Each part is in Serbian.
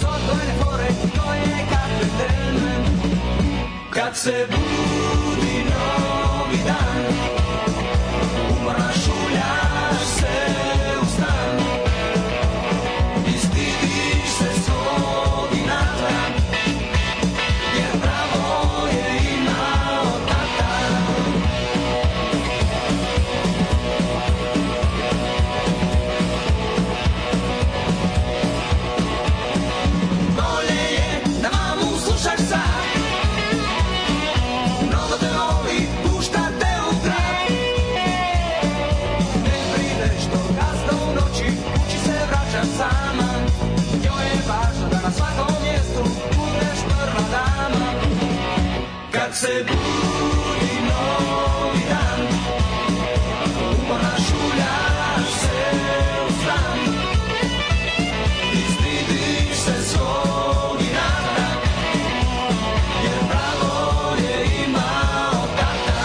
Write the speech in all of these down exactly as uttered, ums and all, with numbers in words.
so, to je fore, to je kapiten. Kad se budi novi dan, umorna šuljaš se u stan i stidiš se svog inata, jer pravo je imao tata. Bolje je da mamu slušaš sad, mnogo te voli, pušta te u trap. Ne brineš do kasno u noći, kući se vraćaš sama. Njoj je važno da na svakom mjestu budeš prva dama. Kad se budi novi dan, umorna šuljaš se u stan i stidiš se svog inata, jer pravo je imao tata.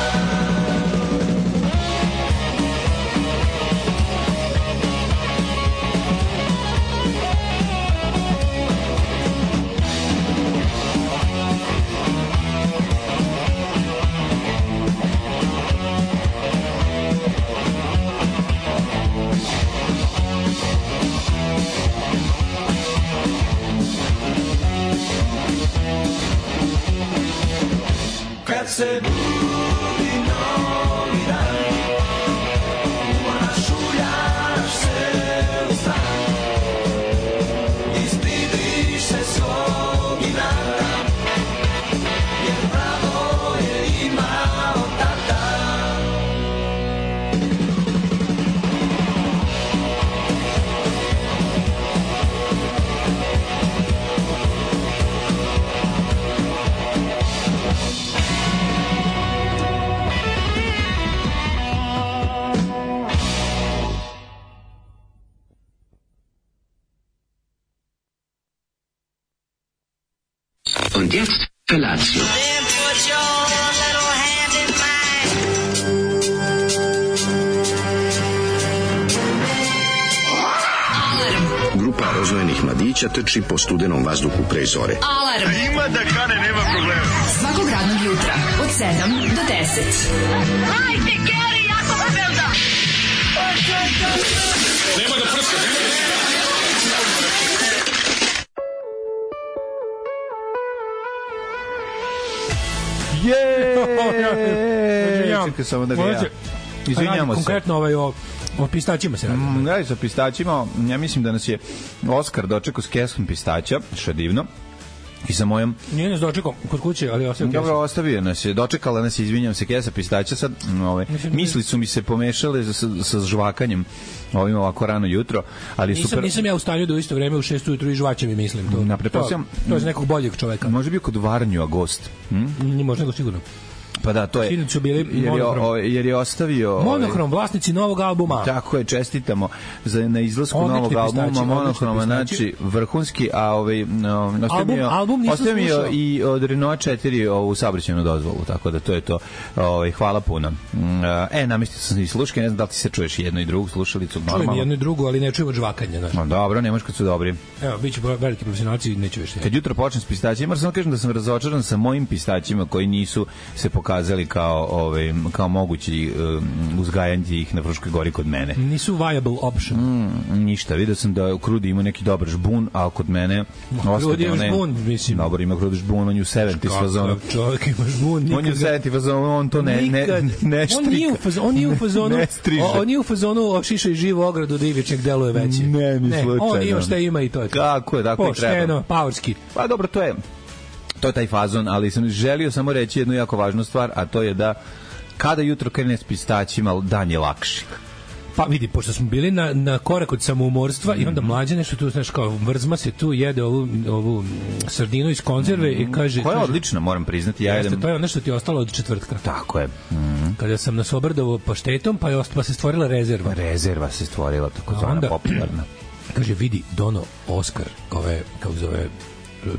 Kad se budi novi dan, umorna šuljaš se u stan i stidiš se svog inata, jer pravo je imao tata. Und jetzt Felatio. Then put your little hand in mine. Grupa rozvojenih mladića trči po studenom vazduhu pre zore. Alarm. Ima da kane, nema problema. Svakog radnog jutra od sedam do deset. Hajde, Geri, jako se velda. Nema da prska, nema da prska. Jeee! Čekaj samo da ga ja... Izvinjamo se. Konkretno ovaj o, o pistaćima se radi. Mm, radi se o pistaćima. Ja mislim da nas je Oskar dočekao s kesom pistaća, što je divno. I sa mojom... Nije nas dočekao kod kuće, ali ostavio Dobro, ostavio nas je. Dočekala nas je, izvinjam se, kesa pistaća. Sad, ove, misli su mi se pomešale sa, sa žvakanjem ovim ovako rano jutro. Ali nisam, super... nisam ja u stanju da u isto vreme u šest ujutru i žvaće mi mislim. To, Na to, to je za nekog boljeg čoveka. Može bio kod Varnju Agost. Hm? Nije možda nego sigurno. Pa da, to je. Sinoć su bili jer je, o, jer je ostavio Monohrom, vlasnici novog albuma. Tako je, čestitamo za na izlasku novog albuma Monohroma, znači vrhunski, a ovaj no, ostavio album, album ostavio i od Renault četiri ovu saobraćajnu dozvolu, tako da to je to. Ovaj hvala puno. E, namestio sam i sluške, ne znam da li ti se čuješ jednu i drugu slušalicu normalno. Čujem jednu i drugu, ali ne čujem od žvakanja, znači. No, dobro, ne možeš kad su dobri. Evo, biće veliki profesionalci, neću više. Kad jutro počnem s pistaćima, samo kažem da sam razočaran sa mojim pistaćima koji nisu se pokazali kao ovaj kao mogući um, uzgajanje ih na Fruškoj gori kod mene. Nisu viable option. Mm, ništa, vidio sam da u Krudi ima neki dobar žbun, a kod mene Krudi je žbun, mislim. Dobro, ima Krudi žbun, on je u sedamdeset fazonu. Čovjek ima žbun, nikad. On je u sedamdeset fazonu, on to ne ne ne štrika. On nije u fazonu, on nije u fazonu. On nije u fazonu ošiša i živu ogradu da ivičnik deluje veći. Ne, ni slučajno. On ima šta ima i to je. Kako je, tako i treba. Pošteno, paorski. Pa dobro, to je to je taj fazon, ali sam želio samo reći jednu jako važnu stvar, a to je da kada jutro krene s pistaćima, dan je lakši. Pa vidi, pošto smo bili na, na korak od samoumorstva mm-hmm. i onda mlađe nešto tu, znaš, kao vrzma se tu jede ovu, ovu sardinu iz konzerve mm-hmm. i kaže... Koja je kaže, odlična, moram priznati. Ja jeste, jedem... to je ono što ti je ostalo od četvrtka. Tako je. Mm-hmm. Kada sam nas obrdovo paštetom, pa, je ost, pa se stvorila rezerva. Rezerva se stvorila, tako zvana onda, popularna. Kaže, vidi, dono Oskar, ove, kako zove,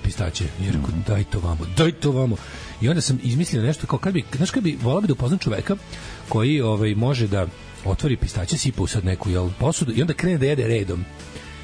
pistaće. Jer mm-hmm. daj to vamo, daj to vamo. I onda sam izmislio nešto, kao kad bi, znaš kad bi, volao bi da upoznam čoveka koji ovaj, može da otvori pistaće, sipa u sad neku jel, posudu i onda krene da jede redom.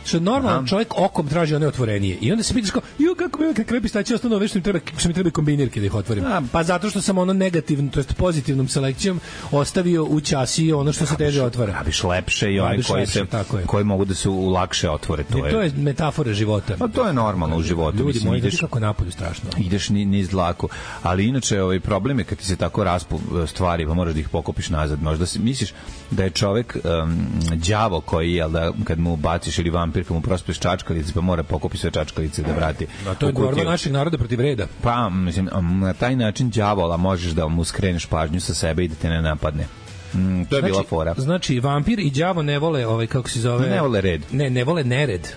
što normalan čovjek okom traži one otvorenije. I onda se pitaš kao, ju kako mi kakve pistaće ostanu ove što mi treba, što mi treba kombinirke da ih otvorim. A, pa zato što sam ono negativno, to jest pozitivnom selekcijom ostavio u ćasi ono što se teže otvara. Praviš lepše i onaj koji se koji mogu da se lakše otvore, to je. To je metafora života. Pa to je normalno u životu. Ljudi moji, ideš kako napolju strašno. Ideš ni niz dlaku, ali inače ovaj problem je kad ti se tako raspu stvari, pa moraš da ih pokopiš nazad. Možda si misliš da je čovek um, đavo koji je da kad mu baciš ili vampir kad mu prospeš čačkalice pa mora pokopiti sve čačkalice da vrati. A to je borba našeg naroda protiv reda. Pa mislim na taj način đavola možeš da mu skreneš pažnju sa sebe i da te ne napadne. Mm, to je znači, bila fora. Znači vampir i đavo ne vole ovaj kako se zove. Ne vole red. Ne, ne vole nered.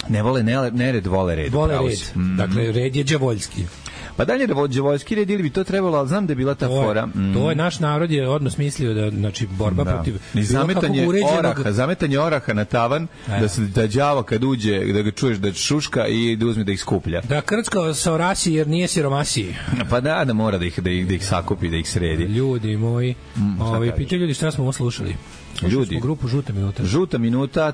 Ne vole ne, nered, vole red. Vole red. Mm. Dakle, red je đavoljski. Pa dalje da đavoljski red ili bi to trebalo, ali znam da je bila ta to fora. Mm. To je naš narod je odnos mislio da znači borba da. protiv i zametanje uređenog... oraha, zametanje oraha na tavan, e. da se da đavo kad uđe, da ga čuješ da šuška i da uzme da ih skuplja. Da krcka sa orasi jer nije siromasi. Pa da, da mora da ih da ih, da ih sakupi, da ih sredi. Ljudi moji, mm, ovi pitaju ljudi šta smo ovo slušali. Ljudi, u grupu Žuta minuta. Žuta minuta,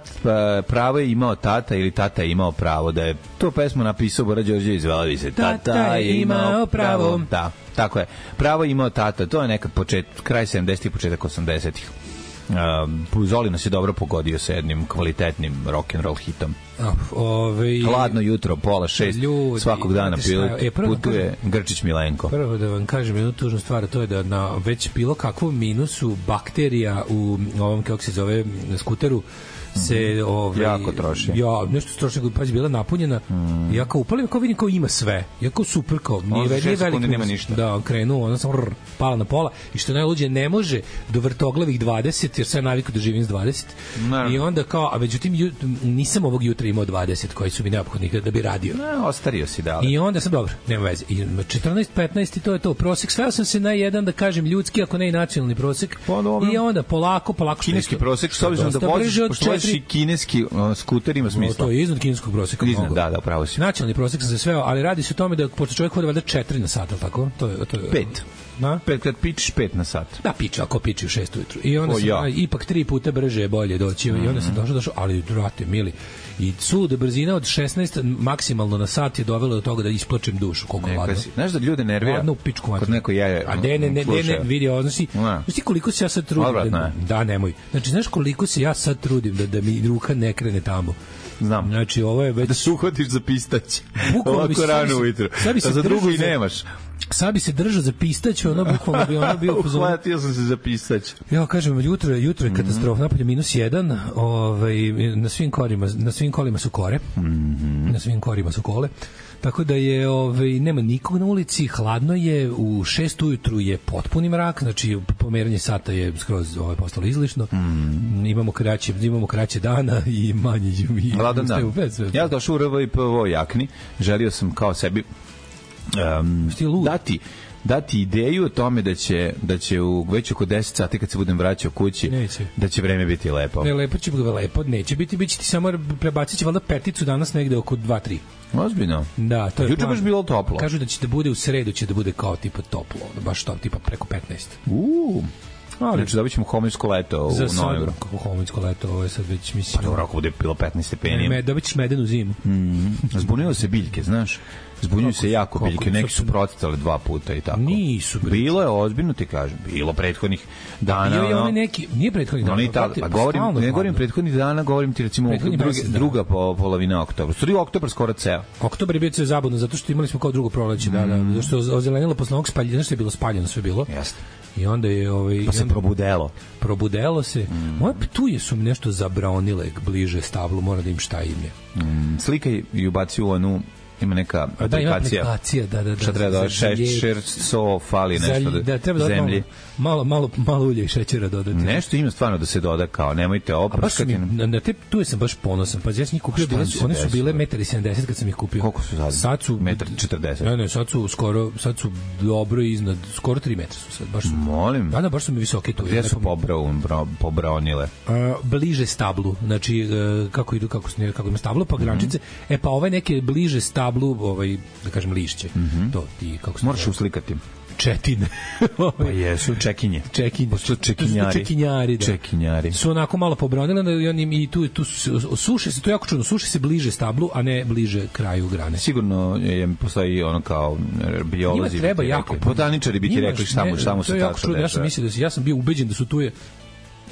pravo je imao tata ili tata je imao pravo, da je to pesmu napisao Bora Đorđević, zvala se Tata, tata je imao pravo. Da, tako je. Pravo je imao tata, to je nekad počet, kraj sedamdesetih, početak osamdesetih. Uh, Zoli nas je dobro pogodio sa jednim kvalitetnim rock and roll hitom. Ove, Hladno jutro, pola šest, ljudi, svakog dana pilot, e, putuje kažem, Grčić Milenko. Prvo da vam kažem jednu tužnu stvar, to je da na već bilo kakvom minusu bakterija u ovom, kako se zove, skuteru se ovaj jako troši. Ja, nešto troši, pazi, bila napunjena. Mm. Ja kao upalim, kao vidim kao ima sve. Ja kao super, kao nije veliki, veliki nema ništa. Da, krenuo, ona sam rr, pala na pola i što najluđe ne može do vrtoglavih dvadeset jer sam navikao da živim s dvadeset. No. I onda kao, a međutim nisam ovog jutra imao dvadeset koji su mi neophodni da bi radio. No, ostario si da. I onda sam dobro, nema veze. I četrnaest petnaest i to je to. Prosek sveo sam se na jedan da kažem ljudski, ako ne i nacionalni prosek. Pa, i onda polako, polako kineski prosek, s obzirom da voziš i kineski uh, skuter ima smisla. No, to je iznad kineskog proseka. Iznad, da, da, pravo si. Nacionalni prosek sam se sveo, ali radi se o tome da pošto čovjek hoda valjda četiri na sat, tako? To je, to je, pet. Na? Pet, kad pičiš pet na sat. Da, piče, ako piči u šest ujutru. I onda o, sam, ja. a, ipak tri puta brže je bolje doći. Mm-hmm. I onda sam došao, došao, ali drate, mili. I suluda brzina od šesnaest maksimalno na sat je dovela do toga da isplačem dušu koliko hladno. Znaš da ljude nervira? Hladno u pičku mater. Kod neko je. A ne, ne, ne, ne, ne vidi, odnosi. Znaš ti koliko se ja sad trudim? Odvrat, da, da, nemoj. Znači, znaš koliko se ja sad trudim da, da mi ruka ne krene tamo. Znam. Znači, ovo je već... Da se uhvatiš za pistać. Ovako rano ujutro. A za drugu i nemaš. Sad bi se držao za pistać, ono bukvalno bi ono bio pozorno. Uhvatio sam se za pistać. Ja kažem, jutro, jutro je katastrofa, napolje minus jedan, ovaj, na svim kolima, na svim kolima su kore, mm-hmm. na svim korima su kole. Tako da je ovaj nema nikog na ulici, hladno je, u šest ujutru je potpuni mrak, znači pomeranje sata je skroz ovaj postalo izlišno. Mm. Imamo kraće, imamo kraće dana i manje i hladan dan. Ja došao u R V I P O jakni, želio sam kao sebi um, dati dati ideju o tome da će da će u već oko deset sati kad se budem vraćao kući neće. Da će vreme biti lepo. Ne, lepo će biti lepo, neće biti, biće ti samo prebacit će valjda peticu danas negde oko dva tri. Ozbiljno. Da, to je. Juče baš bilo toplo. Kažu da će da bude u sredu, će da bude kao tipa toplo, baš to tipa preko petnaest. U. Ali znači dobit ćemo homoljsko leto u novembru. Kako homoljsko leto, ovo je sad već mislim. Pa dobro, ako bude bilo petnaest stepeni. Ne, dobit ćeš medenu zimu. Mm. Zbunilo se biljke, znaš? Zbunjuju se jako biljke, kako, neki su procvetale dva puta i tako. Nisu. Bilo je ozbiljno ti kažem, bilo prethodnih dana. Bio je ono, neki, nije prethodnih dana. Ta, pa govorim, ne govorim prethodnih dana, govorim ti recimo drugi, druga po, polovina oktobra. Stvari oktobar skoro ceo. Oktobar je bio ceo zabavno, zato što imali smo kao drugo proleće, mm. da, da, zato što je ozelenilo posle ovog spaljena, što je bilo spaljeno, sve bilo. Jeste. I onda je ovaj pa se probudelo. Probudelo se. Mm. Moje ptuje su mi nešto zabraonile bliže stablu, mora da im šta im je. Mm. Slika i ubaci u onu ima neka aplikacija. Da, ima aplikacija, da, da, da. Šta treba da šećer, so, fali nešto da, da treba zemlji. Malo, malo, malo ulja i šećera dodati. Nešto ima stvarno da se doda, kao nemojte oprskati. Na, na te tu sam baš ponosan. Pa ja sam ih kupio, bile su, one su bile jedan sedamdeset m kad sam ih kupio. Koliko su sad? Sad su jedan četrdeset. Ne, ne, sad su skoro, sad su dobro iznad, skoro tri metra su sad. Baš su, molim. Da, da, baš su mi visoki tu. Gde su pobrao, pobraonile? Uh, bliže stablu. Znači, uh, kako idu, kako, kako ima stablo, pa grančice. Mm-hmm. E, pa ove neke bliže stablu, ovaj, da kažem, lišće. Mm-hmm. To ti, kako se moraš uslikati. Četine. Pa jesu, čekinje. Čekinje. Pošto čekinjari. Čekinjari, da. Čekinjari. Su onako malo pobronile da i oni i tu tu su- suše se, to je jako čudno, suše se bliže stablu, a ne bliže kraju grane. Sigurno je, postoji ono kao biolozi. Njima treba bi ti jako. rekli. Botaničari bi ti Njima- rekli šta mu, ne, šta mu to se je jako tako čudno, ja sam dešava. mislio da se, ja sam bio ubeđen da su tu je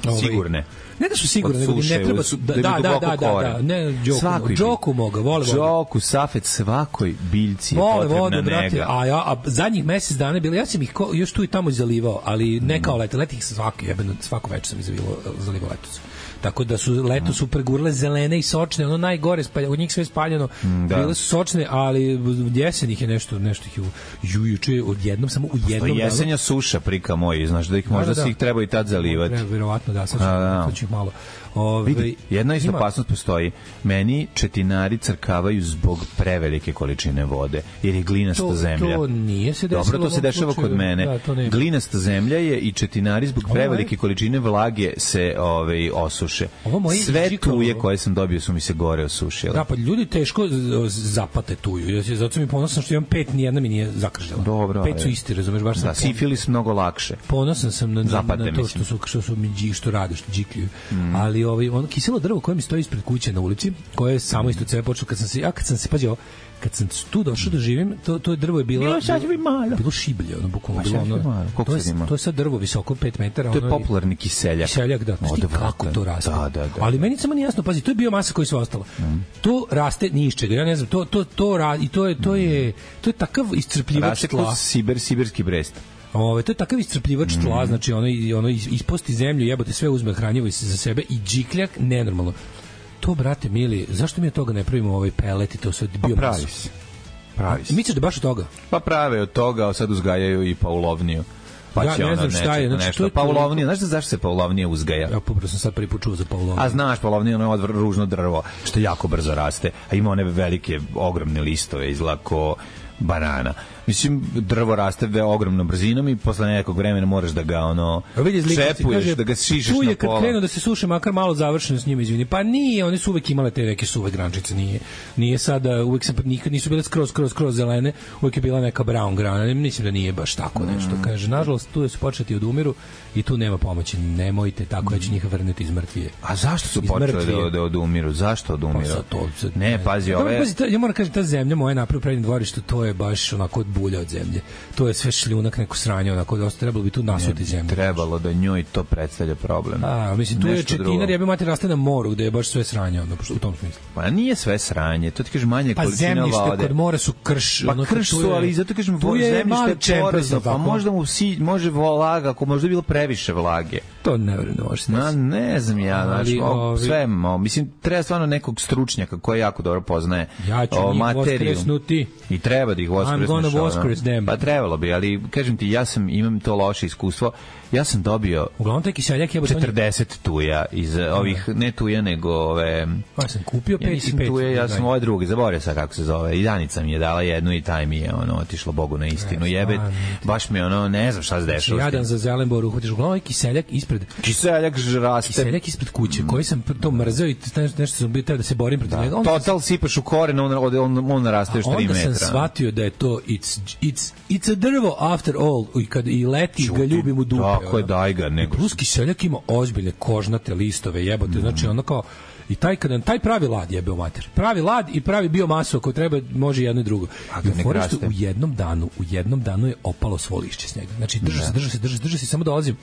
ovaj, Sigurne. Ne da su sigurne, Od nego da suše, ne treba od- su, da da, im da, da, duboko da, da, kore. da, ne, Đoku, Svakoj Đoku moga, vole vodu. Đoku, Safet, svakoj biljci je Vole potrebna vodu, brate, nega. a ja a zadnjih mesec dana je bilo, ja sam ih ko, još tu i tamo zalivao, ali ne kao leto, leti ih svaki, jebeno, svako večer sam ih zalivao, zalivao letos. Tako da su leto su pregurle zelene i sočne, ono najgore, spalja, od njih sve spaljeno, da. bile su sočne, ali jesen ih je nešto, nešto ih je, ju, juče odjednom, samo u To jednom je danu. jesenja suša, prika moji, znaš da ih možda Da, da, da. si ih treba i tad zalivati. Treba, verovatno da, sad ću, A, da. sad ću ih malo. Ove, Vidi, jedna isto ima- opasnost postoji. Meni četinari crkavaju zbog prevelike količine vode, jer je glinasta To- zemlja. to nije se desilo Dobro, to u se ovom dešava slučaju. kod mene. Da, to ne. Glinasta zemlja je i četinari zbog Ovo prevelike je- količine vlage se ovaj, osuše. Ovo moje Sve Žikalo- tuje koje sam dobio su mi se gore osušile. Da, pa ljudi teško z- zapate tuju. Ja se zato sam i ponosan što imam pet, nijedna mi nije zakržala. Dobro, Pet su ali- isti, razumeš, baš sam Da, pon- sifilis mnogo lakše. ponosan sam na, na, Zapate, na to što mislim. su što su mi dži- što rade, što džikljuju. Ali ovaj ono kiselo drvo koje mi stoji ispred kuće na ulici, koje je samo isto cebe počelo kad sam se ja kad sam se pađao kad sam tu došao da živim, to to drvo je bilo Bilo sasvim malo. bilo šiblje, ono bukvalno Pa bilo sasvim ono. malo. Koliko To je, sad ima? to je sad drvo visoko pet metara, To je ono i- popularni kiseljak. Kiseljak, da. Znaš ti Odvratan. kako to raste? Da, da, da. Ali meni samo nije jasno, pazi, to je biomasa koja je sve ostala. To raste ni iz čega. Ja ne znam, to to to ra- i to je to je to je takav iscrpljivač Raste tla. kroz Sibir, sibirski brest. Ove, to je takav iscrpljivač tla, znači ono i ono is- isposti zemlju, jebote sve uzme hranjivo iz- za sebe i džikljak nenormalno. To, brate mili, zašto mi od toga ne pravimo ovaj pelet i to sve Pa biomasu? pravi se. Pravi se. Misliš da baš od toga? Pa prave od toga, a sad uzgajaju i paulovniju. Pa Ja će ne ono znam šta nečega je, znači, nešto. to je to- Paulovnija, znaš da zašto se paulovnija uzgaja? Ja popravo sam sad prvi put čuo za paulovniju. A znaš, paulovnija ono je odvr- ružno drvo, što jako brzo raste, a ima one velike, ogromne listove, izgleda ko banana. Mislim, drvo raste ve ogromnom brzinom i posle nekog vremena moraš da ga ono A vidi zlikovac, čepuješ, kaže, da ga šišeš tu je na kad pola. krenu da se suše, makar malo završeno s njima, izvini. Pa nije, one su uvek imale te neke suve grančice, nije. Nije sada, uvek sam, nikad nisu bile skroz, skroz, skroz zelene, uvek je bila neka brown grana. Ne, mislim da nije baš tako nešto. Kaže, nažalost, tu su početi od umiru i tu nema pomoći. Nemojte tako, ja ću njih vrnuti iz mrtvije. A zašto su Iz počeli mrtvije. da, da odumiru? Zašto odumiru? Pa sad to- sad- ne, pazi, Dobro, ove... pazi, ta- ja moram kažem, ta zemlja moja napravila u prednjem dvorištu, to je baš onako od bulja od zemlje. To je sve šljunak, neko sranje, onako dosta trebalo bi tu nasuti zemlju. trebalo da njoj to predstavlja problem. A, mislim, tu je Nešto drugo. četinar, ja bi mati raste na moru, gde je baš sve sranje, ono, u tom smislu. Pa nije sve sranje, to ti kažeš manje Pa količina zemljište vode. kod mora su krš. Pa ono, krš tu su, je- ali zato kažem, tu je zemljište mali je čemper, porozno, tako. pa možda mu si, može vlaga, ako možda je bilo previše vlage. To ne verujem da može se Na, desiti. ne znam ja, znači, Ali, o, ovi- sve, mo, mislim, treba stvarno nekog stručnjaka koji jako dobro poznaje Ja ću o, njih materiju. voskresnuti. I treba da ih I'm voskresneš. gonna ono. voskres them. Pa trebalo bi, ali kažem ti, ja sam, imam to loše iskustvo. Ja sam dobio Uglavnom, taj kiseljak je... četrdeset tuja iz ovih, ne tuja, nego ove... Pa sam kupio Ja pet i nisam pet. tuje, ja da. sam ovaj drugi, zaboravio sam kako se zove. I Danica mi je dala jednu i taj mi je ono otišlo Bogu na istinu. E, Jebet, stvarno. baš mi je ono, ne znam šta se Znači, dešava. s jadan tim. za Zelenboru, uhvatiš uglavnom ovaj kiseljak ispred Kiseljak raste. kiseljak ispred kuće, koji sam to mrzeo i nešto, nešto sam bio teo da se borim protiv njega. Onda sam- Total sipaš u koren, on, on, on, on naraste još tri onda metra. sam shvatio da je to it's, it's, it's a drvo after all i kad i leti ga ljubim u dupe. Tako je, ono. daj ga, nego. Plus kiseljak ima ozbiljne kožnate listove, jebote, znači ono kao i taj kada taj pravi lad jebe u mater. Pravi lad i pravi biomasu ako treba može jedno i drugo. A I kad u ne forištu raste? u jednom danu, u jednom danu je opalo svo lišće s njega. Znači drži se, drži se, drži se, drži se, samo dolazim.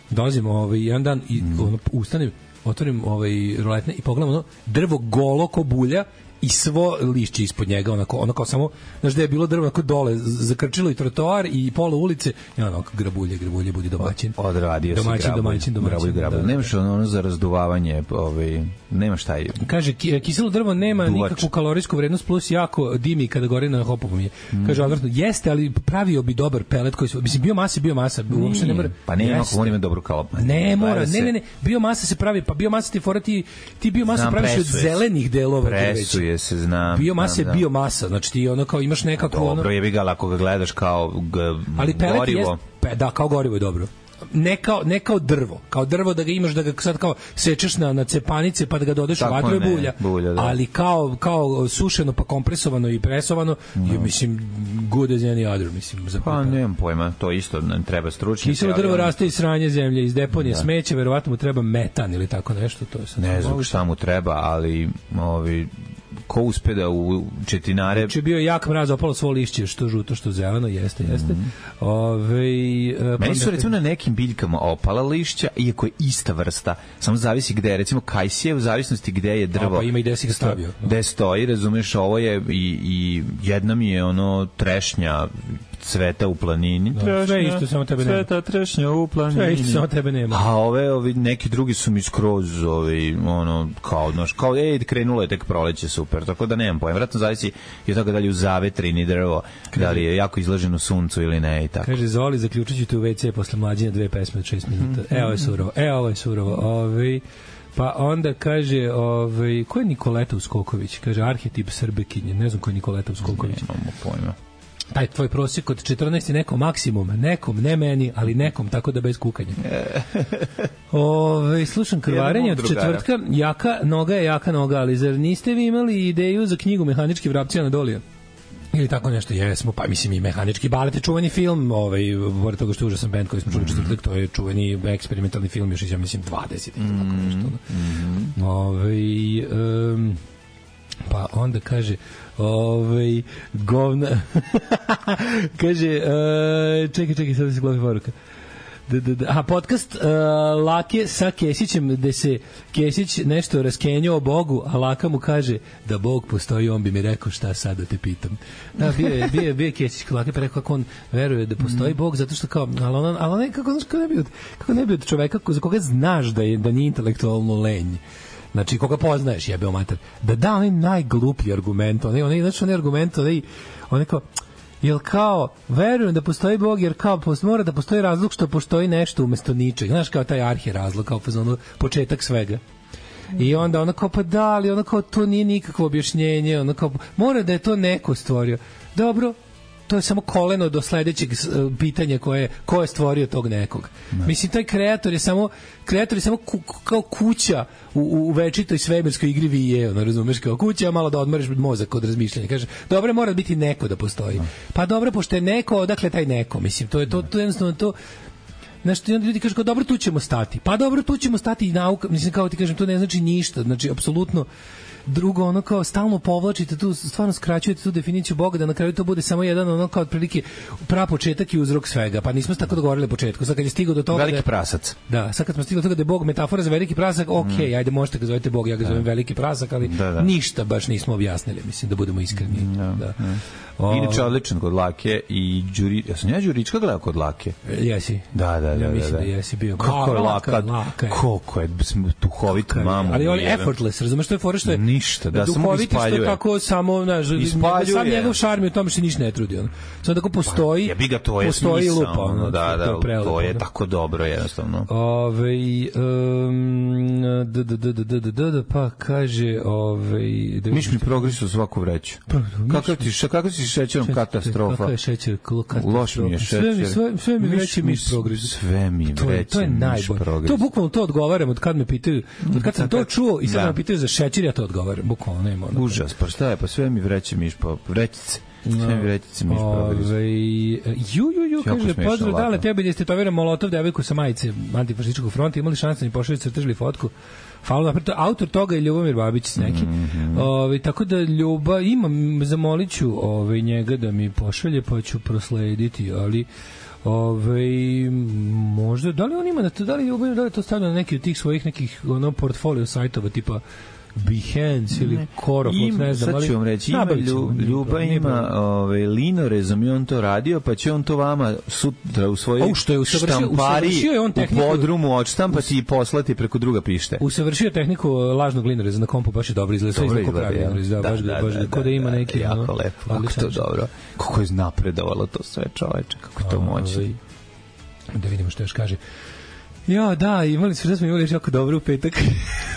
Dolazim ovaj jedan dan i ono ustanem, otvorim ovaj roletne i pogledam ono drvo golo ko bulja i svo lišće ispod njega, onako, onako samo, znaš da je bilo drvo onako dole, zakrčilo i trotoar i pola ulice, i onako grabulje, grabulje, budi domaćin. Odradio si domaćin, grabulj. domaćin, domaćin, Grabulj, grabulj. da, da. Nemaš ono, ono za razduvavanje, ovaj, nemaš taj... Kaže, ki- kiselo drvo nema Duvač. nikakvu kalorijsku vrednost, plus jako dimi kada gori na hopovom je. Kaže, odvrtno, jeste, ali pravio bi dobar pelet koji su, mislim, biomasa je biomasa, uopšte ne mora. Pa nema, Jeste. ako on ima dobru kalop. Ne mora, Gleda se- ne, ne, ne, biomasa se pravi, pa biomasa ti fora ti, ti biomasa Znam, praviš od presuje se. zelenih delova drveća. Presuje se, znam. Biomasa znam, je znam. biomasa, znači ti ono kao imaš nekako ono, Dobro, jebi ga, ali ako ga gledaš kao g, ali pelet gorivo. je, pe, da, kao gorivo je dobro. ne kao, ne kao drvo, kao drvo da ga imaš, da ga sad kao sečeš na, na cepanice pa da ga dodaš u vatru je bulja, bulja da. Ali kao, kao sušeno pa kompresovano i presovano no. je, mislim, good as any other, mislim. Za pa nemam pojma, to isto nam treba stručnjaci. Kiselo drvo ali... raste iz sranje zemlje, iz deponije da. Smeće, verovatno mu treba metan ili tako nešto. To je sad ne znam šta mu treba, ali ovi ko uspe da u četinare... Znači bio jak mraz, opalo svo lišće, što žuto, što zeleno, jeste, jeste. Mm. Ove, uh, Meni su recimo na nekim biljkama opala lišća, iako je ista vrsta, samo zavisi gde je, recimo kajsije, u zavisnosti gde je drvo. A, pa ima i gde si ga stavio. Gde stoji, razumeš, ovo je i, i jedna mi je ono trešnja cveta u planini. Da, trešnja, sve isto, samo tebe nema. Cveta trešnja u planini. Sve isto, samo tebe nema. A ove, ovi, neki drugi su mi skroz, ovi, ono, kao, znaš, kao, ej, krenulo je tek proleće, super, tako da nemam pojma. Vratno zavisi i od toga da li u zavetrini drvo, kaže, da li je jako izloženo suncu ili ne i tako. Kaže, Zoli, zaključit ću te u ve ce posle mlađenja dve pesme od šest minuta. Mm-hmm. Evo je surovo, evo je surovo. Ovi, pa onda kaže, ovaj, ko je Nikoleta Uskoković? Kaže, arhetip Srbekinje. Ne znam ko je Nikoleta Uskoković. Nemamo pojma. Taj tvoj prosjek od četrnaest je nekom maksimum, nekom, ne meni, ali nekom, tako da bez kukanja. Ove, slušam krvarenje od četvrtka, jaka noga je jaka noga, ali zar niste vi imali ideju za knjigu Mehanički vrapci Anadolija? Ili tako nešto, jesmo, pa mislim i Mehanički balet je čuveni film, ovaj, pored toga što je užasan band koji smo čuli mm. četvrtak, to je čuveni eksperimentalni film, još ja mislim dvadeset mm. tako nešto. Mm. Ove, um, pa onda kaže ovaj govna kaže uh, čekaj čekaj sad se glavi poruka da, da, da. Aha, podcast uh, Lake sa Kesićem gde se Kesić nešto raskenjao Bogu, a Laka mu kaže da Bog postoji, on bi mi rekao šta sad da te pitam. Da, bio je, bio je, bio je Kesić Lake pa rekao kako on veruje da postoji mm. Bog, zato što kao, ali on, ali on kako, kako, ne bi od, kako ne bi od čoveka za koga znaš da, je, da nije intelektualno lenj, znači koga poznaješ, jebeo mater, da da onaj najgluplji argument, onaj, onaj, znači onaj argument, onaj, onaj kao, jel kao, verujem da postoji Bog, jer kao, mora da postoji razlog što postoji nešto umesto ničeg, znaš, kao taj arhi razlog, kao ono, početak svega. I onda ona kao, pa da, ali ona kao, to nije nikakvo objašnjenje, ona kao, mora da je to neko stvorio. Dobro, to je samo koleno do sledećeg pitanja koje ko je stvorio tog nekog. Ne. Mislim, taj kreator je samo kreator je samo ku, kao kuća u, u večitoj svemirskoj igri vije, ono, razumeš, kao kuća, malo da odmoriš mozak od razmišljanja. Kaže, dobro, mora biti neko da postoji. Ne. Pa dobro, pošto je neko, odakle taj neko? Mislim, to je to, to jednostavno to. Znači, onda ljudi kažu, kao, dobro, tu ćemo stati. Pa dobro, tu ćemo stati i nauka. Mislim, kao ti kažem, to ne znači ništa. Znači, apsolutno. Drugo, ono kao stalno povlačite tu, stvarno skraćujete tu definiciju Boga, da na kraju to bude samo jedan ono kao otprilike prapočetak i uzrok svega. Pa nismo se tako dogovorili na početku. Sad kad je stigao do toga veliki da je, prasac. Da, sad kad smo stigli do toga da je Bog metafora za veliki prasak, okej, okay, ajde možete ga zovete Bog, ja ga zovem veliki prasak, ali da, da. ništa baš nismo objasnili, mislim, da budemo iskreni. Da. da. O, inače odličan kod Lake i Đuri, ja sam ja Đurička gledao kod Lake. Jesi. Da, da, da. Ja mislim da, da jesi bio. Kako je Laka, koliko je duhovit mamu. Ali on je effortless, razumeš što je fora što je ništa, da samo ispaljuje. Tako samo, znaš, sam njegov šarm u tome se ništa ne trudi. On. Samo tako postoji, ja bi ga to je postoji smisao, lupa. Ono, da, da, to je, prelepo, to je tako dobro, jednostavno. Ove, um, d, d, d, d, d, d, d, pa kaže... Ove, da Miš mi progresu svaku vreću. Kakav ti, kakav si šećerom katastrofa? Kakav je šećer katastrofa? Loš mi je šećer. Sve mi, sve, sve mi vreće miš progresu. Sve mi vreće miš progresu. To bukvalno to odgovaram od kad me pitaju, od kad sam to čuo i sad me pitaju za šećer, ja to odgovaram. Bukvalno nema. Užas, pa šta je, pa sve mi vreće miš po vrećice. Sve mi vrećice miš progresu. Ju, ju, ju, kaže, pozdrav, dale, tebi da ste toviram Molotov devojku sa majice antifašističkog fronta, imali šanse da mi pošalju crtežili fotku. Hvala, autor toga je Ljubomir Babić s neki. Mm-hmm. Ove, tako da Ljuba, imam, zamolit ću ove, njega da mi pošalje, pa ću proslediti, ali ove, možda, da li on ima, da li Ljubomir, da li to stavlja na neki od tih svojih nekih ono, portfolio sajtova, tipa Behance ili Korofot, ne znam, ali... Sad ću vam reći, ima lju, Ljuba ima ovaj, linorezom i on to radio, pa će on to vama sutra u svojoj štampari u podrumu odštampati i poslati preko druga pište. Usavršio tehniku lažnog linoreza na kompu, baš je dobro izgleda. Sve izgleda pravilno. Da, baš da, baš da, ko da ima neki... Jako lepo, kako to dobro. Kako je napredovalo to sve, čoveče, kako to moći. Da vidimo što još kaže. Ja, da, imali smo, smo imali jako dobro u petak.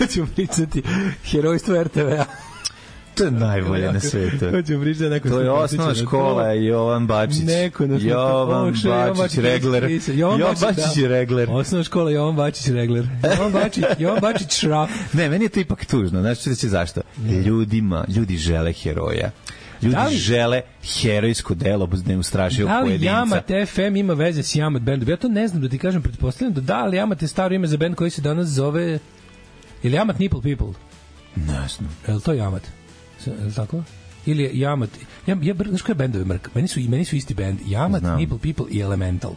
Ćemo pričati herojstvo er te ve a. To je najbolje na svetu. Hoćemo pričati da neko To je se osnovna podsjeća na škola to. Jovan Bačić. Neko nas Jovan pokušao, Jovan Bačić, Bačić Regler. Jovan Jovan Bačić, Bačić da. i Regler. Osnovna škola Jovan Bačić Regler. Jovan Bačić, Jovan Bačić Šraf. Ne, meni je to ipak tužno. Znaš će zašto? Ljudima, ljudi žele heroja. Ljudi Da li- žele herojsko delo bez neustrašivog Da li pojedinca. Jamat F M ima veze s Jamat bandom? Ja to ne znam da ti kažem, pretpostavljam da da, ali Jamat je staro ime za band koji se danas zove... Ili Jamat Nipple People? Ne znam. Je li to Jamat? Je li tako? Ili je Jamat... Ja, ja, znaš koje bendove mrk? Meni su, meni su isti band. Jamat, Znam. Nipple People i Elemental.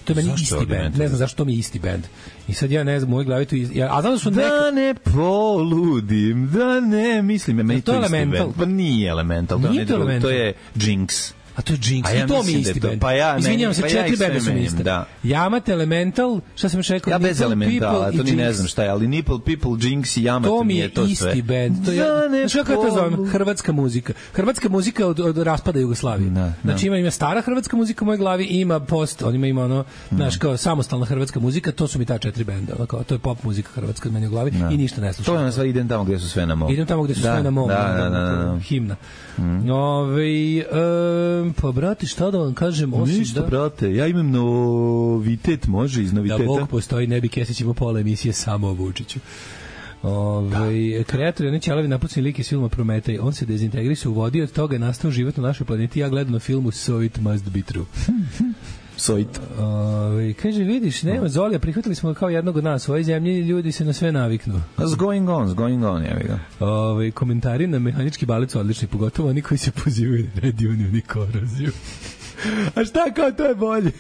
To je meni Zašto isti Elemental? band. Ne znam zašto mi je isti band. I sad ja ne znam, u mojoj glavi tu... Iz... Ja, a znam da su neka... Da ne poludim, da ne mislim, meni Je to to isti Elemental? band. Pa nije Elemental, to, Nije ne to drugo, to Elemental. je Jinx. A to je Jinx. A ja I to mi mislim je da je isti to- band. pa ja ne- Izvinjavam se, pa ja četiri ih sve benda su mi menjam, iste. da. Jamat, Elemental, šta sam još rekao? Ja bez Nipple Elementala, People to ni i ne Jinx. znam šta je, ali Nipple People, Jinx i Jamat To mi mi je je to isti sve. bend. To je, Da ne znaš kako ja to zovem? polu- Hrvatska muzika. Hrvatska muzika od, od raspada Jugoslavije. Da, da. Znači ima, ima stara hrvatska muzika u mojoj glavi i ima post, on ima, ima ono, znaš, kao samostalna hrvatska muzika, to su mi ta četiri benda. Ono, kao, to je pop muzika hrvatska od meni u glavi i ništa ne slušam. To je na sve, idem tamo gde su sve na mom. Idem tamo gde su Da, sve na mom. Da, da, ono, da, da, da. Himna. Mm. Ove, e, pa, brati, šta da vam kažem? Osim Ništa, da, brate, ja imam novitet, može iz da noviteta. Bog postoji, ne bi Kesić imao pola emisije samo o Vučiću. Ove, kreator je Ćelavi napucni lik iz filma Prometej. On se dezintegrisao u vodi i od toga je nastao život na našoj planeti. Ja gledam na filmu So It Must Be True. Sojit. Ove, kaže, vidiš, nema Zolija, prihvatili smo ga kao jednog od nas. U ovoj zemlji ljudi se na sve naviknu. What's going on, what's going on, ja ga. Ove, komentari na mehanički balet su odlični, pogotovo oni koji se pozivaju na radioniju ni koroziju. A šta kao, to je bolje.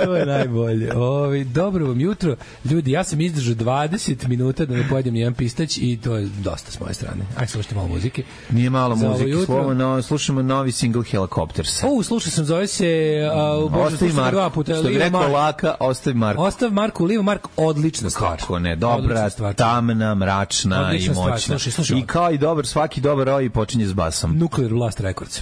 To je najbolje. Ovi, dobro vam jutro. Ljudi, ja sam izdržao dvadeset minuta da ne pojedem nijedan pistać i to je dosta s moje strane. Ajde, slušajte malo muzike. Nije malo Za ovo muzike, jutro. slovo, no, slušamo novi single Helicopters. O, slušao sam, zove se... A, Bože, Ostavi slušao sam Mark, dva puta. što bi Liva rekao Mark. Laka, ostavi Mark. Ostav Marku, Liva Mark, odlična stvar. Kako ne, dobra, Odlična stvar. tamna, mračna Odlična i stvar, moćna. slušaj, slušaj I ovo. kao i dobar, svaki dobar roj počinje s basom. Nuclear Blast Records.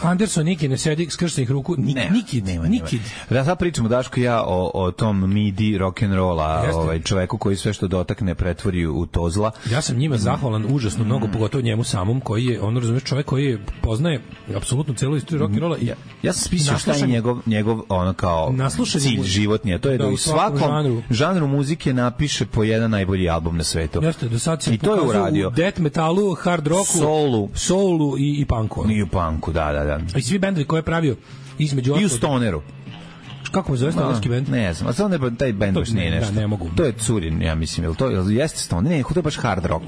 Anderson Niki ne sedi skrštenih ruku. Nik, Ne, nikid, nema, nema. nikid. Da, sad pričamo, Daško i ja, o, o tom midi rock'n'rolla, Jeste. ovaj, čoveku koji sve što dotakne pretvori u tozla. Ja sam njima zahvalan užasno mnogo, pogotovo njemu samom, koji je, on razumeš, čovjek koji je, poznaje apsolutno celu istoriju rock'n'rolla i Ja sam spisao šta je naslušan- njegov, njegov ono kao Naslušan je cilj mu- životni, a to je da, da, u u svakom svakom žanru. žanru muzike napiše po jedan najbolji album na svetu. Jeste, do sad se I to je pokazao uradio. u death metalu, hard rocku, Soulu. soulu i, i punku. I u punku, da, da, da. I svi bendovi koje je pravio između I u ostalog- stoneru. Kako mu zove stonerski bend? Ne znam, a samo ne, taj bend To baš ne, nije da, nešto. ne mogu. To je Curin, ja mislim, jel to jel jeste stoner? Ne, to je baš hard rock,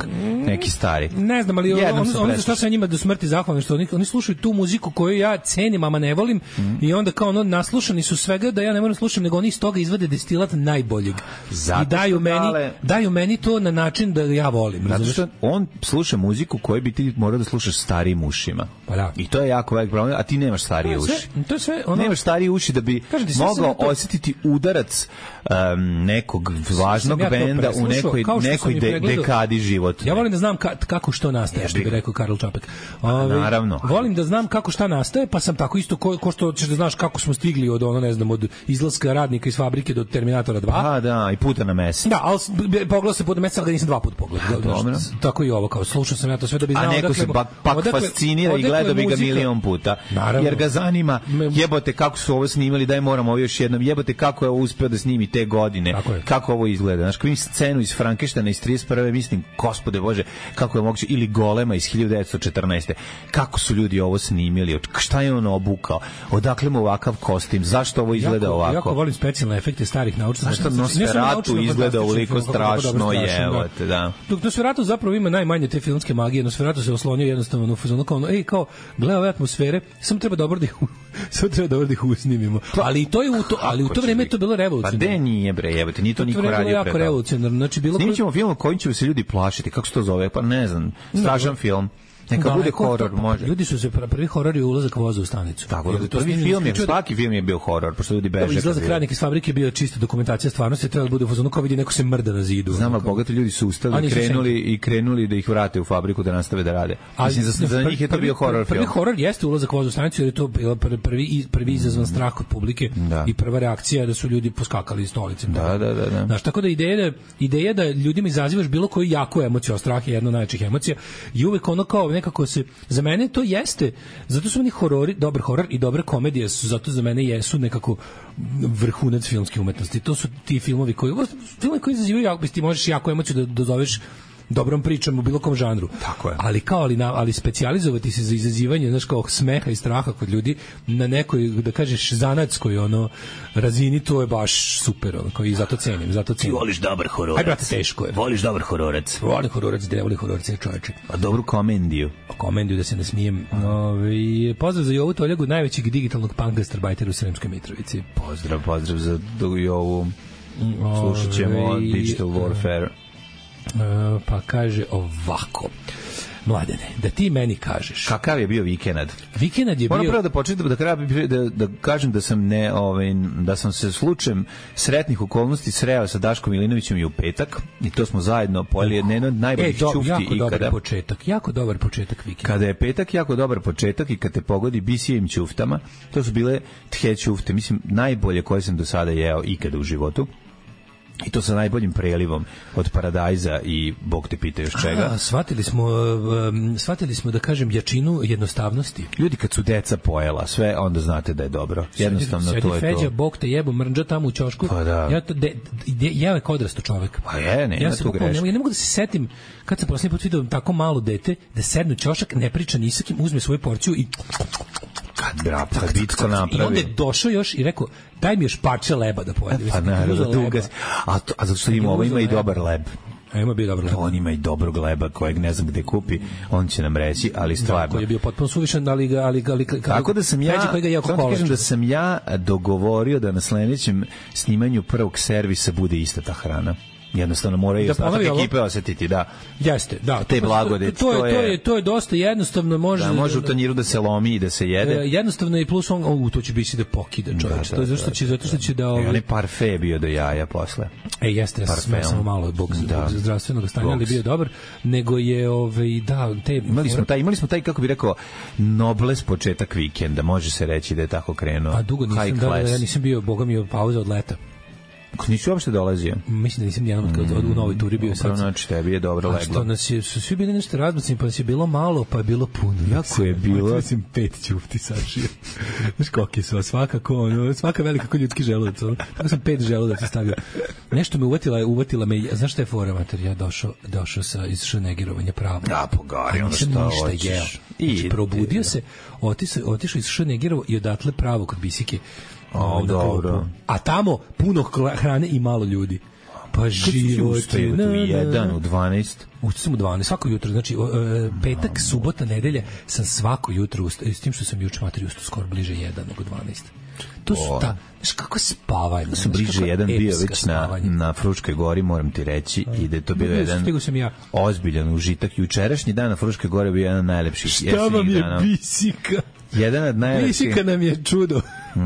neki stari. Ne znam, ali Jednom on, sam on, za šta preslušao. sam njima do smrti zahvalan, što oni, oni slušaju tu muziku koju ja cenim, ama ne volim, Mhm. i onda kao ono, naslušani su svega da ja ne moram da slušam, nego oni iz toga izvade destilat najboljeg. Zato I daju što meni, dale- daju meni to na način da ja volim. Zato razumeš? što on sluša muziku koju bi ti morao da slušaš starijim ušima. Pa da. I to je jako velik problem, a ti nemaš starije To je sve- uši. to je sve ono- Nemaš starije uši da bi Kažem ti, sve mogao sam ja to- osjetiti udarac um, nekog važnog sam ja to benda u preslušao, nekoj, kao što sam nekoj i de, pregledao. dekadi života. Ja volim da znam ka, kako što nastaje, što bi rekao Karl Čapek. Ove, naravno. Volim da znam kako šta nastaje, pa sam tako isto ko, ko što ćeš da znaš kako smo stigli od ono, ne znam, od izlaska radnika iz fabrike do Terminatora dva. A, da, i puta na mesec. Da, ali s- b- pogledao se pod mesec, ali ga nisam dva puta pogledao. A, dobro. Znaš, tako i ovo, kao slušao sam ja to sve da bi znao. A neko odakle se mu- pak, pak odakle- fascinira i odakle gleda bi ga muzika. milion puta. Naravno. Jer ga zanima, Me- jebote kako su ovo snimali, daj moramo ovo još jednom, jebote kako je ovo uspeo da snimi te godine, Tako je. kako ovo izgleda. Znaš, kako vidim scenu iz Frankensteina iz trideset prve mislim, gospode Bože, kako je moguće, ili Golema iz hiljadu devetsto četrnaeste kako su ljudi ovo snimili, od- šta je on obukao, odakle mu ovakav kostim, zašto ovo izgleda jako, ovako. Jako volim specijalne efekte starih naučnih. Zašto Ne samo Nosferatu naučno, izgleda fantastično ovoliko film, kako dobro, strašno, strašno, jevote, da. Dok Nosferatu zapravo ima najmanje te filmske magije. Nosferatu se oslonio jednostavno u fazonu kao ono, ej, kao, gle ove atmosfere, samo treba dobro da ih, samo treba dobro da ih usnimimo. Ali i to je u to, ali u to vreme je to bilo Pa revolucionarno. de nije bre, jebote, nije to To niko je bilo radio jako pre toga. revolucionarno. Znači, bilo Snimit ko- ćemo film kojim će se ljudi plašiti, kako se to zove, pa ne znam, strašan film. Neka Da, bude neko- horor, pa, može. Ljudi su se pr- prvi horor je ulazak voza u stanicu. Tako Jer da, to prvi snimljeno film je, isključivo da- svaki film je bio horor, pošto ljudi beže. Dobro, izlazak kad vide. radnika iz fabrike je bio čisto dokumentacija stvarnosti, trebalo da bude u fazonu kao vidi neko se mrda na zidu. Znam, ono ali kao- bogati ljudi su A ustali, nisu krenuli i krenuli da ih vrate u fabriku da nastave da rade. Ali Mislim, za, za njih je to prvi- bio horor prvi film. horor jeste ulazak voza u stanicu jer je to bila pr- prvi prvi izazvan strah kod publike Da. i prva reakcija da su ljudi poskakali iz stolice. Da, da, da, da. Znaš, tako da ideja da ideja da ljudima izazivaš bilo koju jaku emociju, a strah je jedna od najjačih emocija, i uvek ono kao nekako se, za mene to jeste, zato su oni horori, dobar horor i dobra komedija su, zato za mene jesu nekako vrhunac filmske umetnosti. To su ti filmovi koji, filmovi koji izazivaju, jako, ti možeš jako emociju da dozoveš dobrom pričom u bilo kom žanru. Tako je. Ali kao ali, na, ali specijalizovati se za izazivanje, znaš, kao smeha i straha kod ljudi na nekoj, da kažeš, zanatskoj ono razini, to je baš super, ono, kao i zato cenim, zato cenim. Ti voliš dobar hororac. Aj, brate, teško je. Voliš dobar hororac. Volim hororac, gde ne voli hororac, je čoveče. A dobru komendiju. Komendiju da se ne smijem. Ove, pozdrav za Jovu Toljagu, najvećeg digitalnog punk gastarbajtera u Sremskoj Mitrovici. Pozdrav, pozdrav za Jovu. Slušat ćemo Digital Warfare. Uh, pa kaže ovako: Mladene, da ti meni kažeš kakav je bio vikend. Vikend je Moram bio. prvo da počnem da kraja da, da kažem da sam ne ovaj da sam se slučajem sretnih okolnosti sreo sa Daškom Milinovićem i u petak i to smo zajedno pojeli jedno od najboljih e, do, ćufti jako ikada. Dobar početak, jako dobar početak vikenda. Kada je petak jako dobar početak i kad te pogodi B C M ćuftama, to su bile the ćufte, mislim najbolje koje sam do sada jeo ikada u životu. I to sa najboljim prelivom od paradajza i Bog te pita još čega. A, shvatili smo, um, shvatili smo da kažem jačinu jednostavnosti. Ljudi kad su deca pojela sve, onda znate da je dobro. Jednostavno sedi, to je Feđa, to. Bog te jebo, mrnđa tamo u ćošku. Pa da. Ja to de, de, ja je kao odrasto čovek. Pa je, ne, ja tu bukvalno, greška. ja ne mogu da se setim kad sam posljednji put vidio tako malo dete da sedne u ćošak, ne priča ni sa kim, uzme svoju porciju i kad brap, kad bitko napravi. I onda je došao još i rekao, daj mi još parče leba da pojedem. Pa naravno, duga. A, to, a zato što ima, ovo ima i dobar leb. A ima bio dobar leb. On ima i dobrog leba kojeg ne znam gde kupi, on će nam reći, ali stvarno. Koji je bio potpuno suvišan, ali ga... Ali, ali, ali, tako da sam ja, samo kažem da sam ja dogovorio da na sledećem snimanju prvog servisa bude ista ta hrana. Jednostavno moraju da ostatak ekipe osetiti, da. Jeste, da. Te blagodeti, to, to, je, to, je, to je dosta jednostavno, može... Da, može u tanjiru da se lomi i da se jede. E, jednostavno i plus on, o, to će biti da pokida čovječ. Da, da, to je zašto će, zato što će da... Ovaj... E, on je parfe bio do jaja posle. E, jeste, ja sam samo malo bog da. zdravstvenog stanja, ali bio dobar, nego je, ovaj, da, te... Imali smo taj, imali smo taj, kako bi rekao, nobles početak vikenda, može se reći da je tako krenuo. A dugo nisam, da, da, ja nisam bio, boga mi je pauza od leta. Nisi uopšte dolazio? Mislim da nisam nijednom od, od, u novoj turi bio sad. Znači, tebi je dobro leglo. A što nas je, su svi bili nešto razbacni, pa nas je bilo malo, pa je bilo puno. Jako je bilo. Ja sam pet ćufti sašio. Znaš koliko su, svakako, ono, svaka velika ko ljudski želudac. Tako sam pet želudaca stavio. Nešto me uvatila, uvatila me, znaš šta je fora, mater, ja došao, došao sa iz šanegirovanja pravo. Da, pogari, ono što hoćeš. Jeo. Znači, probudio se, otišao, otišao iz šanegirovo i odatle pravo kod bisike. O, dobro. A tamo puno hrane i malo ljudi. Pa život je... U jedan, u dvanaest. Ustao sam u dvanaest, svako jutro. Znači, petak, subota, nedelja sam svako jutro ustao. S tim što sam juče materi ustao skoro bliže jedan nego dvanaest. To su ta... Znaš kako spavanje. Da sam bliže jedan bio već na, na Fruškoj gori, moram ti reći. I da je to bio jedan ozbiljan užitak. Jučerašnji dan na Fruškoj gori bio jedan najlepših. Šta vam je bisika? Jedan od najlepših. Bisika nam je čudo.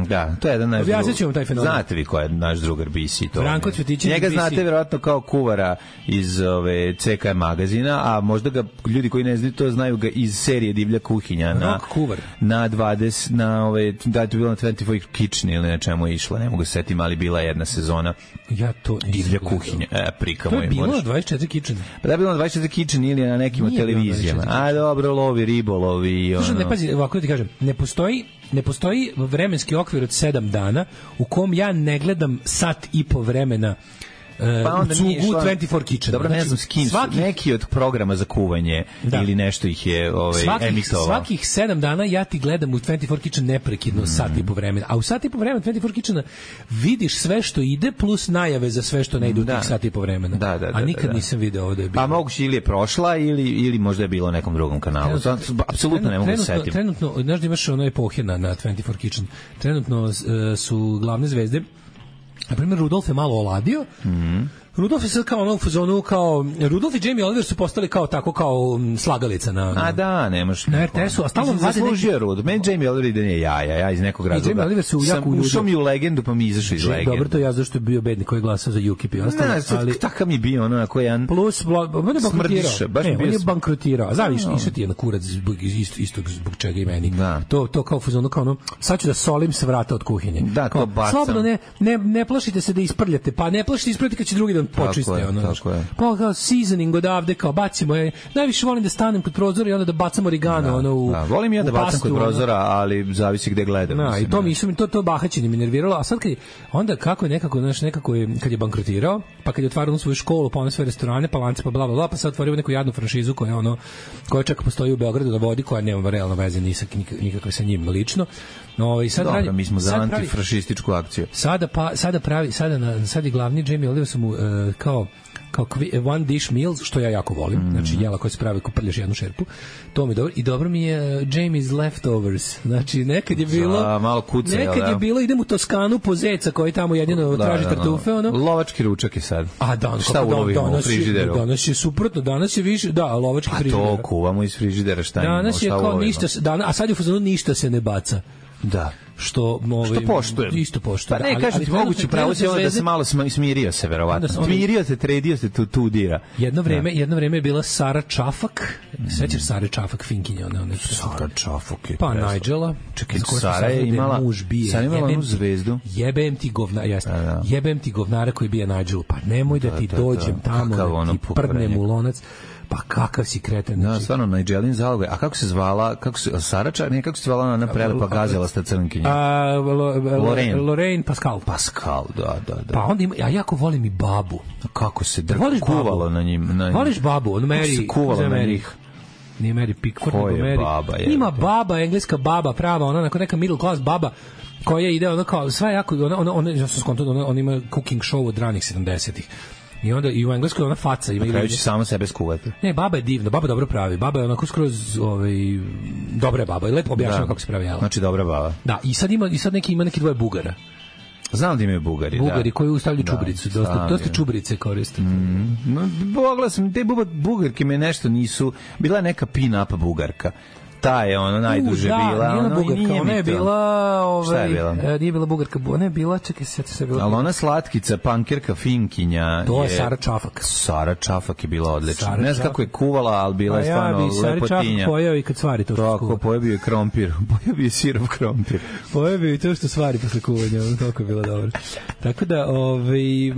Da, to je jedan naš drugar. Objasnit taj fenomen. Znate vi ko je naš drugar Bisi? To Branko Cvetićević. Njega znate vjerojatno kao kuvara iz ove C K magazina, a možda ga ljudi koji ne znaju to znaju ga iz serije Divlja kuhinja. Rock na, kuvar. Na dvadeset, na ove, da je to bilo na dvadeset četiri Kitchen ili na čemu je išla, ne mogu se setim, ali bila jedna sezona. Ja to Divlja kuhinja. E, prika moj. To je bilo na dvadeset četiri Kitchen. Pa da je bilo na dvadeset četiri Kitchen ili na nekim od televizijama. A dobro, lovi, ribolovi. Slušaj, ne pazi, ovako ti kažem, ne postoji ne postoji vremenski okvir od sedam dana u kom ja ne gledam sat i po vremena pa onda u dvadeset četiri Kitchen. Dobro, ne znam s kim, svaki, neki od programa za kuvanje da. Ili nešto ih je ovaj, emitovao. Svakih sedam dana ja ti gledam u dvadeset četiri Kitchen neprekidno mm. sat i po vremena. A u sat i po vremena dvadeset četiri Kitchena vidiš sve što ide plus najave za sve što ne ide u tih sat i po vremena. Da, da, da, a nikad da, da. nisam video ovde je bilo. Pa moguće ili je prošla ili, ili možda je bilo na nekom drugom kanalu. Apsolutno ne mogu se setiti. Trenutno, znaš da imaš ono epohe na, na dvadeset četiri Kitchen. Trenutno uh, su glavne zvezde, na primjer Rudolf je malo oladio. Mhm. Rudolf je sad kao ono u fazonu kao Rudolf i Jamie Oliver su postali kao tako kao slagalica na, na a da nemaš na R T S-u, a stalno vade neki Rudolf. Meni Jamie Oliver ide nije jaja, ja iz nekog razloga. Jamie Oliver su jako ušao mi u legendu pa mi izašao iz legende. Dobro, to ja zašto je bio bednik koji je glasao za U K I P i ostalo, ali takav mi bio ono na koji jedan plus on je bankrotirao. E, on je bankrotirao. Znaš, išao ti je na kurac zbog istog zbog čega i meni. To to kao fazonu kao ono sad ću da solim s vrata od kuhinje. Da, to bacam. Slobodno ne ne ne plašite se da isprljate, pa ne plašite isprljati kad će drugi dan počiste. je, ono, tako je. Pa kao seasoning odavde, kao bacimo je. Najviše volim da stanem kod prozora i onda da bacam origano. Da, ono, u, da. Volim ja da bacam pastu, kod prozora, ali zavisi gde gledam. Da, mislim, i to ne. mi su mi to to bahaćenje mi nerviralo, a sad kad je, onda kako je nekako, znaš, nekako je kad je bankrotirao, pa kad je otvarao svoju školu, pa one sve restorane, pa lance, pa bla bla bla, pa sad otvorio neku jadnu franšizu koja ono koja čak postoji u Beogradu na vodi, koja nema realno veze ni sa nikakve sa njim lično. No i sad Dobro, radi, mi smo za sad pravi- antifašističku akciju. Sada pa sada pravi sada na sad je glavni Jamie Oliver su mu uh, kao kao kvi- one dish meals, što ja jako volim. Mm. Znači jela koje se pravi ko prljaš jednu šerpu. To mi je dobro i dobro mi je uh, Jamie's leftovers. Znači nekad je bilo Za malo kuce, nekad jel da? je bilo idem u Toskanu po zeca koji tamo jedino Da, traži da, da. tartufe ono. Lovački ručak je sad. A dan Šta kako dan- ulovimo u danas je- frižideru? Danas je suprotno, danas je više da lovački Pa frižider. to kuvamo iz frižidera, šta imamo, Danas je šta kao ulovimo? ništa se- dan, a sad je u fazonu ništa se ne baca. Da. Što ovaj Što poštujem. Isto poštujem. Pa ne, ali- kažem ali ti, trenutno- moguće pravo si trenutno onda da se zvezde- malo sma- smirio se, verovatno. Onda se- Smirio se, tredio se, tu, tu dira. Jedno vreme, jedno vreme je bila Sara Čafak. Sećaš Sare Čafak Finkinja, ona ona. Sara Čafok je Pa presla. Nigela, Čekaj, za koju smo Sara je saznali da imala- muž bije. Sara je imala Jebem onu ti- zvezdu. Jebem ti govna, jeste. Da, da. Jebem ti govnara koji bije Nigelu. Pa nemoj da, ti da, dođem da. tamo, Kakav da ono ti prdnem pokvarenjak. u lonac. Pa kakav si kreten. Da, znači. stvarno, Nigelin zalogaj. A kako se zvala, kako se, Sarača, ne, kako se zvala ona prelepa gazela crnkinja? A, lo, Lorraine. Lorraine Pascal. Pascal, da, da, da. Pa onda ima, ja jako volim i babu. Kako se drk, Voliš babu? kuvalo na njim. Na njim. Voliš babu? Ono Kako Mary, se kuvalo za na Mary. njih? Nije Mary Pickford, Ko nego je Mary. baba, jebote? Ima baba, engleska baba, prava, ona onako neka middle class baba koja ide ono kao sve jako ona ona ona ja sam skontao ona, ona ima cooking show od ranih sedamdesetih. I onda i u engleskoj ona faca ima Na kraju ili- će samo sebe skuvati. Ne, baba je divna, baba dobro pravi. Baba je onako skroz ovaj dobra je baba i lepo objašnjava kako se pravi jelo. Znači, dobra baba. Da, i sad ima i sad neki ima neki dvoje Bugara. Znam da imaju Bugari, Bugari da. koji ustavljaju Da, čubricu, dosta znam, dosta je. čubrice koriste. No, pogledao sam, te buba, Bugarke me nešto nisu, bila je neka pin-up Bugarka. Ta je ona najduže U, da, bila. nije ona ono, i Bugarka, nije ona mi je to. bila, ovaj, Šta je bila? e, nije bila Bugarka, ona je bila, čekaj, sjeti se bila. Ali ona slatkica, pankirka, finkinja To je Sara Čafak. Sara Čafak je bila odlična. Sara Ne znam Čafak. kako je kuvala, ali bila Pa je ja stvarno bi Sari Čafak lepotinja. pojao i kad stvari to što Tako, skuva. pojebio je krompir. Pojebio je sirov krompir. Pojao bi i to što stvari posle kuvanja, ono toliko je bilo dobro. Tako da, ovaj, e,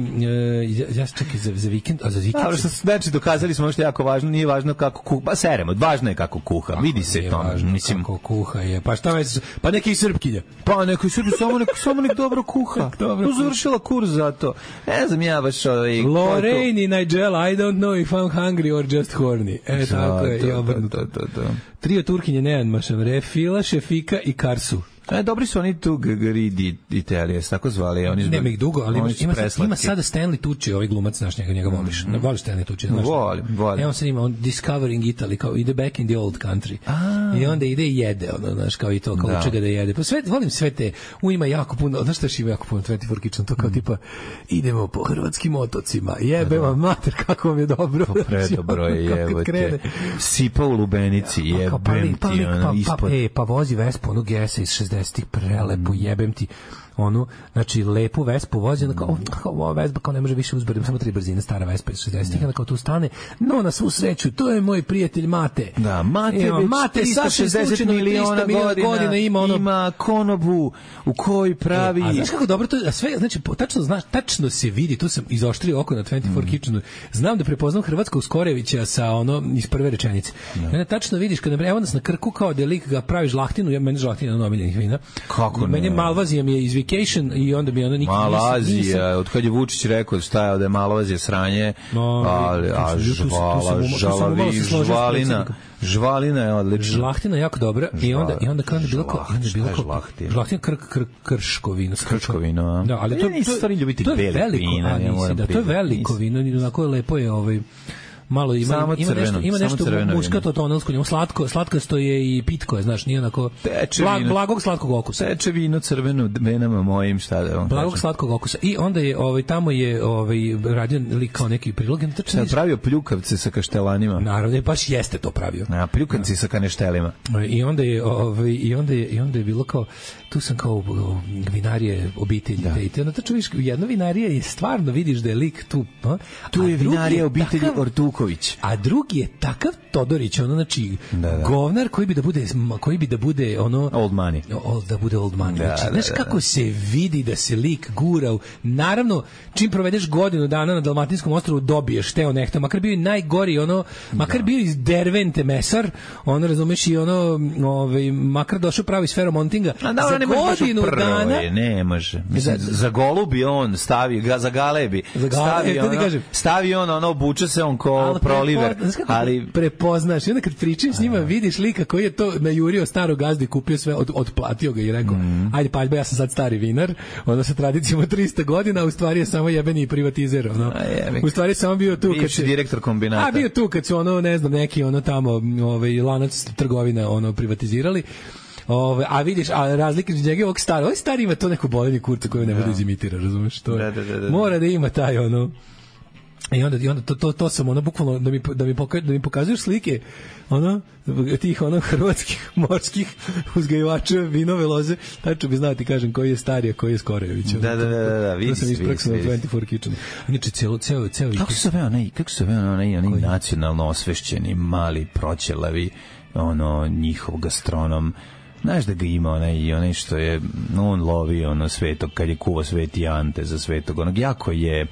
ja, ja se čekaj za, za vikend, a za vikend... Ali što znači dokazali smo što je jako važno, nije važno kako kuha, pa seremo, važno je kako kuha. Vidi se Nije to, važno mislim. kako kuha je. Pa šta već, pa neki srpkinja. Pa neko sebi samo neko samo nek dobro kuha. Dobro Tu završila kurs za to. Ne znam ja baš ovaj Lorraine i Nigella, I don't know if I'm hungry or just horny. E, tako je, i obrnuto. Da, da, da. Trio Turkinje Nejan Mašam, Refila, Šefika i Karsu. E, dobri su oni tu Gagaridi Italije, tako zvali. Oni Nema ih dugo, ali ima, oni su ima, sad, preslatki. ima sada Stanley Tucci, ovaj glumac naš, njega, njega voliš. Mm. Voliš Stanley Tucci? Znaš? Volim, volim. Evo sad ima on Discovering Italy, kao ide back in the old country. A. I onda ide i jede, ono, znaš, kao i to, kao Da. uče ga da jede. Pa sve, volim sve te, u ima jako puno, znaš šta još ima jako puno dvadeset četiri Kitchen, to kao Mm. tipa, idemo po hrvatskim otocima, jebe vam mater, kako vam je dobro. To predobro je, Kako kad jebote. krene. Sipa u lubenici, Kao, pa jebem lik, pa ti, lik, ono, pa, pa, ispod. e, pa vozi Vespu, onu Gesa iz šezdesetih, prelepu, jebem ti onu, znači lepu Vespu vozi, onda kao, kao ova Vespa kao ne može više uzbrati, samo tri brzine, stara Vespa iz šezdesetih, onda kao tu stane, no na svu sreću, to je moj prijatelj Mate. Da, Mate Evo, već Mate tristo sasvim šezdeset slučajno miliona trista godina, godina ima ono ima konobu u kojoj pravi... E, a znaš kako dobro to, a sve, znači, po- tačno znaš, tačno se vidi, tu sam izoštrio oko na dvadeset četiri Kitchenu, znam da prepoznam Hrvatskog Skorevića sa ono, iz prve rečenice. I onda tačno vidiš, kada, evo nas na Krku, kao da je lik ga pravi žlahtinu, ja, meni žlahtina na omiljenih vina. Kako Meni ne? Malvazija mi je iz Vacation i onda mi je ono nikad Malazija, od kad je Vučić rekao šta je da je Malazija sranje, No, ali, tu a sam- tu sam- tu sam žvala, umalo- tu sam umalo žalavi, se složio s žvalina, predsjednikom. žvalina je odlična. Žlahtina je jako dobra i onda i onda kada je bilo kao, onda je bilo Šta je kao žlahtina? žlahtina kr, kr, krškovino, Krškovino, a? Da, ali to Ja nisam stvari ljubitelj to je belih veliko, vina, a ja nisi, moram da, to je priznati, veliko nisam. vino, onako je lepo je ovaj malo ima Samo ima crveno, nešto ima samo nešto crveno muškato tonalsko, njemu slatko, slatkasto je i pitko je, znaš, nije onako Teče blag, vino. blagog slatkog okusa. Seče vino crveno venama mojim, šta da vam Blagog kažem. slatkog okusa. I onda je ovaj tamo je ovaj radio lik kao neki prilog, Šta je pravio pljukavce sa kaštelanima? naravno je baš jeste to pravio. A, pljukanci sa kaneštelima. I onda je ovaj i onda je i onda je bilo kao tu sam kao o, vinarije obitelji da. Te onda tačno vidiš jedna vinarija je stvarno vidiš da je lik tu, a? Tu A je drugi vinarija obitelji takav- Ortuković. Živković. A drugi je takav Todorić, ono znači da, da. govnar koji bi da bude koji bi da bude ono old money. Old, da bude old money. Da, znači, da, znaš da, kako da. se vidi da se lik gura u, naravno čim provedeš godinu dana na Dalmatinskom ostrvu dobiješ teo nekto, makar bio i najgori ono, makar da. bio iz Dervente mesar, ono razumeš i ono, ovaj makar došao pravi s Feromontinga. A da, za ne godinu prvo, dana je, ne može. Mislim, za, za golubi on stavi, ga, za galebi. Za gale, stavi, e, ono, stavi on, ono, obuče se on ko proliver. Ali prepoznaš, i onda kad pričaš s njima, vidiš lika koji je to najurio starog gazdu i kupio sve, od, odplatio ga i rekao, mm. ajde paljba, ja sam sad stari vinar, ono sa tradicijom od trista godina, a u stvari je samo jebeni privatizer, ono. U stvari je samo bio tu kad se direktor kombinata. A bio tu kad su ono, ne znam, neki ono tamo, ovaj lanac trgovina ono privatizirali. Ove, a vidiš, a razlika između njega i ovog starog, ovaj stari ima to neko bolenje kurca koje ne bude izimitira, razumeš? To da, da, da, da. Mora da ima taj ono. I onda, i onda to, to, to sam ono bukvalno da mi, da mi, poka, da mi pokazuješ slike ono, tih ono hrvatskih morskih uzgajivača vinove loze, tačno bi znao ti kažem koji je stariji, a koji je Skorević. Da, da, da, da, vidi se, vidi se. dvadeset četiri Kitchen. Inače, ceo, ceo, ceo... Kako se zove onaj, kako se zove onaj, onaj nacionalno osvešćeni, mali, proćelavi, ono, njihov gastronom, znaš da ga ima onaj, onaj što je, on lovi ono svetog, kad je kuva Sveti Ante za svetog, onog jako je,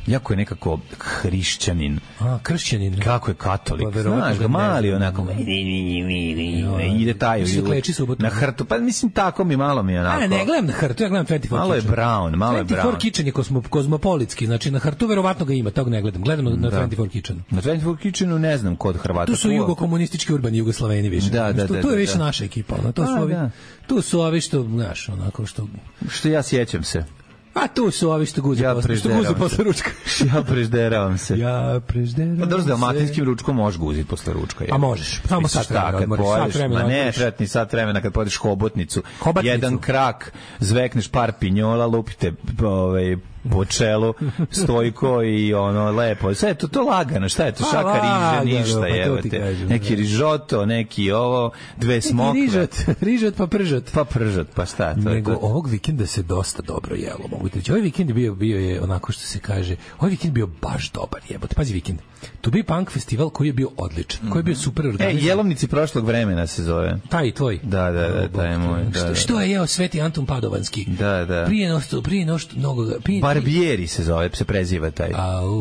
jako je nekako hrišćanin. A, kršćanin. Kako je katolik. Pa, znaš ga, mali onako. Ide taj na hrtu. Pa mislim, tako mi malo mi je onako. A, ne gledam na hrtu, ja gledam dvadeset četiri Malo je brown, malo je brown. dvadeset četiri Kitchen je kosmo, kozmopolitski, znači na hrtu verovatno ga ima, tog ne gledam. Gledam na dvadeset četiri Kitchenu. Na dvadeset četiri Kitchenu ne znam kod Hrvata. Tu su jugokomunistički urbani Jugoslaveni više. Da, da, da. Tu je više naša ekipa. To su ovi, tu su ovi što, znaš, onako što... Što ja sjećam se. A tu su ovi što guze ja posle, što guze posle ručka. Ja prežderavam se. Ja prežderavam se. Pa dobro, s dalmatinskim ručkom možeš guziti posle ručka. Je. A možeš, samo sat vremena odmoriš. Sat vremena ne, tretni sat vremena kad pojedeš hobotnicu. Hobatnicu. Jedan krak, zvekneš par pinjola, lupite ovaj, po čelu, stojko i ono, lepo. Sve je to, to lagano, šta je to? Šaka riže, ništa, jevate. Neki rižoto, neki ovo, dve smokve. Rižot, rižot pa pržot. Pa pržot, pa šta? To Nego je to. Ovog vikenda se dosta dobro jelo, mogu ti reći. Ovaj vikend je bio, bio je onako što se kaže, ovaj vikend bio baš dobar, jebote. Pazi vikend. Tu bio punk festival koji je bio odličan, koji je bio super organizovan. E, Jelovnici prošlog vremena se zove. Taj tvoj. Da, da, da, taj je moj. Da, što, da. što je jeo Sveti Anton Padovanski? Da, da. Prije nošto, prije nošto mnogo. Prije, Barbieri se zove, se preziva taj.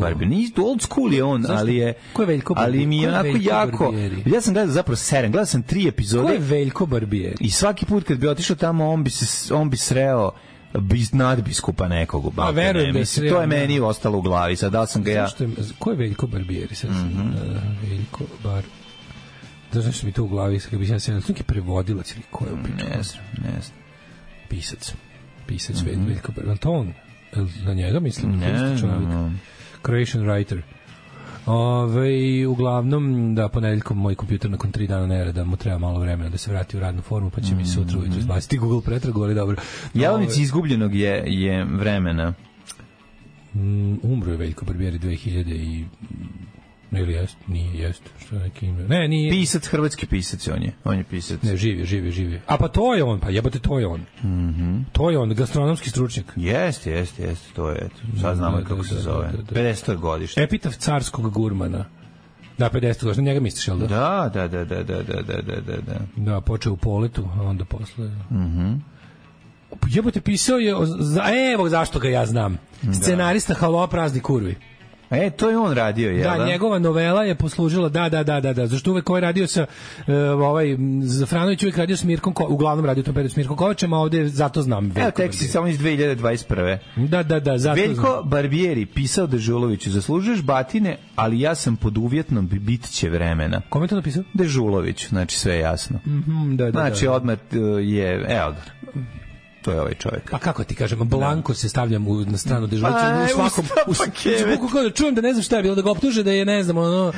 Barbieri. Nije old school je on, zašto? ali je Ko je Veljko Barbieri? Ali mi je onako jako. Barbieri? Ja sam gledao zapravo serem, gledao sam tri epizode. Ko je Veljko Barbieri? I svaki put kad bi otišao tamo, on bi se on bi sreo bis nadbiskupa nekog u Balkanu. A verujem da se to je meni ostalo u glavi. Sad da sam ga ja. Zašto je, ko je Veljko Barbieri? Sad mm-hmm. uh, Veljko Bar. Da znaš mi to u glavi, kad bi ja se neki prevodilac ili ko je u pitanju? Ne znam, ne znam. Pisac. Pisac mm-hmm. Veljko Barbieri. Anton, na njega mislim? Ne, no. Croatian writer. Ove, uglavnom, da, ponedeljkom moj kompjuter nakon tri dana nerada mu treba malo vremena da se vrati u radnu formu, pa će mm. mi sutra ujutro izbaciti Google pretragu, ali dobro. Jelovnici izgubljenog je, je vremena. Mm, umro je Veljko Barbieri dve hiljade i... Ili jest, nije, jest, što je neki ime. Ne, nije. Pisac, hrvatski pisac on je, on je pisac. Ne, živi, živi, živi. A pa to je on, pa jebate, to je on. Mhm. To je on, gastronomski stručnjak. Jeste, jeste, jeste, to je, sad znamo da, kako da, se da, zove. Da, da, da. pedeseto godište. Epitaf carskog gurmana. Da, pedeseto godište, njega misliš, jel da? Da, da, da, da, da, da, da, da, da. Da, počeo u Poletu, a onda posle... Mhm. Jebote, pisao je, za, evo zašto ga ja znam. Scenarista Halo, prazni kurvi. E, to je on radio, je da? Da, njegova novela je poslužila, da, da, da, da, da. Zašto uvek ovaj radio sa, uh, ovaj, Zafranović uvek radio s Mirkom, Ko, uglavnom radio tom periodu s Mirkom Kovačem, a ovde zato znam Veljko. Evo, tek si samo iz dve hiljade dvadeset prve. Da, da, da, zato Veljko znam. Barbieri pisao Dežuloviću, zaslužuješ batine, ali ja sam pod uvjetnom, bit će vremena. Kome je to napisao? Dežulović, znači sve je jasno. Mm-hmm, da, da, znači, da. odmah je, evo, to je ovaj čovjek. Pa kako ti kažem, blanko se stavljam u, na stranu Dežulovića u svakom u Facebooku, kao da čujem da ne znam šta je bilo, da ga optuže da je, ne znam, ono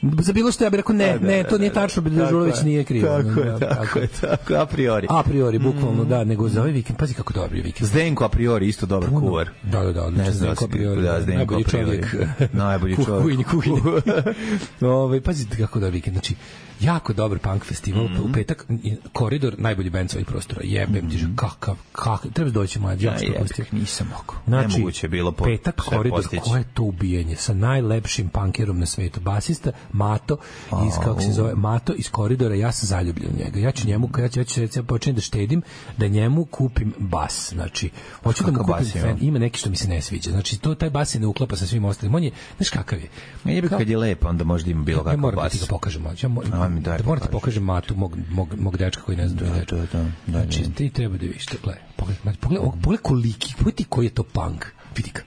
Za bilo što ja bih rekao ne, ne, to nije tačno, Dežulović nije kriv. Tako je, tako je, tako a priori. A priori, bukvalno, da, nego za ovaj vikend, pazi kako dobri vikend. Zdenko a priori isto dobar kuvar. Da, da, da, odlično, Zdenko a priori. Da, Zdenko a priori. Najbolji čovjek. Kuhinji, kuhinji. Ovaj, pazi kako dobar vikend, znači, jako dobar punk festival, mm -hmm. u petak, Koridor, najbolji bend sa ovih prostora, jebem mm -hmm. ti, že, kakav, kakav, treba doći mlađi, ja što pustio. Nisam mogo, znači, nemoguće je bilo po, petak, Koridor, koje je to ubijenje, sa najlepšim punkerom na svetu, basista, Mato, iz, oh, kako se zove, Mato iz Koridora, ja sam zaljubljen u njega, ja ću njemu, ja ću, ja ću, ja ću početi da štedim, da njemu kupim bas, znači, hoću da mu kupim bas, fan, ima neki što mi se ne sviđa, znači, to, taj bas se ne uklapa sa svim ostalim, on je, znaš kakav je? Ne je kad je lep, onda možda ima bilo kakav bas. Ja moram da ti ga pokažem, ja moram, da moram ti pokažem Matu, mog, mog, mog dečka koji ne zna da, da, da, da, znači, da. Ti treba da vidiš to, gledaj, pogledaj, pogledaj, pogledaj koliki, pogledaj ti koji je to punk, vidi ga,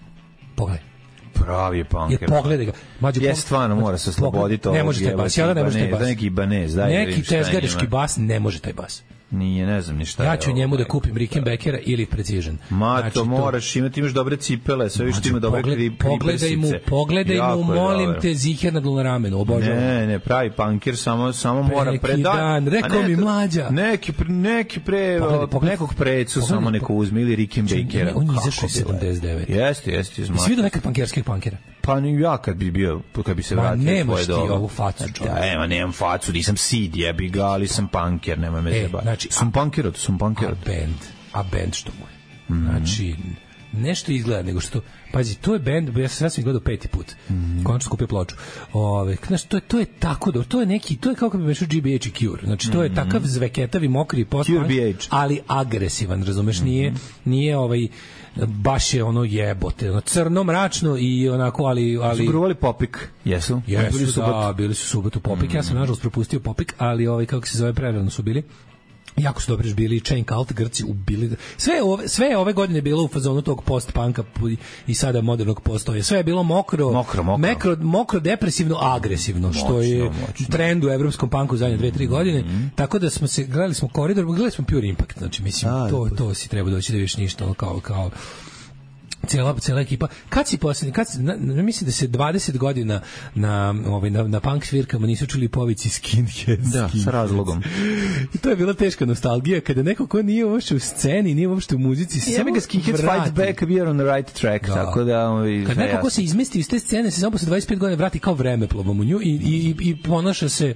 pogledaj. Pravi je punker. Je, pogledaj ga. Mađo, je stvarno mora se osloboditi ovog. Ne može taj bas, ja da ne može taj bas. Neki banez, daj. Neki tezgareški bas ne može taj bas. Nije, ne znam ni šta. Ja ću njemu da kupim Rickenbackera ili Precision. Ma, znači, to moraš imati, imaš dobre cipele, sve što ima dobre kriprsice. Pogledaj mu, pogledaj mu, molim te, ziher na dole ramenu, obožavam. Ne, ne, pravi punker samo samo mora predati. Dan, rekao mi mlađa. Neki neki pre nekog precu samo neko uzme ili Rickenbackera. On izašao sedamdeset devet. Jeste, jeste, izmaš. Svi do nekad punkerskih punkera. Pa ni ja kad bi bio, kad bi se vratio svoje doba. Nemaš ti ovu facu, čovjek. Da, ema, nemam facu, nisam sid, jebi ga, ali sam punker, nemoj me zeba. Znači, sam punkerot, sam punkerot. A band, a band što mu je. Mm -hmm. Znači, nešto izgleda nego što, pazi, to je band, ja sam sam gledao peti put, mm -hmm. konačno kupio ploču. Ove, znači, to je, to je tako dobro, to je neki, to je kao kad bi mešao G B H i Cure, znači, to je mm -hmm. takav zveketavi, mokri post-punk, ali agresivan, razumeš, mm -hmm. nije, nije ovaj, baš je ono jebote, ono crno, mračno i onako, ali... ali... Su gruvali Popik, jesu? Jesu, bili su da, bili su subotu Popik, mm. ja sam nažalost propustio Popik, ali ovaj, kako se zove, prerano su bili. Jako su dobro bili, Chain Cult, Grci ubili. Sve ove, sve ove godine bilo u fazonu tog post-punka i sada modernog postoje. Sve je bilo mokro, mokro, mokro. Mekro, mokro depresivno, agresivno, moćno, što je moćno. Trend u evropskom punku zadnje dve tri godine. Mm-hmm. Tako da smo se, gledali smo Koridor, gledali smo Pure Impact, znači mislim, A, to, to si treba doći da vidiš ništa, kao, kao Cijela, cijela ekipa. Kad si posljednji, kad si, na, na, mislim da se dvadeset godina na, ovaj, na, na punk svirkama nisu čuli povici skinhead. Da, skinhead. Sa razlogom. I to je bila teška nostalgija, kada neko ko nije uopšte u sceni, nije uopšte u muzici, se samo ga skinhead fight back, we are on the right track, da. Tako da... Ovaj, kad neko ko se izmesti iz te scene, se samo posle dvadeset pet godina vrati kao vremeplovom u nju i, i, i, i ponaša se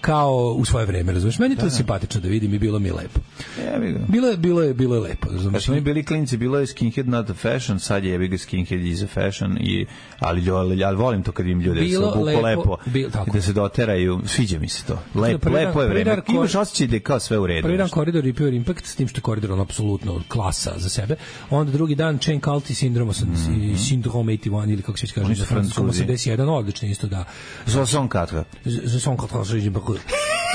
kao u svoje vreme, razumiješ? Meni je to da, simpatično da vidim i bilo mi je lepo. Bilo je, bilo je, bilo je lepo, razumiješ? Kad smo mi bili klinci, bilo je skinhead not a fashion, sad je jebi ga skinhead is a fashion, i, ali, ali, ali volim to kad im ljude bilo se lepo, lepo bil, da se doteraju, sviđa mi se to. Lep, lepo dan, je vreme. Imaš osjećaj da je kao sve u redu. Prvi dan Koridor i Pure Impact, s tim što je Koridor on apsolutno klasa za sebe. Onda drugi dan Chain Cult i Syndrome, mm-hmm. i Syndrome osamdeset jedan, ili kako se kaže, na francuskom osamdeset jedan, odlično isto da. Zozon Katra. Zozon Katra,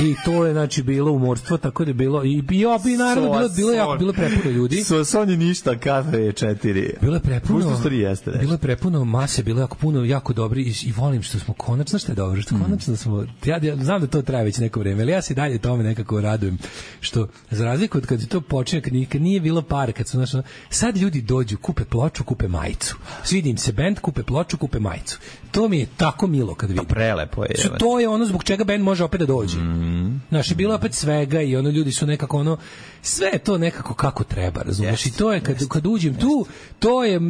i to je znači bilo umorstvo, tako da je bilo i bio bi naravno bilo bilo jako bilo prepuno ljudi. So Sony ništa, kafe je četiri. Bilo je prepuno. Jeste, bilo je prepuno mase, bilo jako puno, jako dobri i, i volim što smo konačno, što je dobro, što konačno smo ja, ja znam da to traje već neko vreme, ali ja se dalje tome nekako radujem što za razliku od kad to počinje, kad nije, kad nije bilo para, kad su znači sad ljudi dođu, kupe ploču, kupe majicu. Svidi im se bend, kupe ploču, kupe majicu. To mi je tako milo kad vidim. Pa prelepo je. Što to je ono zbog čega bend može opet da dođe. Mm. Znaš, je bilo opet svega i ono ljudi su nekako ono, sve je to nekako kako treba, razumiješ? Yes, i to je, kad, kad uđem tu, to je,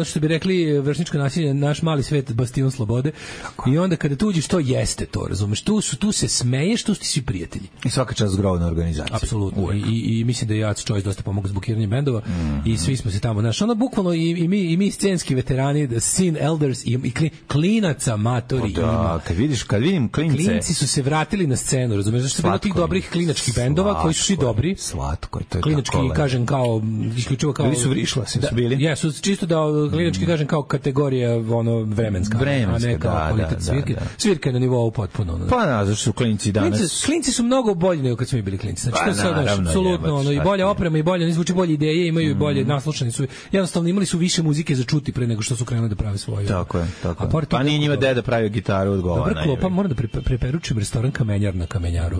što bi rekli, vršničko nasilje, naš mali svet, bastion slobode. Tako. I onda kada tu uđeš, to jeste to, razumiješ? Tu, su, tu se smeješ, tu ti svi prijatelji. I svaka čast zgrovna organizacija. Apsolutno. I, i, I mislim da je Jac Choice dosta pomogao s bukiranjem bendova mm-hmm. i svi smo se tamo, znaš, ono bukvalno i, i, mi, i mi scenski veterani, the scene elders i, i kli, klinaca matori. O da, ima. Kad vidiš, kad vidim klince. Klinci su se vratili na scenu, razumiješ? Zašto je bilo tih dobrih klinačkih bendova slatko, koji su svi dobri. Slatko, to je klinački, tako kažem, kao isključivo kao... Bili su vrišla, su da, bili. Jesu, čisto da klinački, mm. kažem, kao kategorija ono, vremenska, vremenska, a ne kao da, kvalitet da, svirke. Da, da. Svirka je na nivou potpuno. Ono. Pa na, zašto su klinci danas... Klinci, klinci su mnogo bolji nego kad smo mi bili klinci. Znači, pa, to je sad, naravno, apsolutno, ono, i bolja oprema, i bolje, ne zvuči bolje ideje, imaju i mm. bolje, naslušani su. Jednostavno, imali su više muzike za čuti pre nego što su krenuli da prave svoje. Tako je, tako je. Pa nije njima deda pravio gitaru od govana. Dobra klopa, moram da preporučim restoran Kamenjar na Kamenjaru.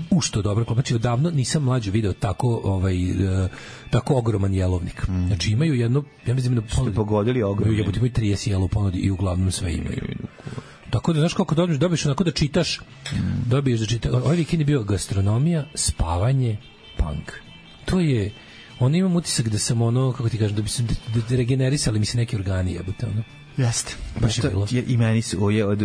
U što dobro klopa. Znači, odavno nisam mlađe video tako, ovaj, uh, tako ogroman jelovnik. Mm. Znači, imaju jedno, ja mislim da ponudi, pogodili ogromno. Jebote, imaju trideset jela u ponudi i uglavnom sve imaju. Tako da, znaš kako dobiješ, dobiješ onako da čitaš, dobiješ da čitaš. Ovaj vikend je bio gastronomija, spavanje, punk. To je, ono imam utisak da sam ono, kako ti kažem, da bi se da, da regenerisali mi se neki organi, jebote, ono. Jeste. Baš je bilo. I meni su je od,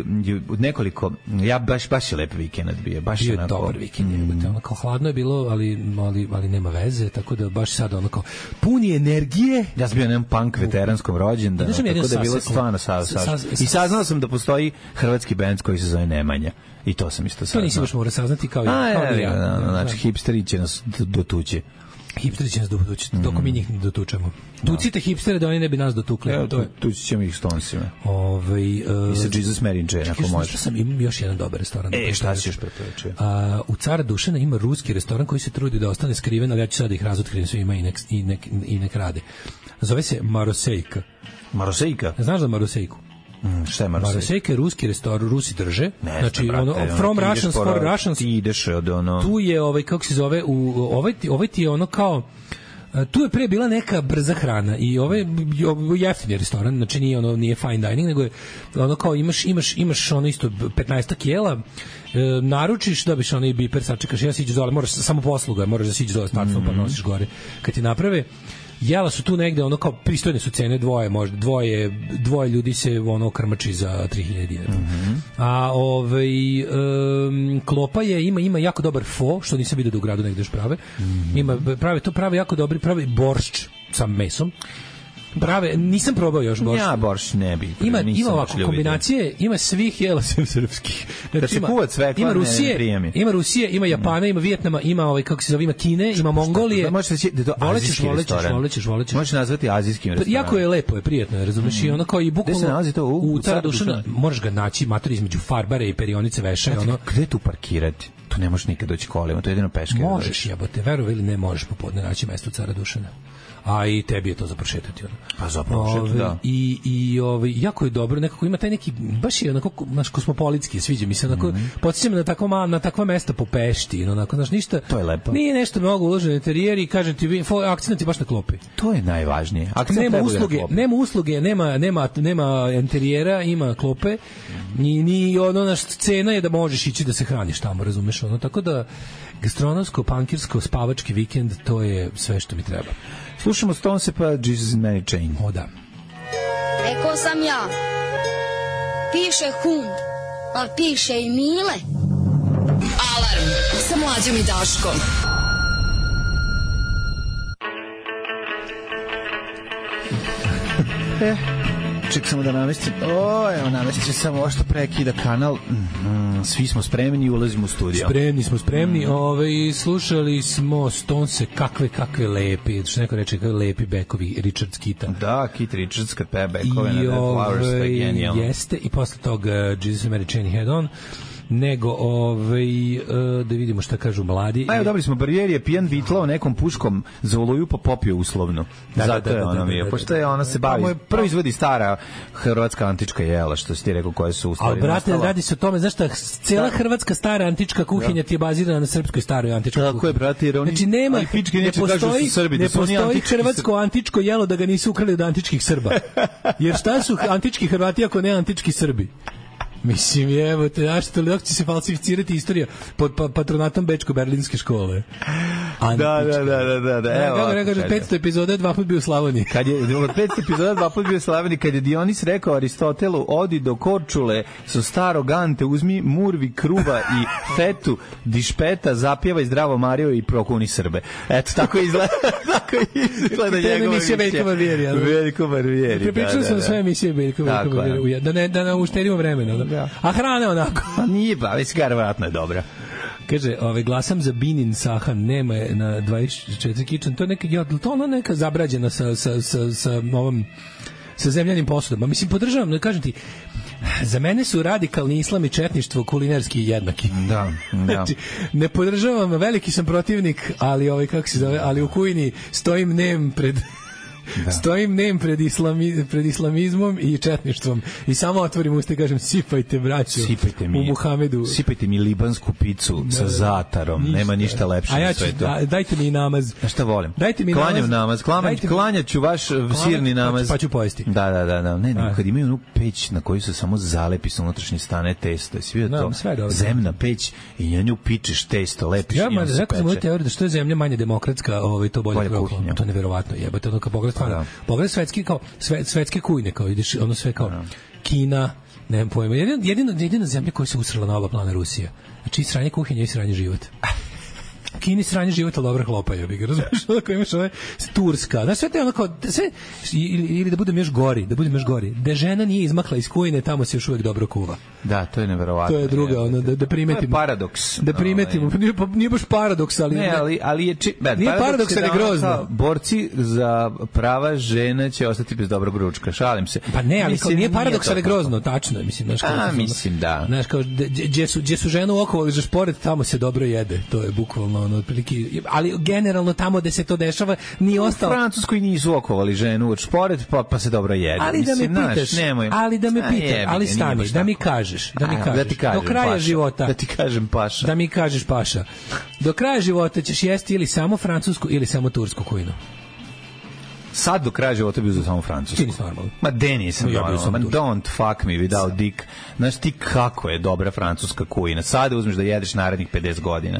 od nekoliko, ja baš baš je lep vikend bio, baš bio je onako, dobar vikend, mm. ono kao hladno je bilo, ali, ali, ali nema veze, tako da baš sad ono kao puni energije. Ja sam bio na jednom punk veteranskom rođendanu, tako da je bilo stvarno sa, sa, i saznao sam da postoji hrvatski bend koji se zove Nemanja. I to sam isto saznao. To nisi baš mora saznati kao, A, kao ja. ja. ja, ja, znači, hipsteri će nas dotući. Hipsteri će nas dotući, dok mi njih ne dotučemo. Tucite hipstere da oni ne bi nas dotukli. Evo, to je. Tući ćemo ih Stonesima. Ovaj uh, I sa Jesus Mary Jane, ako može. Što sam, imam još jedan dobar restoran. E, šta si još preporučio? Uh, u Cara Dušana ima ruski restoran koji se trudi da ostane skriven, ali ja ću sad ih razotkrijem sve ima i nek, i nek, i nek rade. Zove se Marosejka. Marosejka? Znaš za Marosejku? Mm, šta je Marosejka? Marosejka je ruski restoran, Rusi drže. Ne, znači, brate, ono, ono, from Russians for Russians. Ti ideš od ono... Tu je, ovaj, kako se zove, u, ovaj, ovaj ti je ono kao... Tu je pre bila neka brza hrana i ovaj jeftini restoran, znači nije ono nije fine dining, nego je ono kao imaš imaš imaš ono isto petnaest jela, e, naručiš, dobiš onaj biper, sačekaš, ja siđeš dole, moraš samo posluga, moraš da siđeš dole s tacom mm-hmm. pa nosiš gore. Kad ti naprave jela su tu negde ono kao pristojne su cene, dvoje možda dvoje dvoje ljudi se ono krmači za tri hiljade dinara. Mm-hmm. A ovaj um, klopa je ima ima jako dobar fo, što nisam vidio da u gradu negde još prave. Mm-hmm. Ima prave to prave jako dobri, prave boršč sa mesom. Prave, nisam probao još boršč. Ja boršč ne bi. Ima ima ovako kombinacije, ima svih jela sem srpskih. Znači se kuva cvekla, ima Rusije, ne ima Rusije, ima Japana, ima Vijetnama, ima ovaj kako se zove, ima Kine, ima Mongolije. Da možeš reći da to azijski restoran. Volećeš, volećeš. Možeš nazvati azijskim restoranom. Jako je lepo, je prijatno, razumeš, i ono kao i bukvalno. Gde se nalazi to? U, u Cara Dušana, možeš ga naći matori između Farbare i Perionice Veša, znači, ono. Gde tu parkirati? Tu ne možeš nikad doći kolima, to je jedino peške. Možeš, jebote, veruj ili ne, možeš popodne naći mesto u Cara Dušana. A i tebi je to za prošetati ono. Pa za prošetati, da. I i ovaj jako je dobro, nekako ima taj neki baš je onako naš kosmopolitski, sviđa mi se onako. Mm-hmm. Podsjećam na takva ma, na takva mesta po Pešti, onako, znaš, ništa. To je lepo. Nije nešto mnogo uloženo u interijer i kažem ti, akcent je baš na klopi. To je najvažnije. Akcent nema usluge, nema usluge, nema nema nema interijera, ima klope. Ni ni ono naš cena je da možeš ići da se hraniš tamo, razumeš, ono, tako da gastronomsko, pankirsko, spavački vikend, to je sve što mi treba. Slušamo Stonese pa Jesus Mary Chain. O da. Rekao sam ja, piše hund, ali piše i Mile. Alarm sa Mlađom i Daškom. E, ček samo da namestim. O, evo namestit samo ovo što prekida kanal. Mm, svi smo spremni i ulazimo u studio. Spremni smo, spremni. Mm. Ove, slušali smo Stonese, kakve, kakve lepi. Što neko reče, kakve lepi bekovi Richard Kita. Da, Kit Richards kad peje bekove na Dead Flowers, to je genijalno. Jeste, i posle toga uh, Jesus Mary Chain Head On. Nego, ovaj, uh, da vidimo šta kažu mladi. A evo, dobili smo Barijeri je pijan vitlao nekom puškom za oluju pa popio uslovno. Da, zato da, da, je ono mi je. Pošto je ona se bavi, proizvodi stara hrvatska antička jela, što si ti rekao, koje su u stvari. Ali, brate, nastala. Radi se o tome, znaš šta, cijela hrvatska stara antička kuhinja ti je bazirana na srpskoj staroj antičkoj kuhinji. Tako je, brate, jer oni... Znači, nema, ne postoji, Srbi, ne postoji hrvatsko antičko jelo da ga nisu ukrali od antičkih Srba. Jer šta su antički Hrvati ako ne antički Srbi? Mislim, evo te, znaš, toliko će se falsificirati istorija pod pa, patronatom Bečko-Berlinske škole. Antička. Da, da, da, da, da. Evo, kako rekao, petsto epizoda dva put bio u Slavoniji. Kad je, od petsto epizoda dva put bio u Slavoniji, kad je Dionis rekao Aristotelu, odi do Korčule, su staro gante, uzmi murvi, kruva i fetu, dišpeta, zapjevaj zdravo Mario i prokuni Srbe. Eto, tako izgleda, tako izgleda njegova emisija. Veljko Barbieri. Veljko Barbieri, da, Prepričali smo sve emisije Veljko Barbieri, da ne, da ne uštedimo vremena, da. A hrana onako. A nije, ba, već verovatno je dobra. Kaže, ovaj, glasam za Binin Sahan, nema je na dvadeset četiri Kitchen, to je neka, ja, to ona neka zabrađena sa, sa, sa, sa ovom, sa zemljanim posudama. Mislim, podržavam, ne kažem ti, za mene su radikalni islam i četništvo kulinarski jednaki. Da, da. Znači, ne podržavam, veliki sam protivnik, ali ovaj, kako se zove, ali u kujni stojim nem pred Da. Stojim nem pred, islami, pred islamizmom i četništvom i samo otvorim usta i kažem sipajte braću sipajte mi, u Muhamedu. Sipajte mi libansku picu da, sa zatarom. Ništa. Nema ništa lepše ja na svetu. Da, dajte mi namaz. A šta volim? Dajte mi Klanjam namaz. namaz. Klanjam, klanjaću vaš klanjam, sirni namaz. Pa, pa ću pojesti. Da, da, da. da. Ne, ne, kad imaju onu peć na koju se samo zalepi sa unutrašnje stane testo. Svi no, to zemna peć i na nju pičeš testo, lepiš ja, i on se rekao peče. Ja teoriju da što je zemlja manje demokratska, ovaj, to bolje, bolje kuhinja. To je neverovatno jebote. Ono kad pogledaš, pa, pogledaš svetski, kao, sve, svetske kujne, kao ideš, ono sve kao da. Kina, nemam pojma. Jedino, jedino, jedina zemlja koja se usrala na oba plana Rusija. Znači i sranje kuhinja i sranje život. Kini sranje života dobro hlopaju, bi ga razumiješ, onako imaš ove Turska, znaš, sve te onako, sve, ili, ili da budem još gori, da budem još gori, da žena nije izmakla iz kujne, tamo se još uvijek dobro kuva. Da, to je neverovatno. To je druga, ono, da, da primetimo. To je paradoks. Da primetimo, nije, nije baš paradoks, ali... Ne, ali, ali je... Či, bad, nije paradoks, ali je grozno. Borci za prava žena će ostati bez dobrog ručka, šalim se. Pa ne, ali mislim, kao, nije paradoks, ali je grozno, tačno, mislim, znaš, kao... A, mislim, da. Znaš, kao, gdje su, gdje su ženu okovali za šporet, tamo se dobro jede, to je bukvalno, ono, otprilike, ali generalno tamo gde se to dešava nije ostalo. U Francuskoj nisu okovali ženu od šporet, pa, pa se dobro jede. Ali da me mislim, pitaš, naš, nemoj. ali da me A, pitaš, jebe, ali stani, da mi kažeš, da mi kažeš, da ti kažem, do kraja paša, života, da ti kažem paša. Da mi kažeš paša. Do kraja života ćeš jesti ili samo francusku ili samo tursku kujnu. Sad do kraja života bi uzeo samo francusku. Ti nisi normalno. Ma de nisam ja normalno. Ma don't fuck me without dick. Znaš ti kako je dobra francuska kujina. Sada uzmeš da jedeš narednih pedeset godina.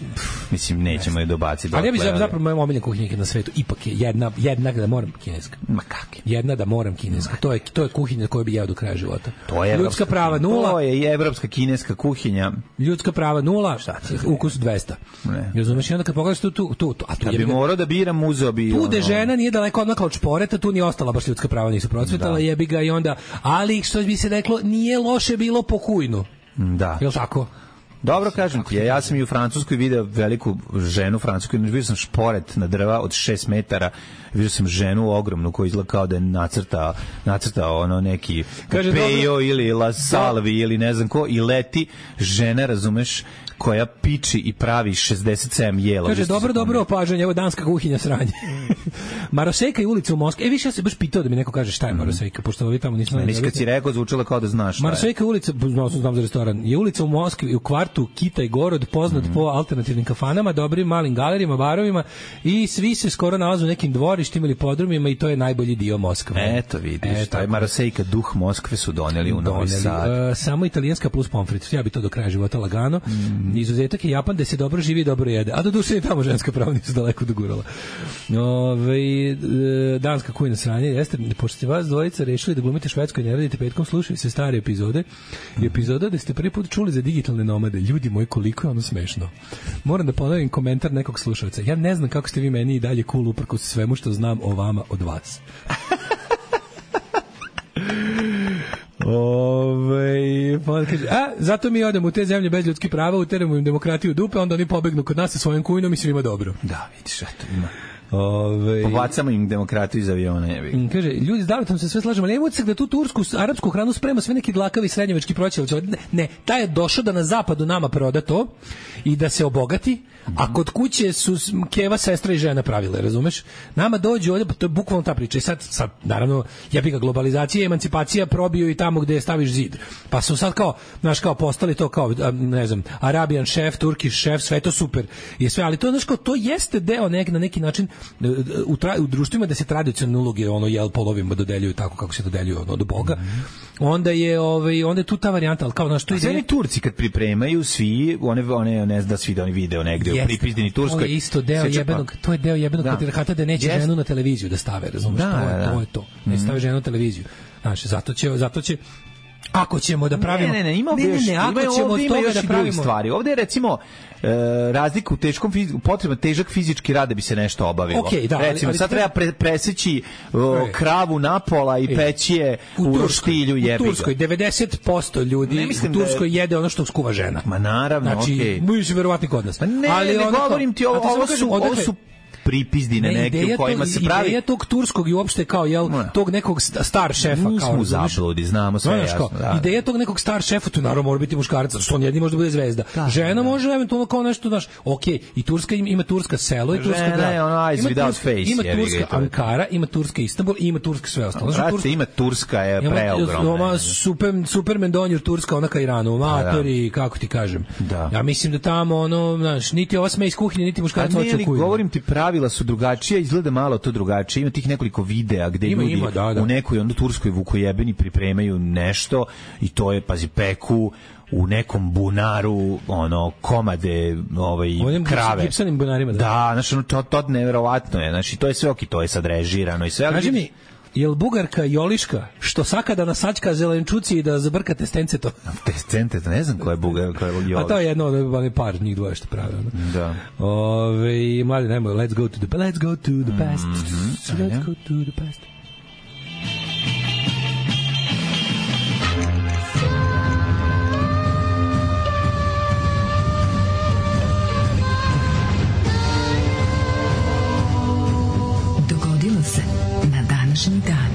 Mislim, nećemo je dobaciti. Ali ja bih zapravo moja omiljena kuhinja na svetu ipak je jedna, jedna da moram kineska. Ma kak je? Jedna da moram kineska. To je, to je kuhinja koju bih jeo do kraja života. To je ljudska prava nula. To je i evropska kineska kuhinja. Ljudska prava nula. Ukus dvesta. Ne. Razumeš, i onda kad pogledaš tu, tu, tu, a tu kad bi morao da biram, uzeo bi... Tu de žena nije daleko odmakla od šporeta, tu ni ostala baš ljudska prava nisu procvetala, jebi ga i onda, ali što bi se reklo, nije loše bilo po kujnu. Da. Jel' tako? Dobro, kažem ti, ja, ja sam i u Francuskoj video veliku ženu francusku, vidio sam šporet na drva od šest metara, vidio sam ženu ogromnu koja izgleda kao da je nacrtao, nacrtao ono neki Pejo ili La Salvi ili ne znam ko i leti žena, razumeš, koja piči i pravi šezdeset sedam jela. Kaže, dobro, dobro opažanje, evo danska kuhinja sranje. Marosejka je ulica u Moskvi. E, više ja se baš pitao da mi neko kaže šta je Marosejka, pošto ovi tamo nismo... Nisi kad si rekao, zvučalo kao da znaš šta je. Marosejka je ulica, znao sam znam za restoran, je ulica u Moskvi, u kvartu Kitaj Gorod, poznat mm -hmm. po alternativnim kafanama, dobrim malim galerijama, barovima i svi se skoro nalaze u nekim dvorištima ili podrumima i to je najbolji dio Moskve. Eto vidiš, e, taj Marosejka, duh Moskve su doneli u Novi Sad. Uh, samo italijanska plus pomfrit, ja bi to do kraja života lagano. Mm. Izuzetak je Japan, da se dobro živi i dobro jede. A do duše i tamo ženska prava nisu daleko dogurala. Ove, danska kujna sranje, jeste, pošto ste vas dvojica rešili da glumite švedsko i ne radite petkom, slušaju se stare epizode. I epizoda da ste prvi put čuli za digitalne nomade. Ljudi moji, koliko je ono smešno. Moram da ponovim komentar nekog slušalca. Ja ne znam kako ste vi meni i dalje cool uprkos svemu što znam o vama od vas. Ove, pa kaže, a, zato mi odemo u te zemlje bez ljudskih prava, uteremo im demokratiju u dupe, onda oni pobegnu kod nas sa svojom kujnom i svima dobro. Da, vidiš, eto, ima. Ove, Pobacamo im demokratiju iz aviona. Jebi. Kaže, ljudi, s Davitom se sve slažemo, ali imamo da tu tursku, arapsku hranu sprema sve neki dlakavi srednjevački proćelci. Ne, ne, taj je došao da na zapadu nama proda to i da se obogati, a kod kuće su keva, sestra i žena pravile, razumeš? Nama dođu ovdje, to je bukvalno ta priča. I sad, sad naravno, jebi ga, globalizacija i emancipacija probio i tamo gde staviš zid. Pa su sad kao, znaš, kao postali to kao, ne znam, Arabian šef, Turkish šef, sve to super. I sve, ali to, znaš, kao, to jeste deo nek, na neki način u, tra, u društvima da se tradicionalne uloge ono jel polovima dodeljuju tako kako se dodeljuju ono, od Boga. Onda je ovaj onda je tu ta varijanta, al kao znaš tu ide. Sve Turci kad pripremaju svi one one ne znam da svi da oni video negde u pripizdeni Turskoj. To je isto deo jebenog, to je deo jebenog patrijarhata da neće yes. ženu na televiziju da stave, razumeš? Da, to je da. to je to. Ne stave ženu na televiziju. Znaš, zato će zato će ako ćemo da pravimo ne ne ne ima ne, ne, ne, ako ćemo od toga da pravimo stvari. Ovde je recimo e, razlika u teškom fizičkom potreban težak fizički rad da bi se nešto obavilo. Okay, da, recimo ali, ali, sad treba pre, preseći o, kravu napola i peći je u, u roštilju jebi. U Turskoj devedeset posto ljudi u Turskoj da je... jede ono što skuva žena. Ma naravno, znači, okej. Okay. Mi se verovatno kod nas. Ne, ali ne, ne govorim ti ovo, ovo su ovo su pripizdi na neke u kojima to, se pravi. Ideja tog turskog i uopšte kao, jel, tog nekog star šefa. Nismo kao, u zabludi, znamo sve jasno. Kao, da. Ideja tog nekog star šefa, tu naravno mora biti muškarac, što on jedini može da bude zvezda. Da, žena da. Može eventualno kao nešto, znaš, ok, i Turska ima, ima turska selo i turska grad. Žena je ono eyes ima without turska, face. Ima turska Ankara, ima turska Istanbul i ima turska sve ostalo. Znači, turska, ima turska je preogromna. Super, Superman donjur turska, ona ka Iranu, matori, kako ti kažem. Da. Ja mislim da tamo, ono, znaš, niti ova sme iz kuhinje, niti muškarac hoće u kuhinju. Govorim ti, pravila su drugačija, izgleda malo to drugačije. Ima tih nekoliko videa gde ima, ljudi ima, da, da. u nekoj onda turskoj vukojebeni pripremaju nešto i to je, pazi, peku u nekom bunaru, ono, komade, ovaj, onim krave. Gipsanim bunarima, da. Da, znači, ono, to, to neverovatno je. Znači, to je sve ok, to je sad režirano i sve. Kaži mi, jel Bugarka Joliška, što sakada na sačka zelenčuci i da zabrka testence to? Testence, ne znam ko je Bugarka, ko je Joliška. A to je jedno, ono, par njih dvoje što prave. Ono. Da. Ove, mladi, najmo, let's go to the, let's go to the past. Mm-hmm. Let's go to the past. Dogodilo se na današnji dan.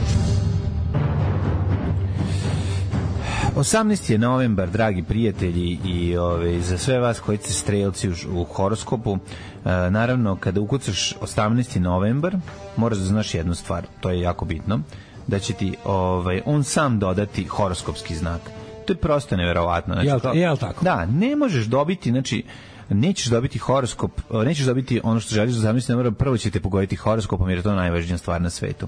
osamnaesti je novembar, dragi prijatelji, i ove, za sve vas koji ste strelci u, u horoskopu, e, naravno, kada ukucaš osamnaesti novembar, moraš da znaš jednu stvar, to je jako bitno, da će ti ovaj, on sam dodati horoskopski znak. To je prosto neverovatno. Znači, jel, kao, jel tako? Da, ne možeš dobiti, znači, nećeš dobiti horoskop, nećeš dobiti ono što želiš za osamnaesti novembar, prvo ćete pogoditi horoskopom jer je to najvažnija stvar na svetu.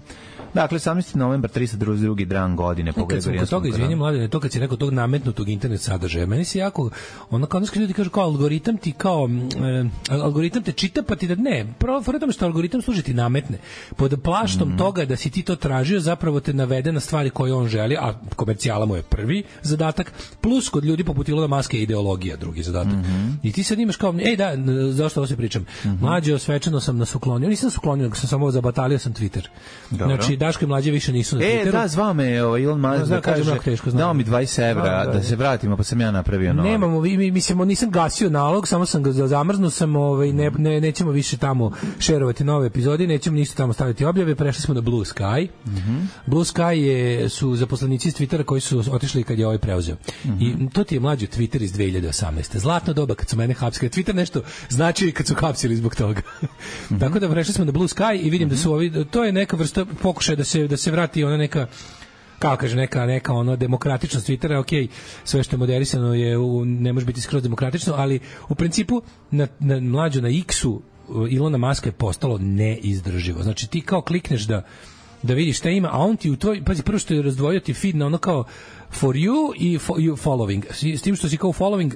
Dakle, osamnaesti novembar, tristo drugi dan godine po Gregorijanskom kalendaru. Toga, izvinjam, mladine, to kad si rekao tog nametnutog internet sadržaja, meni se jako, ono kao nešto ljudi kažu kao algoritam ti kao, e, algoritam te čita pa ti da ne, prvo tome što algoritam služi ti nametne. Pod plaštom mm. toga da si ti to tražio, zapravo te navede na stvari koje on želi, a komercijala mu je prvi zadatak, plus kod ljudi poput Ilona Maska je ideologija drugi zadatak. Mm-hmm. I ti sad imaš kao, ej da, zašto ovo se pričam? Mm-hmm. Mlađe, svečano sam nas uklonio, nisam nas uklonio, nego sam samo zabatalio sam Twitter. Dobro. Znači, Daško i Mlađe više nisu na Twitteru. E, da, zvao me Elon Musk da kaže, dao mi dvadeset evra da se vratimo, pa sam ja napravio novo. Nemamo, mi, mislim, nisam gasio nalog, samo sam ga zamrznuo, sam, ovaj, ne, ne, nećemo više tamo šerovati nove epizode, nećemo ništa tamo staviti objave, prešli smo na Blue Sky. Mm-hmm. Blue Sky je, su zaposlenici iz Twittera koji su otišli kad je ovaj preuzeo. Mm-hmm. I to ti je mlađi Twitter iz dve hiljade osamnaeste. Zlatno doba kad su mene hapsili. Twitter nešto znači kad su hapsili zbog toga. Mm-hmm. Tako da prešli smo na Blue Sky i vidim mm-hmm. da su ovi, to je neka vrsta pokušaja da se da se vrati ona neka, kako kaže, neka neka ono demokratičnost Twittera. Okej, sve što je moderisano je u, ne može biti skroz demokratično, ali u principu na, na mlađu na X-u Ilona Maska je postalo neizdrživo. Znači ti kao klikneš da da vidiš šta ima, a on ti u tvoj, pazi, prvo što je razdvojio ti feed na ono kao for you i for you following. S tim što si kao following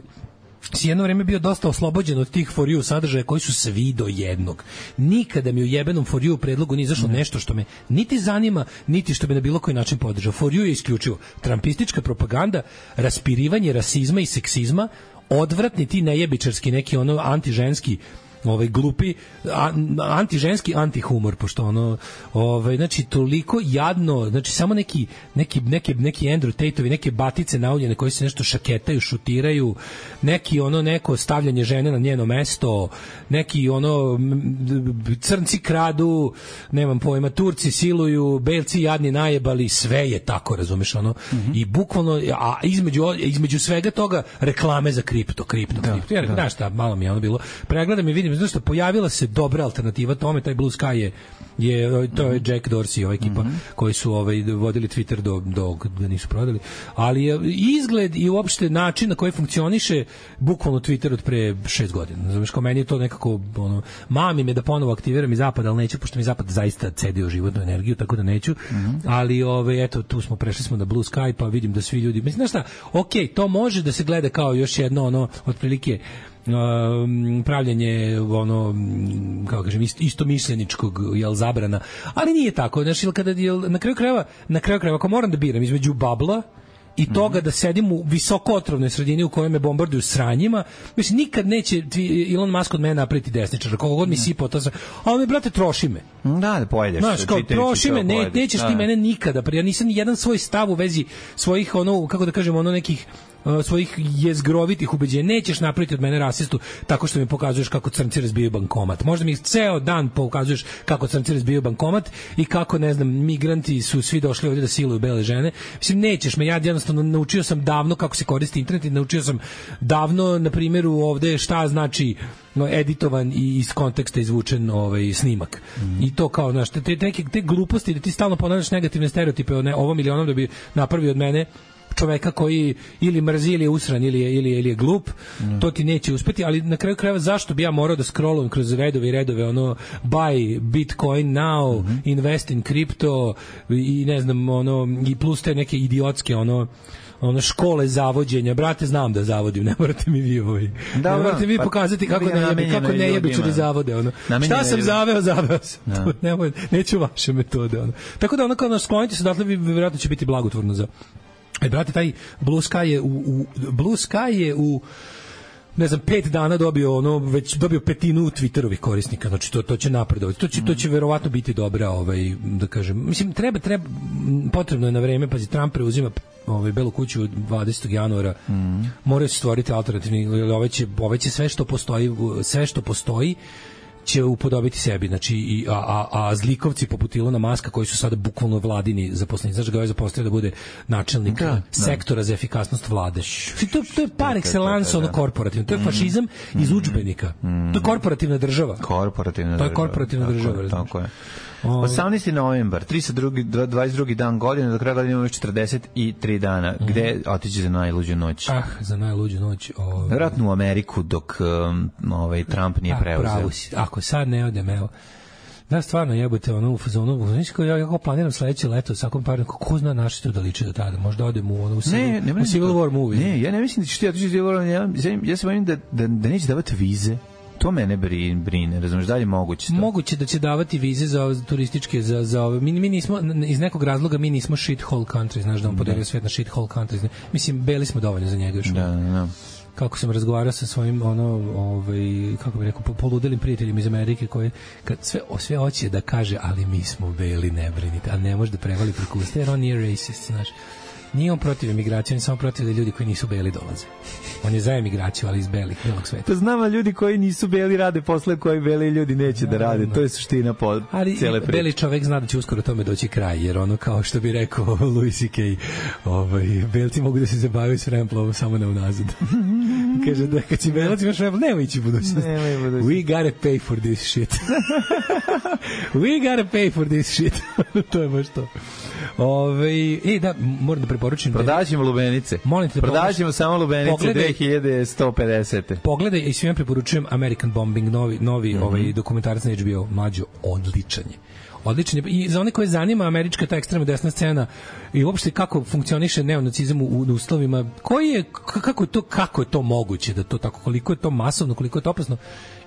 si jedno vreme bio dosta oslobođen od tih for you sadržaja koji su svi do jednog. Nikada mi u jebenom for you predlogu nije izašlo nešto što me niti zanima, niti što bi na bilo koji način podržao. For you je isključivo trampistička propaganda, raspirivanje rasizma i seksizma, odvratni ti nejebičarski neki ono antiženski ovaj glupi antiženski antihumor, pošto ono ovaj znači toliko jadno, znači samo neki neki neki neki Andrew Tate-ovi, neke batice nauljene koji se nešto šaketaju, šutiraju, neki ono neko stavljanje žene na njeno mesto, neki ono crnci kradu, nemam pojma, Turci siluju, belci jadni najebali, sve je tako, razumeš, ono. Mm-hmm. I bukvalno, a između između svega toga reklame za kripto, kripto, da, kripto. Ja rekao, znaš šta, malo mi je ono bilo. Pregledam i vidim, znaš šta, pojavila se dobra alternativa tome, taj Blue Sky je, je to je Jack Dorsey i ova ekipa mm-hmm. koji su ovaj vodili Twitter do do ga nisu prodali, ali je izgled i uopšte način na koji funkcioniše bukvalno Twitter od pre šest godina. Znaš, kao meni je to nekako ono, mami me da ponovo aktiviram i zapad, ali neću, pošto mi zapad zaista cedio životnu energiju, tako da neću. Mm-hmm. Ali ovaj eto, tu smo prešli smo na Blue Sky, pa vidim da svi ljudi, mislim, znaš šta, okej, to može da se gleda kao još jedno ono otprilike Um, pravljanje ono, kako kažem, ist, istomišljeničkog, jel, zabrana, ali nije tako, znači, kada jel, na kraju krajeva na kraju krajeva ako moram da biram između babla i toga da sedim u visokootrovnoj sredini u kojoj me bombarduju sranjima, mislim, nikad neće Elon Musk od mene napraviti desničar, koliko god mi sipao to sve, ali me, brate, troši me. Da, da pojedeš. Znaš, kao, troši me, ne, nećeš ti mene nikada, ja nisam ni jedan svoj stav u vezi svojih, ono, kako da kažem, ono nekih uh, svojih jezgrovitih ubeđenja. Nećeš napraviti od mene rasistu tako što mi pokazuješ kako crnci razbijaju bankomat. Možda mi ceo dan pokazuješ kako crnci razbijaju bankomat i kako, ne znam, migranti su svi došli ovdje da siluju bele žene. Mislim, nećeš me, ja jednostavno naučio sam davno kako se koristi internet i naučio sam davno, na primjeru ovde šta znači no, editovan i iz konteksta izvučen ovaj snimak. Mm. I to kao, znaš, te, te, te, te gluposti da ti stalno ponavljaš negativne stereotipe o ne, ovom ili onom da bi napravio od mene čoveka koji ili mrzi ili je usran ili je, ili je, ili je glup, mm. to ti neće uspeti, ali na kraju krajeva zašto bi ja morao da scrollujem kroz redove i redove ono buy Bitcoin now, mm-hmm. invest in crypto i ne znam ono i plus te neke idiotske ono ono škole zavođenja, brate, znam da zavodim, ne morate mi vi ovaj. Da, ne morate mi pa, pokazati kako ne jebi, kako ne jebičari zavode, ono. Šta sam zaveo, zaveo sam. To, nemoj, neću vaše metode, ono. Tako da ono kao naš sklonite se, dakle, vjerojatno će biti blagotvorno za. E, brate, taj Blue Sky je u, u Blue Sky je u ne znam, pet dana dobio ono već dobio petinu Twitterovih korisnika, znači to to će napredovati. To će to će verovatno biti dobra, ovaj da kažem. Mislim treba treba potrebno je na vreme, pazi, Trump preuzima ovaj Belu kuću dvadesetog januara. Mm. Moraju se stvoriti alternativni, ovaj će ovaj će sve što postoji, sve što postoji će upodobiti sebi, znači i a a a zlikovci poput Ilona Maska koji su sada bukvalno vladini zaposleni, znači ga je zaposlio da bude načelnik da, sektora da. za efikasnost vlade. To to je par excellence ono korporativno, to je fašizam mm. iz udžbenika. Mm. To je korporativna država. Korporativna država. To je korporativna tako država, je, tako je. osamnaesti novembar, trideset drugi, dvadeset drugi dan godine, do kraja godine imamo još četrdeset tri dana. Mm. Gde otići za najluđu noć? Ah, za najluđu noć. Ovaj. Vjerojatno u Ameriku dok um, ovaj Trump nije ah, preuzeo. Ako sad ne odem, evo. Da, stvarno jebote, ono u fazonu, znači kao ja kako planiram sledeće leto, svakom par ko zna naše to da liči do tada, možda odem u ono u Civil, ne, ne u Civil War movie. Ne, ja ne mislim da ćeš ti otići u Civil War, ja, ja se bojim da, da, da neće davati vize. To mene brine, razumiješ, da li je moguće to? Moguće da će davati vize za turističke, za, za ove, mi, mi nismo, iz nekog razloga mi nismo shithole country, znaš da on podelio svet na shithole countries, mislim, beli smo dovoljno za njega još. Da, da. Kako sam razgovarao sa svojim ono ovaj kako bih rekao poludelim prijateljima iz Amerike koji kad sve sve hoće da kaže ali mi smo beli, ne brinite, a ne može da prevali preko usta jer on nije racist, znaš. Nije on protiv emigracije, on je samo protiv da ljudi koji nisu beli dolaze. On je za emigraciju, ali iz belih, belog sveta. Pa znam, a ljudi koji nisu beli rade posle koji beli ljudi neće da rade. To je suština po cele priče. Beli čovek zna da će uskoro tome doći kraj, jer ono kao što bi rekao Louis C K, ovaj, belci mogu da se zabavaju s remplovom samo ne unazad. Kaže da kad si belac imaš remplo, nemoj ići budućnost. We gotta pay for this shit. We gotta pay for this shit. To je baš to. Ove, e, da, moram da preporučim. Prodaćemo lubenice. Molim te da prodaćemo samo lubenice pogledaj, dve hiljade sto pedeset. Pogledaj i svima preporučujem American Bombing, novi, novi mm-hmm. ovaj dokumentarac na H B O, mlađo, odličan je. Odličan je. I za one koje zanima američka ta ekstremna desna scena i uopšte kako funkcioniše neonacizam u, u uslovima, koji je, kako je to, kako je to moguće da to tako, koliko je to masovno, koliko je to opasno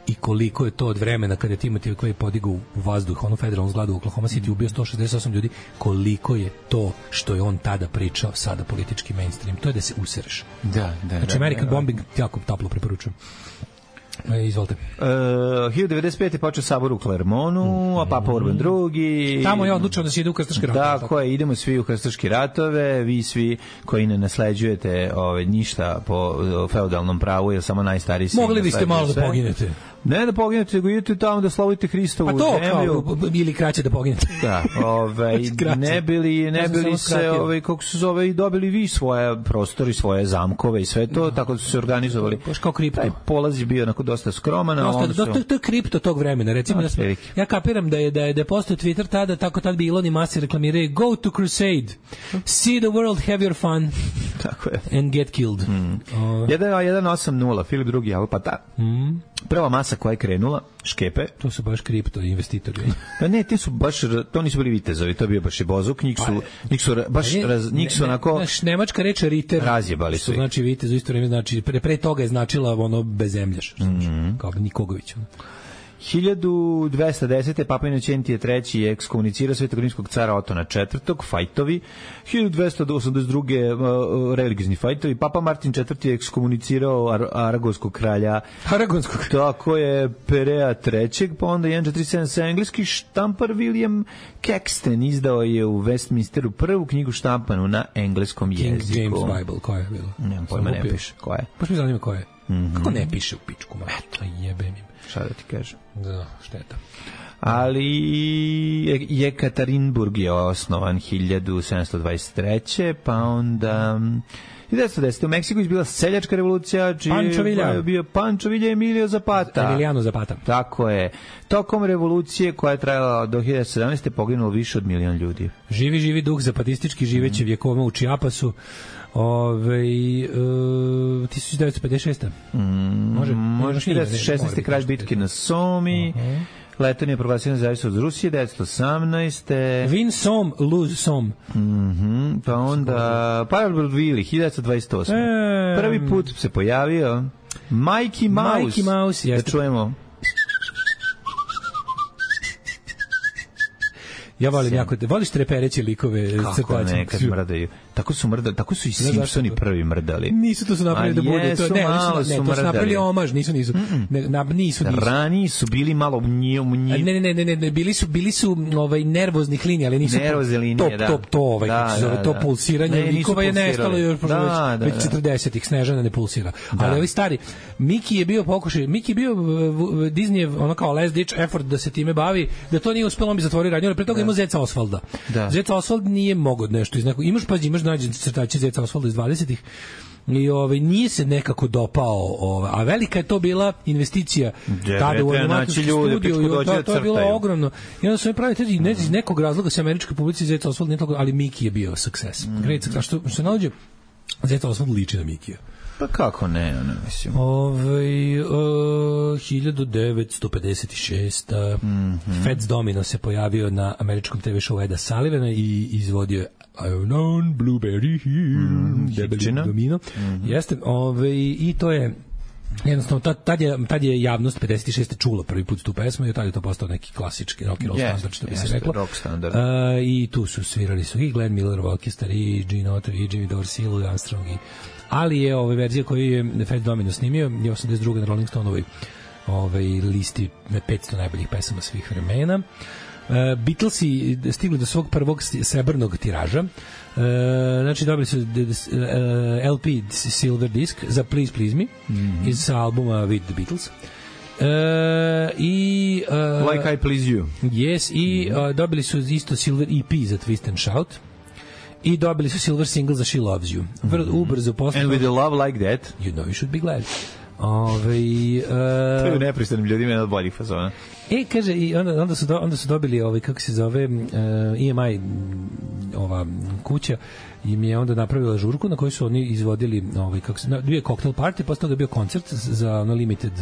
i koliko je to od vremena kada je Timothy koji je podigao u vazduh onu federalnu zgradu u Oklahoma City, ubio sto šezdeset osam ljudi, koliko je to što je on tada pričao sada politički mainstream, to je da se usereš. Da, da. Znači American da, da, Bombing jako toplo preporučujem. E, izvolite. Uh, hiljadu devedeset pete počeo sabor u Klermonu, mm. a Papa Urban drugi. Tamo je odlučio da se ide u krstaške ratove. Da, koje idemo svi u krstaške ratove, vi svi koji ne nasleđujete ove, ništa po feudalnom pravu, jer samo najstariji sin. Mogli biste malo da poginete. Ne da poginete, nego idete tamo da slavite Hristovu zemlju. Pa to, zemlju. Kao, ili kraće da poginete. Da, ovaj, ne bili, ne bili se, ovaj, kako se zove, i dobili vi svoje prostori, svoje zamkove i sve to, no. Tako da su se organizovali. Baš kao kripto. Taj polaz je bio onako dosta skroman. Dosta, do, su... to, to je kripto tog vremena. Recimo, da smo, ja kapiram da je, da je, da je postao Twitter tada, tako tad bi Elon i Musk reklamiraju Go to Crusade, see the world, have your fun. Tako je. And get killed. Mm. Uh, jedan osam nula, Filip drugi, ali pa ta. Mm. Prva masa koja je krenula, škepe. To su baš kripto investitori. Pa ne, ti su baš, to nisu bili vitezovi, to je bio baš i bozuk, njih su, njih su baš, raz, njih su onako... Znaš, nemačka reč riter. Razjebali su. Znači vitez u isto vreme, znači, pre, pre toga je značila ono bezemljaš, mm-hmm. kao Nikogović. Ono. hiljadu dvesta desete. Papa Inocentije treći je ekskomunicirao svetogrimskog cara Otona četvrtog. Fajtovi. hiljadu dvesta osamdeset druge. Uh, religiozni fajtovi. Papa Martin četvrti je ekskomunicirao Ar aragonskog kralja. Aragonskog. Tako je Perea trećeg. Pa onda jedan četiri sedam sedam. Engleski štampar William Caxton izdao je u Westminsteru prvu knjigu štampanu na engleskom King jeziku. James Bible, koja je bilo? Nemam pojma, ne piše. Koja je? Baš mi zanima koja je. Mm -hmm. Kako ne piše u pičku, ma? Eto, jebem im. Šta da ti kažem? Da, šteta. Ali Jekaterinburg je osnovan hiljadu sedamsto dvadeset treće. Pa onda hiljadu devetsto desete. U Meksiku je bila seljačka revolucija, čiji je bio Pancho Villa Emilio Zapata. Emiliano Zapata. Tako je. Tokom revolucije koja je trajala do hiljadu sedamnaeste. poginulo više od milion ljudi. Živi, živi duh zapatistički, živeći mm. vjekova u Čiapasu. Ove, uh, hiljadu devetsto pedeset šeste. Mm, može, može hiljadu devetsto šesnaeste. kraj bitke na Somi. Uh -huh. Leton je proglasio nezavisnost od Rusije, devetsto osamnaeste. Win Som, lose Som. Mm -hmm. Pa onda Parabrodvili, hiljadu devetsto dvadeset osme. E, Prvi put se pojavio Mikey Mouse. Mikey Mouse, jeste. Da čujemo. Ja volim jako, voliš trepereće likove. Kako ne, kad mrdaju. Tako su mrdali, tako su i Simpsoni prvi mrdali. Nisu to su napravili da bude to, ne, malo su, ne, to su napravili omaž, nisu nisu. Ne, na, nisu nisu. Rani su bili malo njio njio. Ne, ne, ne, ne, ne, bili su bili su ovaj nervoznih linija, ali nisu nervozne linije, da. Top to ovaj, da, zove da, to da. pulsiranje ne, likova je nestalo još da, već da, četrdesetih. Snežana ne pulsira. Da. Ali ovi stari Miki je bio pokušaj, Miki je bio Disneyev ono kao last ditch effort da se time bavi, da to nije uspelo, on bi zatvorio radnju, ali pre toga ima Zeca Osvalda. Zeca Osvald nije mogao nešto iz nekog, imaš pa imaš nađe crtače Zeca Osvalda iz dvadesetih. I ovaj nije se nekako dopao, ovaj, a velika je to bila investicija tada u animacijski studiju, to, to je bilo ogromno. I onda su mi pravili ne, iz nekog razloga se američka publika Zeca Osvald nije toliko, ali Miki je bio success. Mm. Great success. Što se nađe Zeca Osvald liči na Mikija. Pa kako ne, ono, mislim. Ove, uh, hiljadu devetsto pedeset šeste. Mm-hmm. Fats Domino se pojavio na američkom te ve showu Eda Sullivana i izvodio je I've known Blueberry Hill. Mm, Debeli Domino. Mm-hmm. Jeste, ove, i to je jednostavno, tad, tad, je, tad je javnost pedeset šeste čula prvi put tu pesmu i tad je to postao neki klasički rock and roll yes, standard, što bi yes, se reklo. Rock standard. Uh, I tu su svirali su i Glenn Miller Orchestra, i Gene Autry, i Jimmy Dorsey, i Louis Armstrong, i ali je ova verzija koju je Fats Domino snimio je osamdeset druge na Rolling Stoneovoj ovaj listi petsto najboljih pesama svih vremena. Uh, Beatlesi stigli do svog prvog srebrnog tiraža. Uh, znači dobili su uh, L P Silver Disc za Please Please Me mm-hmm. iz albuma With the Beatles. Uh, i uh, Like I Please You. Yes, i uh, dobili su isto Silver E P za Twist and Shout. I dobili su silver single za She Loves You. Vrlo mm-hmm. ubrzo posle. And with a love like that, you know you should be glad. Ove, uh, to je nepristanim ljudima jedan od boljih fazona. E, kaže, i onda, onda, su do, onda su dobili, ovaj, kako se zove, uh, E M I, ova kuća, im je onda napravila žurku na kojoj su oni izvodili, ovaj, kako se, bio je cocktail party, posle toga je bio koncert za ono limited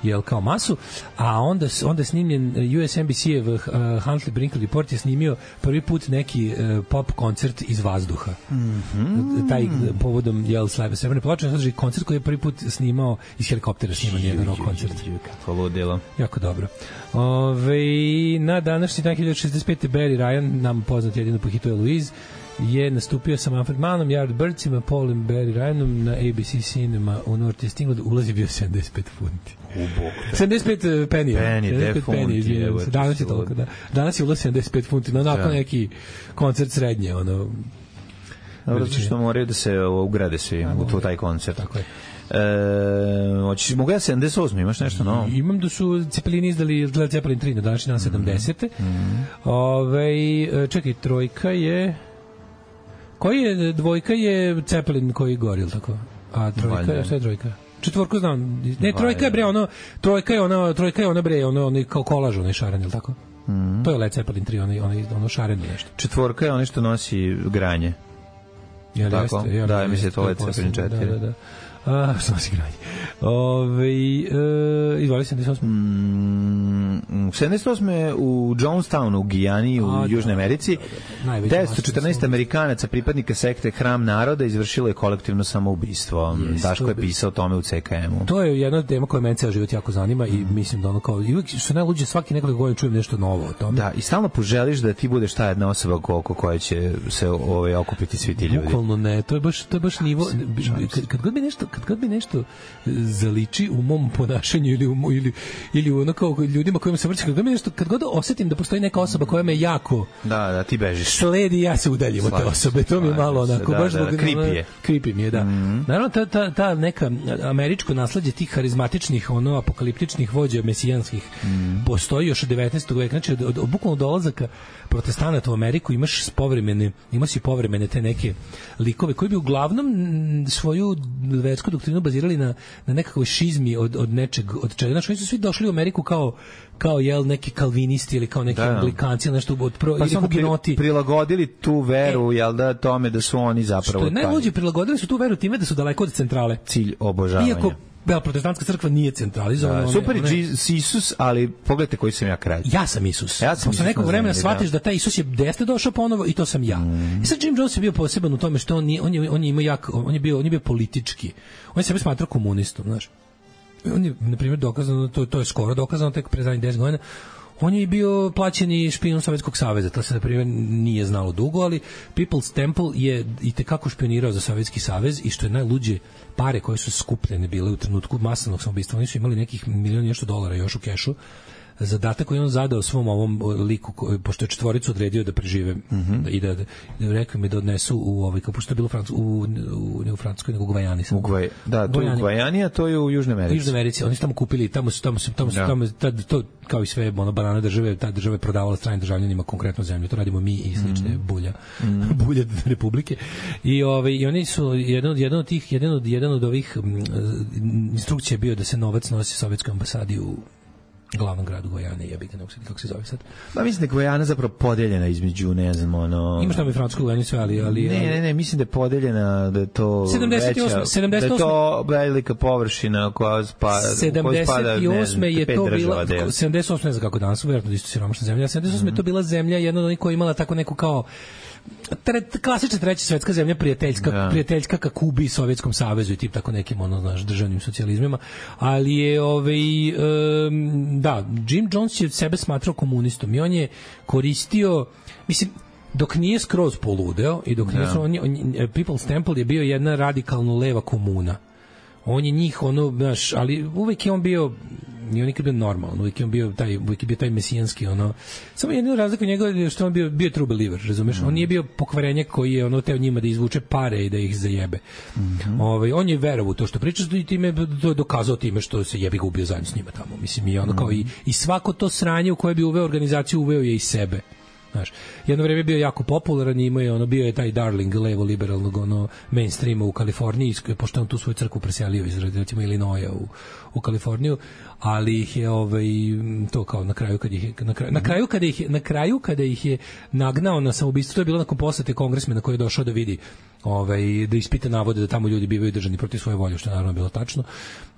jel kao masu, a onda onda je snimljen U S N B C-ev uh, Huntley Brinkley Report je snimio prvi put neki uh, pop koncert iz vazduha. Mm-hmm. Taj povodom jel Srebrne ploče, znači koncert koji je prvi put snimao iz helikoptera, sniman jedan rock koncert. Kako ludilo. Jako dobro. Ove, na današnji dan hiljadu šezdeset pete. Barry Ryan, nam poznat jedino po hitu Eloise, je nastupio sa Manfred Mannom, Yardbirdsima, Paulom Barry Ryanom na A B C Cinema u North East England. Ulaz je bio sedamdeset pet funti. sedamdeset pet penija. Penije, de funti. Danas je toliko, da. Danas je ulaz sedamdeset pet funti, no nakon neki koncert srednje, ono... Dobro, zato što moraju da se ugrade svi u taj koncert. Tako je. E, hoćeš, mogu ja sedamdeset osme, imaš nešto novo? Imam da su Cepelini izdali Led Zeppelin tri na današnji dan sedamdesete. Mm-hmm. Ove, čekaj, trojka je... Koji je, dvojka je Zeppelin koji gori, ili tako? A trojka je, šta je trojka? Četvorku znam. Ne, trojka je bre, ono, trojka je ona, trojka je ona bre, ono, ono kao kolaž, onaj šaren, ili tako? Mm-hmm. To je Led Zeppelin tri, ono, ono, ono šareno nešto. Četvorka je ono što nosi granje. Jel, tako? Jeste, jel, da, mislim, to Led Zeppelin četiri. Da, da, da. A, što nas igranje? Ove, e, izvoli sedamdeset osme. Mm, sedamdeset osme u Jonestownu u Gijani u A, Južnoj Americi da, da, da. devetsto četrnaest Amerikanaca pripadnika sekte Hram naroda izvršilo je kolektivno samoubistvo. Yes, Daško je pisao o tome u C K M-u. To je jedna tema koja mene ceo život jako zanima i mislim da ono kao i uvijek što najluđe svaki nekoliko godina čujem nešto novo o tome. Da, i stalno poželiš da ti budeš ta jedna osoba oko koje će se ovaj okupiti svi ti ljudi. Bukvalno ne, to je baš to je baš nivo kad, kad god bi nešto kad god bi nešto zaliči u mom ponašanju ili u, ili ili u ono kao ljudima kojima se vrti, kad god nešto kad god osetim da postoji neka osoba koja me jako da da ti bežiš sledi, ja se udaljim od te osobe, to mi je malo onako da, baš da, da, creepy je creepy mi je, da. Mm-hmm. Naravno ta, ta, ta neka američko nasleđe tih harizmatičnih ono apokaliptičnih vođa mesijanskih mm. postoji još od devetnaestog veka, znači od, od, od bukvalno dolazaka protestanata u Ameriku imaš povremene imaš i povremene te neke likove koji bi uglavnom svoju versku doktrinu bazirali na na nekakvoj šizmi od od nečeg od čega, znači oni su svi došli u Ameriku kao kao jel neki kalvinisti ili kao neki da, anglikanci ili nešto od pro, pa ili hugenoti prilagodili tu veru e, jel da tome da su oni zapravo što najluđe prilagodili su tu veru time da su daleko od centrale, cilj obožavanja. Iako Bela protestantska crkva nije centralizovana. Da, super je Isus, ali pogledajte koji sam ja kraj. Ja sam Isus. Ja sam Posle nekog vremena shvatiš da. da taj Isus je desete došao ponovo i to sam ja. Mm. I sad Jim Jones je bio poseban u tome što on je, on je, on je imao jak, on je bio, on je bio politički. On je sebe smatrao komunistom, znaš. On je, na primjer, dokazano, to, to je skoro dokazano, tek pre zadnjih deset godina, on je bio plaćeni špijun Sovjetskog saveza, to se na primjer nije znalo dugo, ali People's Temple je i tekako špionirao za Sovjetski savez i što je najluđe, pare koje su skupljene bile u trenutku masovnog samoubistva, oni su imali nekih milion nešto dolara još u kešu. Zadatak koji on zadao svom ovom liku, pošto je četvoricu odredio da prežive mm-hmm. i da, da, da rekao mi da odnesu u ovaj, kao pošto je bilo u, Francu, u, u, ne u Francuskoj, nego u Gvajani. U Gvaj, da, to je u Gvajani, a to je u Južnoj Americi. U Južnoj Americi, oni su tamo kupili, tamo su, tamo su, tamo su, da. tamo, tad, to, kao i sve ono, banane države, ta država je prodavala stranim državljanima konkretno zemlju, to radimo mi i slične mm-hmm. bulja, mm-hmm. bulja republike. I, ovaj, i oni su, jedan od, jedan od tih, jedan od, jedan od ovih m, instrukcija je bio da se novac nosi Sovjetskoj ambasadi u glavnom gradu Gvajane, ja bih ne mogu kako se zove sad. Pa mislim da je Gvajana zapravo podeljena između, ne znam, ono... Imaš tamo i francusku Gvajanu sve, ali... ali ne, ne, ne, mislim da je podeljena, da je to sedamdeset osme, veća, sedamdeset osme, da je to velika površina koja spada... sedamdeset osme je to bila... sedamdeset osme ne znam kako danas, vjerojatno isto siromašna zemlja, sedamdeset osme mm-hmm. je to bila zemlja, jedna od onih koja imala tako neku kao... Tre, klasična treća svetska zemlja prijateljska da. prijateljska ka Kubi i Sovjetskom savezu i tip tako nekim ono znaš državnim socijalizmima, ali je ovaj um, da Jim Jones je sebe smatrao komunistom i on je koristio, mislim, dok nije skroz poludeo i dok nije da. on, on, People's Temple je bio jedna radikalno leva komuna. On je njih ono, znaš, ali uvek je on bio nije on nikad bio normalan, uvijek je on bio taj, uvijek je bio taj mesijanski, ono, samo jednu razliku njega što on bio, bio true believer, razumeš, mm. on nije bio pokvarenjak koji je ono teo njima da izvuče pare i da ih zajebe. Mm-hmm. Ovaj, on je verovao to što pričaš i time to dokazao time što se jebi ga ubio zajedno s njima tamo, mislim, i ono mm. kao i, i svako to sranje u koje bi uveo organizaciju uveo je i sebe. Znaš, jedno vreme je bio jako popularan i imao je ono, bio je taj darling levo liberalnog ono mainstreama u Kaliforniji, pošto on tu svoju crkvu preselio iz recimo Illinoisa u u Kaliforniju, ali ih je ovaj to kao na kraju kad ih je, na kraju, na kraju kada ih je, na kraju kada ih je nagnao na samoubistvo, to je bilo nakon posete kongresmena koji je došao da vidi ovaj da ispita navode da tamo ljudi bivaju držani protiv svoje volje, što je naravno bilo tačno.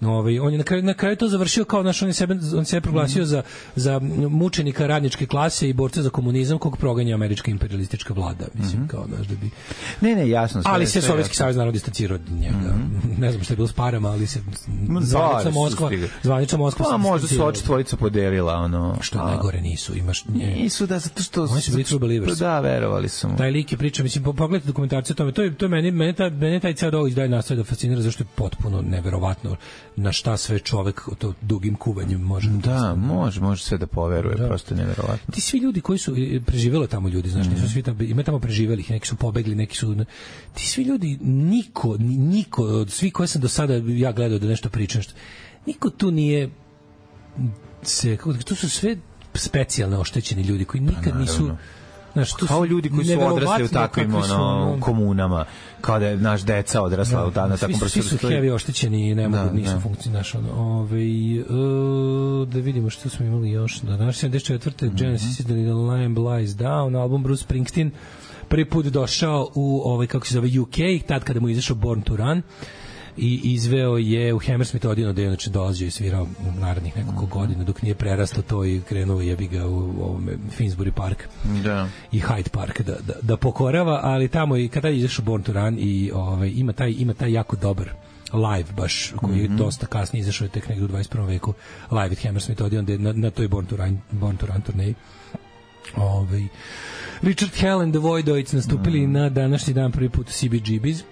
Ovaj on je na kraju na kraju to završio kao naš on je sebe on se proglasio za za mučenika radničke klase i borca za komunizam kog proganja američka imperialistička vlada, mislim mm-hmm. kao naš da bi Ne, ne, jasno sve. Ali se Sovjetski savez naravno distancirao od njega. Mm-hmm. Ne znam šta je bilo s parama, ali se zvanična Moskva, zvanična Moskva. Pa možda su oči tvojica podelila ono. Što a... najgore nisu, imaš nje. Nisu da zato što oni su bili true believers. Da, verovali su. Taj lik je priča, mislim, pogledajte dokumentaciju o tome. To je to je meni meni taj meni taj ceo događaj dalje nastavlja da fascinira zašto je potpuno neverovatno na šta sve čovek to dugim kuvanjem može. Da, može, može sve da poveruje, da. Prosto neverovatno. Ti svi ljudi koji su preživeli tamo ljudi, znaš, nisu svi tamo, ima tamo preživelih, neki su pobegli, neki su ti svi ljudi niko niko od svih koje sam do sada ja gledao da nešto pričam što niko tu nije se, kako to su sve specijalno oštećeni ljudi koji nikad nisu znaš, tu kao ljudi koji su odrasli u takvim ono, ono, komunama, kao da je naš deca odrasla da, u dana takvom prostoru. Svi su heavy oštećeni i ne mogu, da, nisu funkcionaš. Ono, ove, uh, da vidimo što smo imali još. Da, naš sedamdeset četvrte Mm-hmm. Genesis The Lamb Lies Down, album Bruce Springsteen, prvi put došao u ovaj, kako se zove, U K, tad kada mu izašao Born to Run. i izveo je u Hammersmith Odeonu, da je inače dolazio i svirao u narednih nekoliko godina dok nije prerastao to i krenuo jebi ga u ovome Finsbury Park da. i Hyde Park da, da, da pokorava, ali tamo i kada je izašao Born to Run i ovaj, ima, taj, ima taj jako dobar live baš, koji je mm-hmm. dosta kasnije izašao je tek negdje u dvadeset prvom veku, live at Hammersmith Odeon, na, na toj Born to Run, Born to Run turneji. Ovaj Richard Hell and the Voidoids nastupili mm. na današnji dan prvi put u C B G B's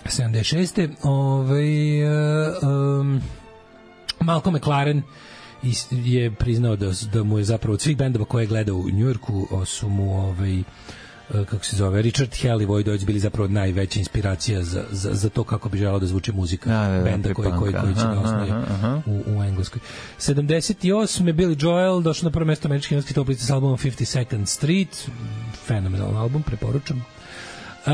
sedamdeset šeste Ovaj um, Malcolm McLaren je priznao da, da mu je zapravo od svih bendova koje je gledao u Njujorku su mu ovaj kako se zove, Richard Hell i Voidoids bili zapravo najveća inspiracija za, za, za to kako bi želeo da zvuči muzika da, da, da, benda koji, koji, koji će da osnovi u, u Engleskoj. sedamdeset osme Billy Joel došao na prvo mesto američke engleskih top liste s albumom fifty-second Street, fenomenalan album, preporučam. Uh,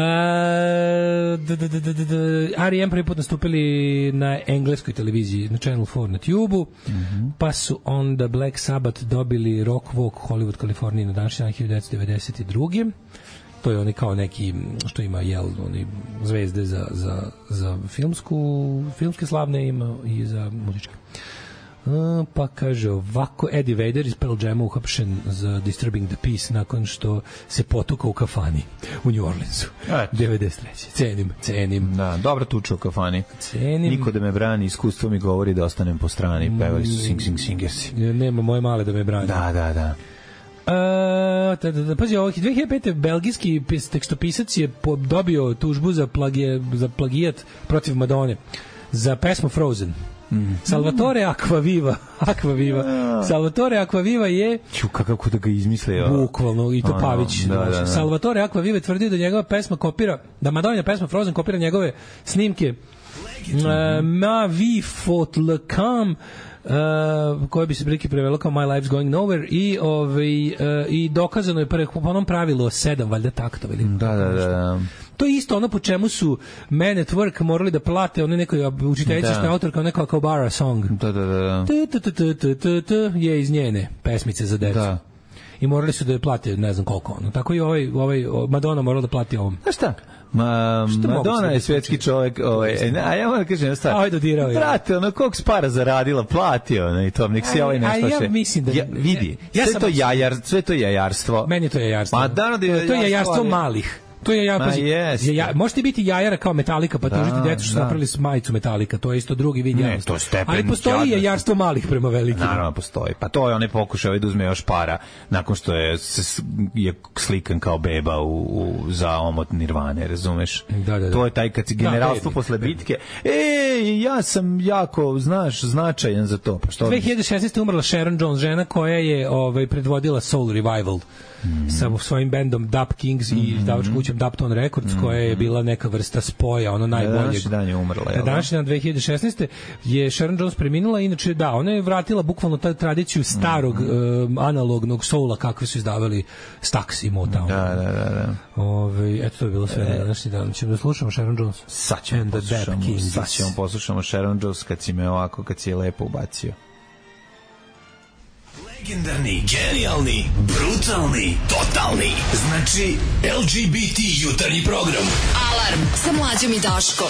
R E M prvi put nastupili na engleskoj televiziji na Channel four na Tube-u, mm-hmm. pa su onda Black Sabbath dobili Rock Walk Hollywood, Kaliforniji na današnji dan hiljadu devetsto devedeset druge To je oni kao neki što ima jel oni zvezde za, za, za filmsku filmske slavne ima i za muzičke. Uh, pa kaže ovako, Eddie Vedder iz Pearl Jama uhapšen za Disturbing the Peace nakon što se potukao u kafani u New Orleansu. devedeset treće Cenim, cenim. Da, dobro tuča u kafani. Cenim. Niko da me brani, iskustvo mi govori da ostanem po strani. Pevali su Sing Sing Singersi. Nema moje male da me brani. Da, da, da. Uh, da, da, da, pazi, ovih dve hiljade pete belgijski tekstopisac je dobio tužbu za, plagije, za plagijat protiv Madone za pesmu Frozen. Mm. Salvatore Acquaviva Acquaviva Salvatore Acquaviva je Ču, kako da ga izmislio bukvalno i to ano, Pavić da, da, da. Salvatore Acquaviva tvrdio da njegova pesma kopira, da Madonna pesma Frozen kopira njegove snimke uh, Ma vi faut le cam Uh, koje bi se prilike prevelo kao My Life's Going Nowhere i, ovaj, uh, i dokazano je po onom pravilu sedam valjda taktova ili da, da, da, da. To je isto ono po čemu su Men at Work morali da plate one nekoj učiteljici što je autor kao neka Kabara song da, da, da. je iz njene pesmice za decu da. I morali su da je plate ne znam koliko ono. Tako i ovaj, ovaj Madonna morala da plati ovom. A šta? Ma, Madonna je svjetski čovjek, ovaj, a ja moram da kažem stvar. Aj dodirao je. Brate, ono koliko spara zaradila, platio, ne, i to nek se ovaj nešto še. Ja mislim da ja, vidi. Ja, ja sve to jajar, sve to jajarstvo. Meni je to jajarstvo. Ma da, to je jajarstvo malih. To je ja, pazi, je, ja, možete biti jajara kao Metallica, pa tužiti decu što su napravili majicu Metallica, to je isto drugi vid jajarstva. Ali postoji jajarstvo malih prema velikim. Naravno postoji. Pa to je onaj pokušaj da uzme još para nakon što je, je slikan kao beba u, u, za omot Nirvane, razumeš? Da, da, da. To je taj kad si generalstvo da, posle bitke. Ej, ja sam jako, znaš, značajan za to. Pa što dve hiljade šesnaeste umrla Sharon Jones, žena koja je ovaj, predvodila Soul Revival. Mm. sa svojim bendom Dub Kings mm. i izdavačkom kućom Dubtone Records mm. koja je bila neka vrsta spoja, ono najboljeg. Današnji dan je umrla. Na današnji dan dve hiljade šesnaeste je Sharon Jones preminula, inače da, ona je vratila bukvalno tu tradiciju starog mm. um, analognog soula kakve su izdavali Stax i Motown. Da, da, da. da. Ove, eto, to je bilo sve e. na današnji dan. Ćemo da slušamo Sharon Jones. Sad ćemo poslušamo, sad ćemo poslušamo Sharon Jones kad si me ovako, kad si je lepo ubacio. Legendarni, genijalni, brutalni, totalni. Znači, L G B T jutarnji program. Alarm sa Mlađom i Daškom.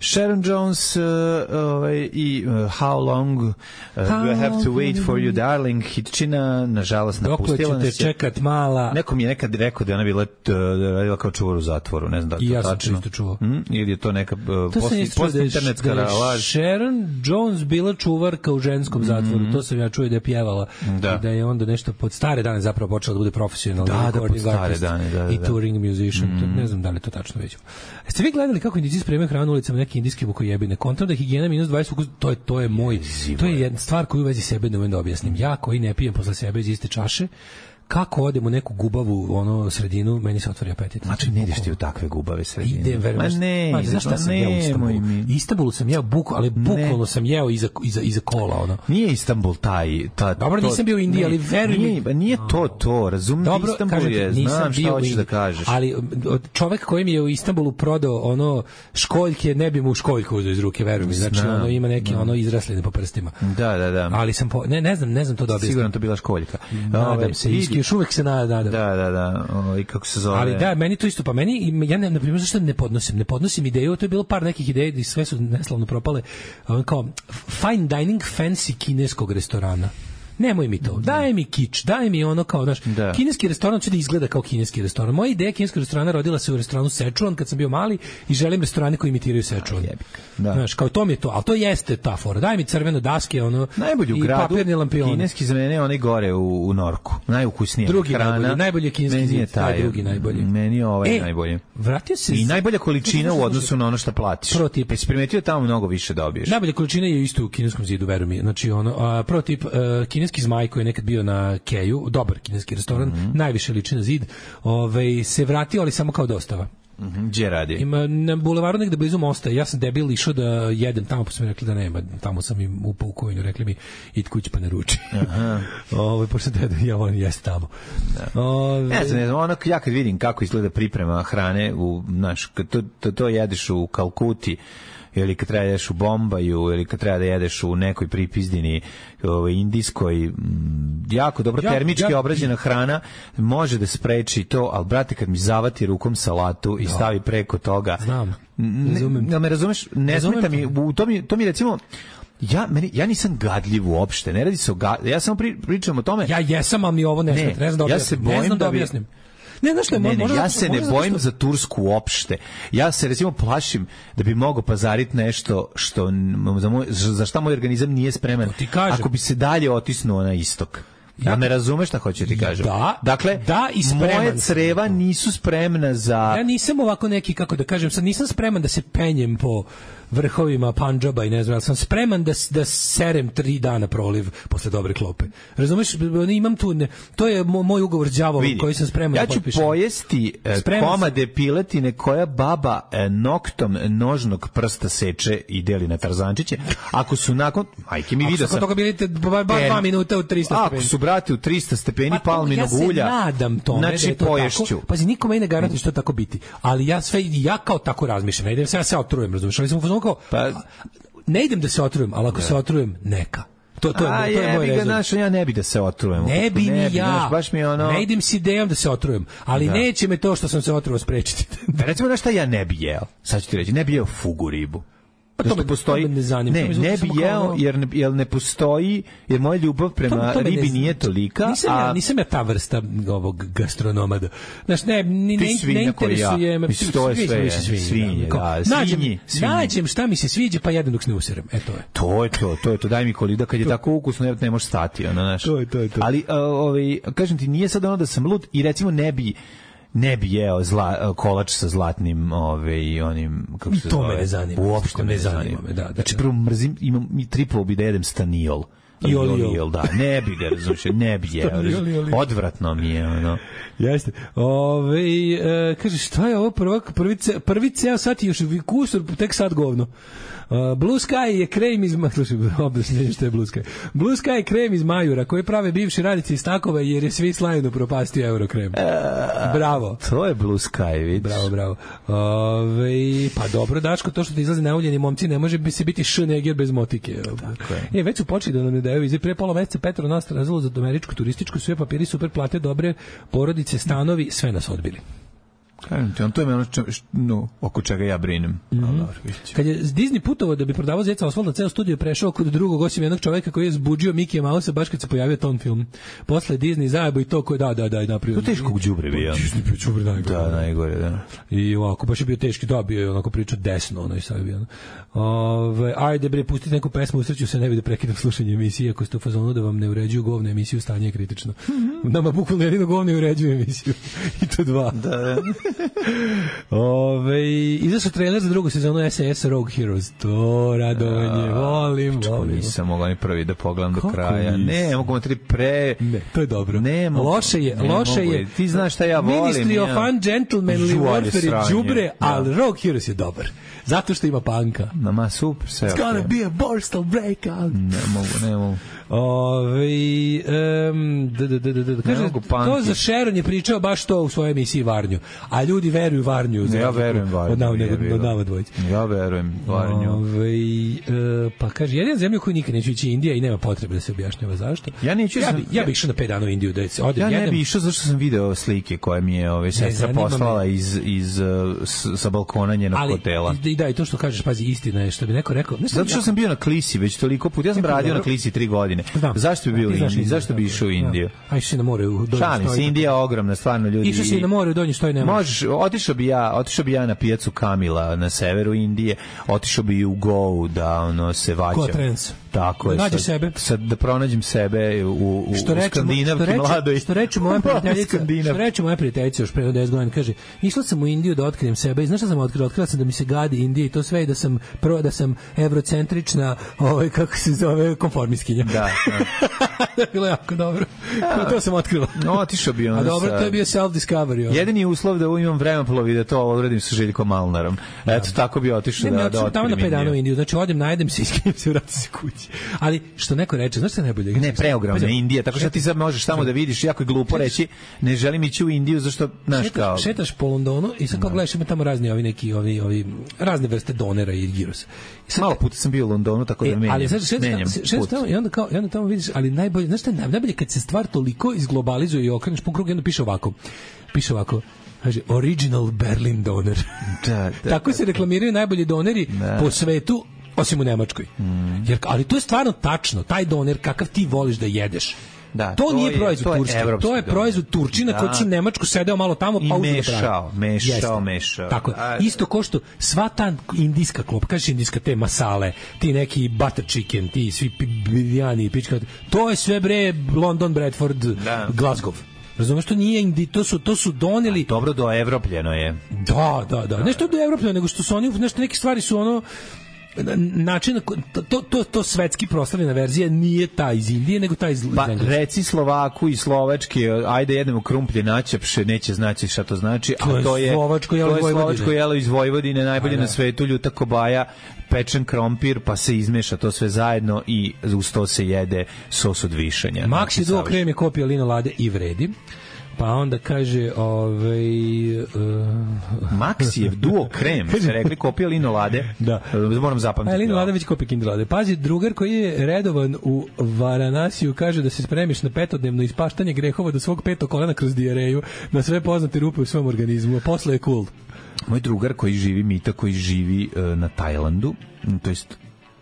Sharon Jones uh, uh, i uh, How Long uh, How You Have to Wait for You Darling, hitčina, nažalost napustila nas je. Dok ćete čekat mala. Nekom je nekad rekao da je ona bila, da je radila kao čuvar u zatvoru, ne znam da je to tačno. I ja sam isto čuo. Mm? Ili je to neka uh, post internetska laž. Sharon Jones bila čuvarka u ženskom zatvoru, mm-hmm. to sam ja čuo da je pjevala. Da. Da je onda nešto pod stare dane zapravo počela da bude profesionalna. Da, da, pod stare dane, da, da. I touring musician, mm-hmm. ne znam da li to tačno vidimo. Jeste vi gledali kako Indijci spremaju hranu ulicama neke indijske bukojebine? Kontam da higijena minus dvadeset, to je, to je moj, to je jedna stvar koju u vezi sebe ne umem da objasnim. Ja koji ne pijem posle sebe iz iste čaše, kako odem u neku gubavu ono sredinu, meni se otvori apetit. Znači ne ideš ti u takve gubave sredine. Idem, verujem. Ma ne, ma, znaš šta sam jeo u Istanbulu? Istanbulu sam jeo buku, ali bukvalno sam jeo iza, iza, iza kola. Ono. Nije Istanbul taj... Ta, dobro, to, nisam bio u Indiji, ali veruj mi... Nije, nije to to, razumim, dobro, Istanbul kažete, je, znam šta hoćeš da kažeš. Ali čovek koji mi je u Istanbulu prodao ono školjke, ne bi mu školjku uzeo iz ruke, veruj mi. Znači, ono ima neke ono izrasline po prstima. Da, da, da. Ali sam, po, ne, ne znam, ne znam to da objasnim. Sigurno to bila školjka. Nadam se, excuse još uvek se nadam. Da, da, da, o, i kako se zove. Ali da, meni to isto, pa meni, ja ne, na primjer, zašto ne podnosim, ne podnosim ideju, to je bilo par nekih ideja i sve su neslavno propale, kao fine dining fancy kineskog restorana. Nemoj mi to. Daj mi kič, daj mi ono kao, znaš, da. Kineski restoran će da izgleda kao kineski restoran. Moja ideja kineskog restorana rodila se u restoranu Szechuan kad sam bio mali i želim restorane koji imitiraju Szechuan. Da. Znaš, kao to mi je to, al to jeste ta fora. Daj mi crveno daske, ono, najbolji u gradu, kineski za mene onaj gore u, u Norku. Najukusnije drugi hrana. Najbolji, najbolji je kineski zid, taj drugi najbolji. Meni je ovaj e, najbolji. Vratio se i najbolja količina u odnosu na ono što platiš. Prvo tip. Jesi primetio tamo mnogo više dobiješ. Najbolja količina je isto u kineskom zidu, veruj mi. Znači ono, a, prvo tip, uh, kineski zmaj koji je nekad bio na Keju, dobar kineski restoran, mm-hmm. najviše liči na zid, ovaj, se vratio, ali samo kao dostava. Mm-hmm. Gdje radi? Ima na bulevaru negde blizu mosta. Ja sam debil išao da jedem tamo, pa su mi rekli da nema. Tamo sam im upao u kojinu, rekli mi id kući pa ne ruči. Aha. Ovo, pošto da ja volim jesti tamo. Da. Ove... Ne znam, ne znam, ono, ja kad vidim kako izgleda priprema hrane, u, znaš, kad to, to, to jedeš u Kalkuti, ili kad treba da jedeš u Bombaju, ili kad treba da jedeš u nekoj pripizdini ovaj, indijskoj, m, jako dobro ja, termički ja, obrađena hrana može da spreči to, ali brate, kad mi zavati rukom salatu i stavi preko toga, znam, razumem. Ne, me razumeš, ne smeta mi, u to mi, to mi recimo, ja, meni, ja nisam gadljiv uopšte, ne radi se o gadljiv, ja samo pri, pričam o tome. Ja jesam, ali mi ovo ne, ne, ne znam da ja se bojim ne znam da, da objasnim. Ne, znaš što je, ne, ne, možda, ja se ne bojim što... za Tursku uopšte. Ja se recimo plašim da bi mogao pazariti nešto što za, moj, za šta moj organizam nije spreman. Ako bi se dalje otisnuo na istok. Ja me razumeš šta hoću ti kažem. Da, dakle, da i moje creva nisu spremna za... Ja nisam ovako neki, kako da kažem, sad nisam spreman da se penjem po vrhovima Pandžaba i ne znam, ali sam spreman da, da serem tri dana proliv posle dobre klope. Razumeš, imam tu, ne, to je moj ugovor s đavolom koji sam spreman ja da potpišem. Ja ću pojesti spreman komade sam. Piletine koja baba noktom nožnog prsta seče i deli na tarzančiće. Ako su nakon... Majke mi vidio sam... Ako toga bilite ba, ba, dva minuta u trista stepeni. Ako su, brate, u trista stepeni pa, palminog ja ulja... Ja se nadam tome znači, da je to poješću. Tako. Pazi, nikome ne garantuje što tako biti. Ali ja sve, ja kao tako razmišljam. Ne idem se, ja se otrujem, razumiješ. Ali sam kao, pa, ne idem da se otrujem, ali ako ne. se otrujem, neka. To, to, A, je, to je moj rezon. Naš, ja ne bi da se otrujem. Ne bi ne ni ja. Naš, baš mi ono... Ne idem s idejom da se otrujem, ali da. neće me to što sam se otruvao sprečiti. Da, recimo, na šta ja ne bi jeo? Sad ću ti reći, ne bi jeo fugu ribu. Pa to me postoji, ne zanima. Ne, ne bi jeo jer ne, jer ne postoji, jer moja ljubav prema to, to ribi ne nije tolika. Nisam, a... ja, nisam ja ta vrsta ovog gastronomada. Znaš, ne, ni, ne, ne interesuje me. Mislim, to je sve, svinje, svinje, da, svinji, svinji. Nađem šta mi se sviđa, pa jedem dok se ne userem. E, to je. To je to, to je to. Daj mi kolida, kad je tako ukusno, ne, ne možeš stati. Ono, znaš. To je to, je to. Ali, ovaj, kažem ti, nije sad ono da sam lud i recimo ne bi ne bi jeo zla, kolač sa zlatnim ovaj onim kako se zove. To me ne zanima. Uopšte me ne zanima. Me, da, da, znači prvo mrzim, imam mi triplo bi da jedem staniol. I oliol, da, ne bi ga, razumiješ, ne bi jeo. Odvratno mi je, ono. Jeste. Ove, e, kaže, šta je ovo prvi, prvi, prvi ceo sat i još kusur, tek sad govno. Uh, Blue Sky je krem iz objašnjenje što je Blue Sky. Blue Sky je krem iz Majura koji prave bivši radnici iz Takova jer je svi slajno propastio Eurokrem. Uh, bravo. To je Blue Sky, vidiš. Bravo, bravo. Ove, pa dobro, Daško, to što ti izlazi nauljeni momci ne može bi se biti šneger bez motike. Tako je. E, već su počeli da nam ne daju. Iz pre pola meseca Petro nas razvilo za američku turističku, sve papiri, super plate, dobre porodice, stanovi, sve nas odbili. Kažem ti, on to je ono čo, no, oko čega ja brinem. Mm-hmm. Kad je Disney putovao da bi prodavao Zeca Osvalda, ceo studio prešao kod drugog, osim jednog čoveka koji je zbuđio Mikija Mausa baš kad se pojavio ton film. Posle Disney zajebo i to koji da, da, da, napravio. To teško đubre bio. Disney bio đubre najgore. Da, najgore, da. I ovako, baš je bio teški, da, bio je onako pričao desno, ono i sad bio. Ove, ajde bre, pustite neku pesmu, usreću se, ne bi da prekidam slušanje emisije, ako ste u fazonu da vam ne uređuju govne emisiju, stanje je kritično. Mm-hmm. Nama bukvalno jedino govne uređuju emisiju. I to dva. Da. Ove, izašao trailer za drugu sezonu S A S Rogue Heroes. To radovanje, ja, volim, volim. Nisam mogao ni prvi da pogledam do kraja. Ne, mogu tri pre... Ne, to je dobro. Ne, mogu, loše je, ne loše mogu. je. Ti znaš šta ja volim. Ministry ja. of Ungentlemanly Warfare je džubre, ali Rogue Heroes je dobar. Zato što ima panka. Ma super, sve. It's gonna okay. be a borstal breakout. Ne mogu, ne mogu. Ove, um, d, d, d, d, d, kaže, to za Sharon je pričao baš to u svojoj emisiji Varnju. A ljudi veruju Varnju. Ja verujem Varnju. Od nama, nego, od nama dvojice. Ja verujem Varnju. Ove, e, pa kaže, jedina zemlja koju nikad neću ići Indija i nema potrebe da se objašnjava zašto. Ja neću. Ja bi, ja bi išao na pet dana u Indiju da se odem. Ja ne jedem. bi išao zašto sam video slike koje mi je ove sestra poslala iz, iz, s, sa balkona njenog ali, hotela. I da, i to što kažeš, pazi, istina je što bi neko rekao. Ne zato što ja, sam bio na Klisi već toliko puta. Ja sam radio dobro. Na Klisi tri godine. Znam. Zašto bi bio u Indiji? Zašto bi išao u Indiju? A išao si na more u Donji Štoj. Šalim se, Indija je ogromna, stvarno ljudi. Išao si na more u Donji Štoj, ne možeš. Otišao bi ja, otišao bi ja na pijacu Kamila na severu Indije, otišao bi u Goa da ono se vađam. Tako je. Nađi sad, sebe. Sad da pronađem sebe u, u, što u skandinavki mladoj. Što reče moja prijateljica, što reče moja prijateljica još pre deset godina, kaže, išla sam u Indiju da otkrijem sebe i znaš šta sam otkrila? Otkrila sam da mi se gadi Indija i to sve i da sam, prvo, da sam evrocentrična, ovaj, kako se zove, konformistkinja. Da, da. Bilo jako dobro. To sam otkrila. No, otišao bi on. A dobro, sa... to je bio self-discovery. Ovaj. Jedini uslov da imam vremeplovi da to odradim sa Željkom Malnarom. Eto, da. Tako bi otišao da, da otkrijem tamo na pet dana u Indiju. Znači, odem, najedem se, iskrijem se, vratim se kući. Ali, što neko reče, znaš šta najbolje? Ne, preogromna Indija, tako što ti sad možeš tamo da vidiš, jako je glupo reći, ne želim ići u Indiju, zašto, znaš kao... Šetaš po Londonu i sad kao gledaš, ima tamo razni ovi neki, ovi, ovi, razne vrste donera i girosa. Malo puta sam bio u Londonu, tako da menjam. Ali sad šetaš tamo i onda, kao, i onda tamo vidiš, ali najbolje, znaš šta je najbolje kad se stvar toliko izglobalizuje i okreneš po krugu i onda piše ovako, piše ovako, kaže, original Berlin doner. Da, da, tako da, se reklamiraju najbolji doneri da. Po svetu, osim u Nemačkoj. Mm. Jer, ali to je stvarno tačno, taj doner kakav ti voliš da jedeš. Da, to, to nije je, proizvod Turske, to je proizvod Turčina da. Koji će u Nemačku sedeo malo tamo pa uzeo da pravi. Mešao, mešao, mešao. Tako je. Isto ko što sva ta indijska klop, kažeš indijska te masale, ti neki butter chicken, ti svi birijani, pička, to je sve bre London, Bradford, da. Glasgow. Razumeš, to nije Indi, to su to su doneli. A dobro do evropljeno je. Da, da, da. Ne što do evropljeno, nego što su oni nešto neke stvari su ono način to to to svetski proslavljena verzija nije ta iz Indije nego ta iz pa reci Slovaku i Slovačke ajde jedemo krumplje načepše neće znači šta to znači to a to je Slovačko jelo, to je Slovačko jelo iz Vojvodine najbolje na svetu ljuta kobaja pečen krompir pa se izmeša to sve zajedno i uz to se jede sos od višanja. Maxi Duo krem je kopija Lino Lade i vredi. Pa onda kaže ovaj uh, Maxijev Duo krem, se rekli kopija Lino Lade. Da. Moram zapamtiti. A Lino Lade već kopija Kinder Lade. Pazi, drugar koji je redovan u Varanasiju kaže da se spremiš na petodnevno ispaštanje grehova do svog petog kolena kroz dijareju, na sve poznate rupe u svom organizmu, a posle je cool. Moj drugar koji živi Mita, koji živi uh, na Tajlandu, to jest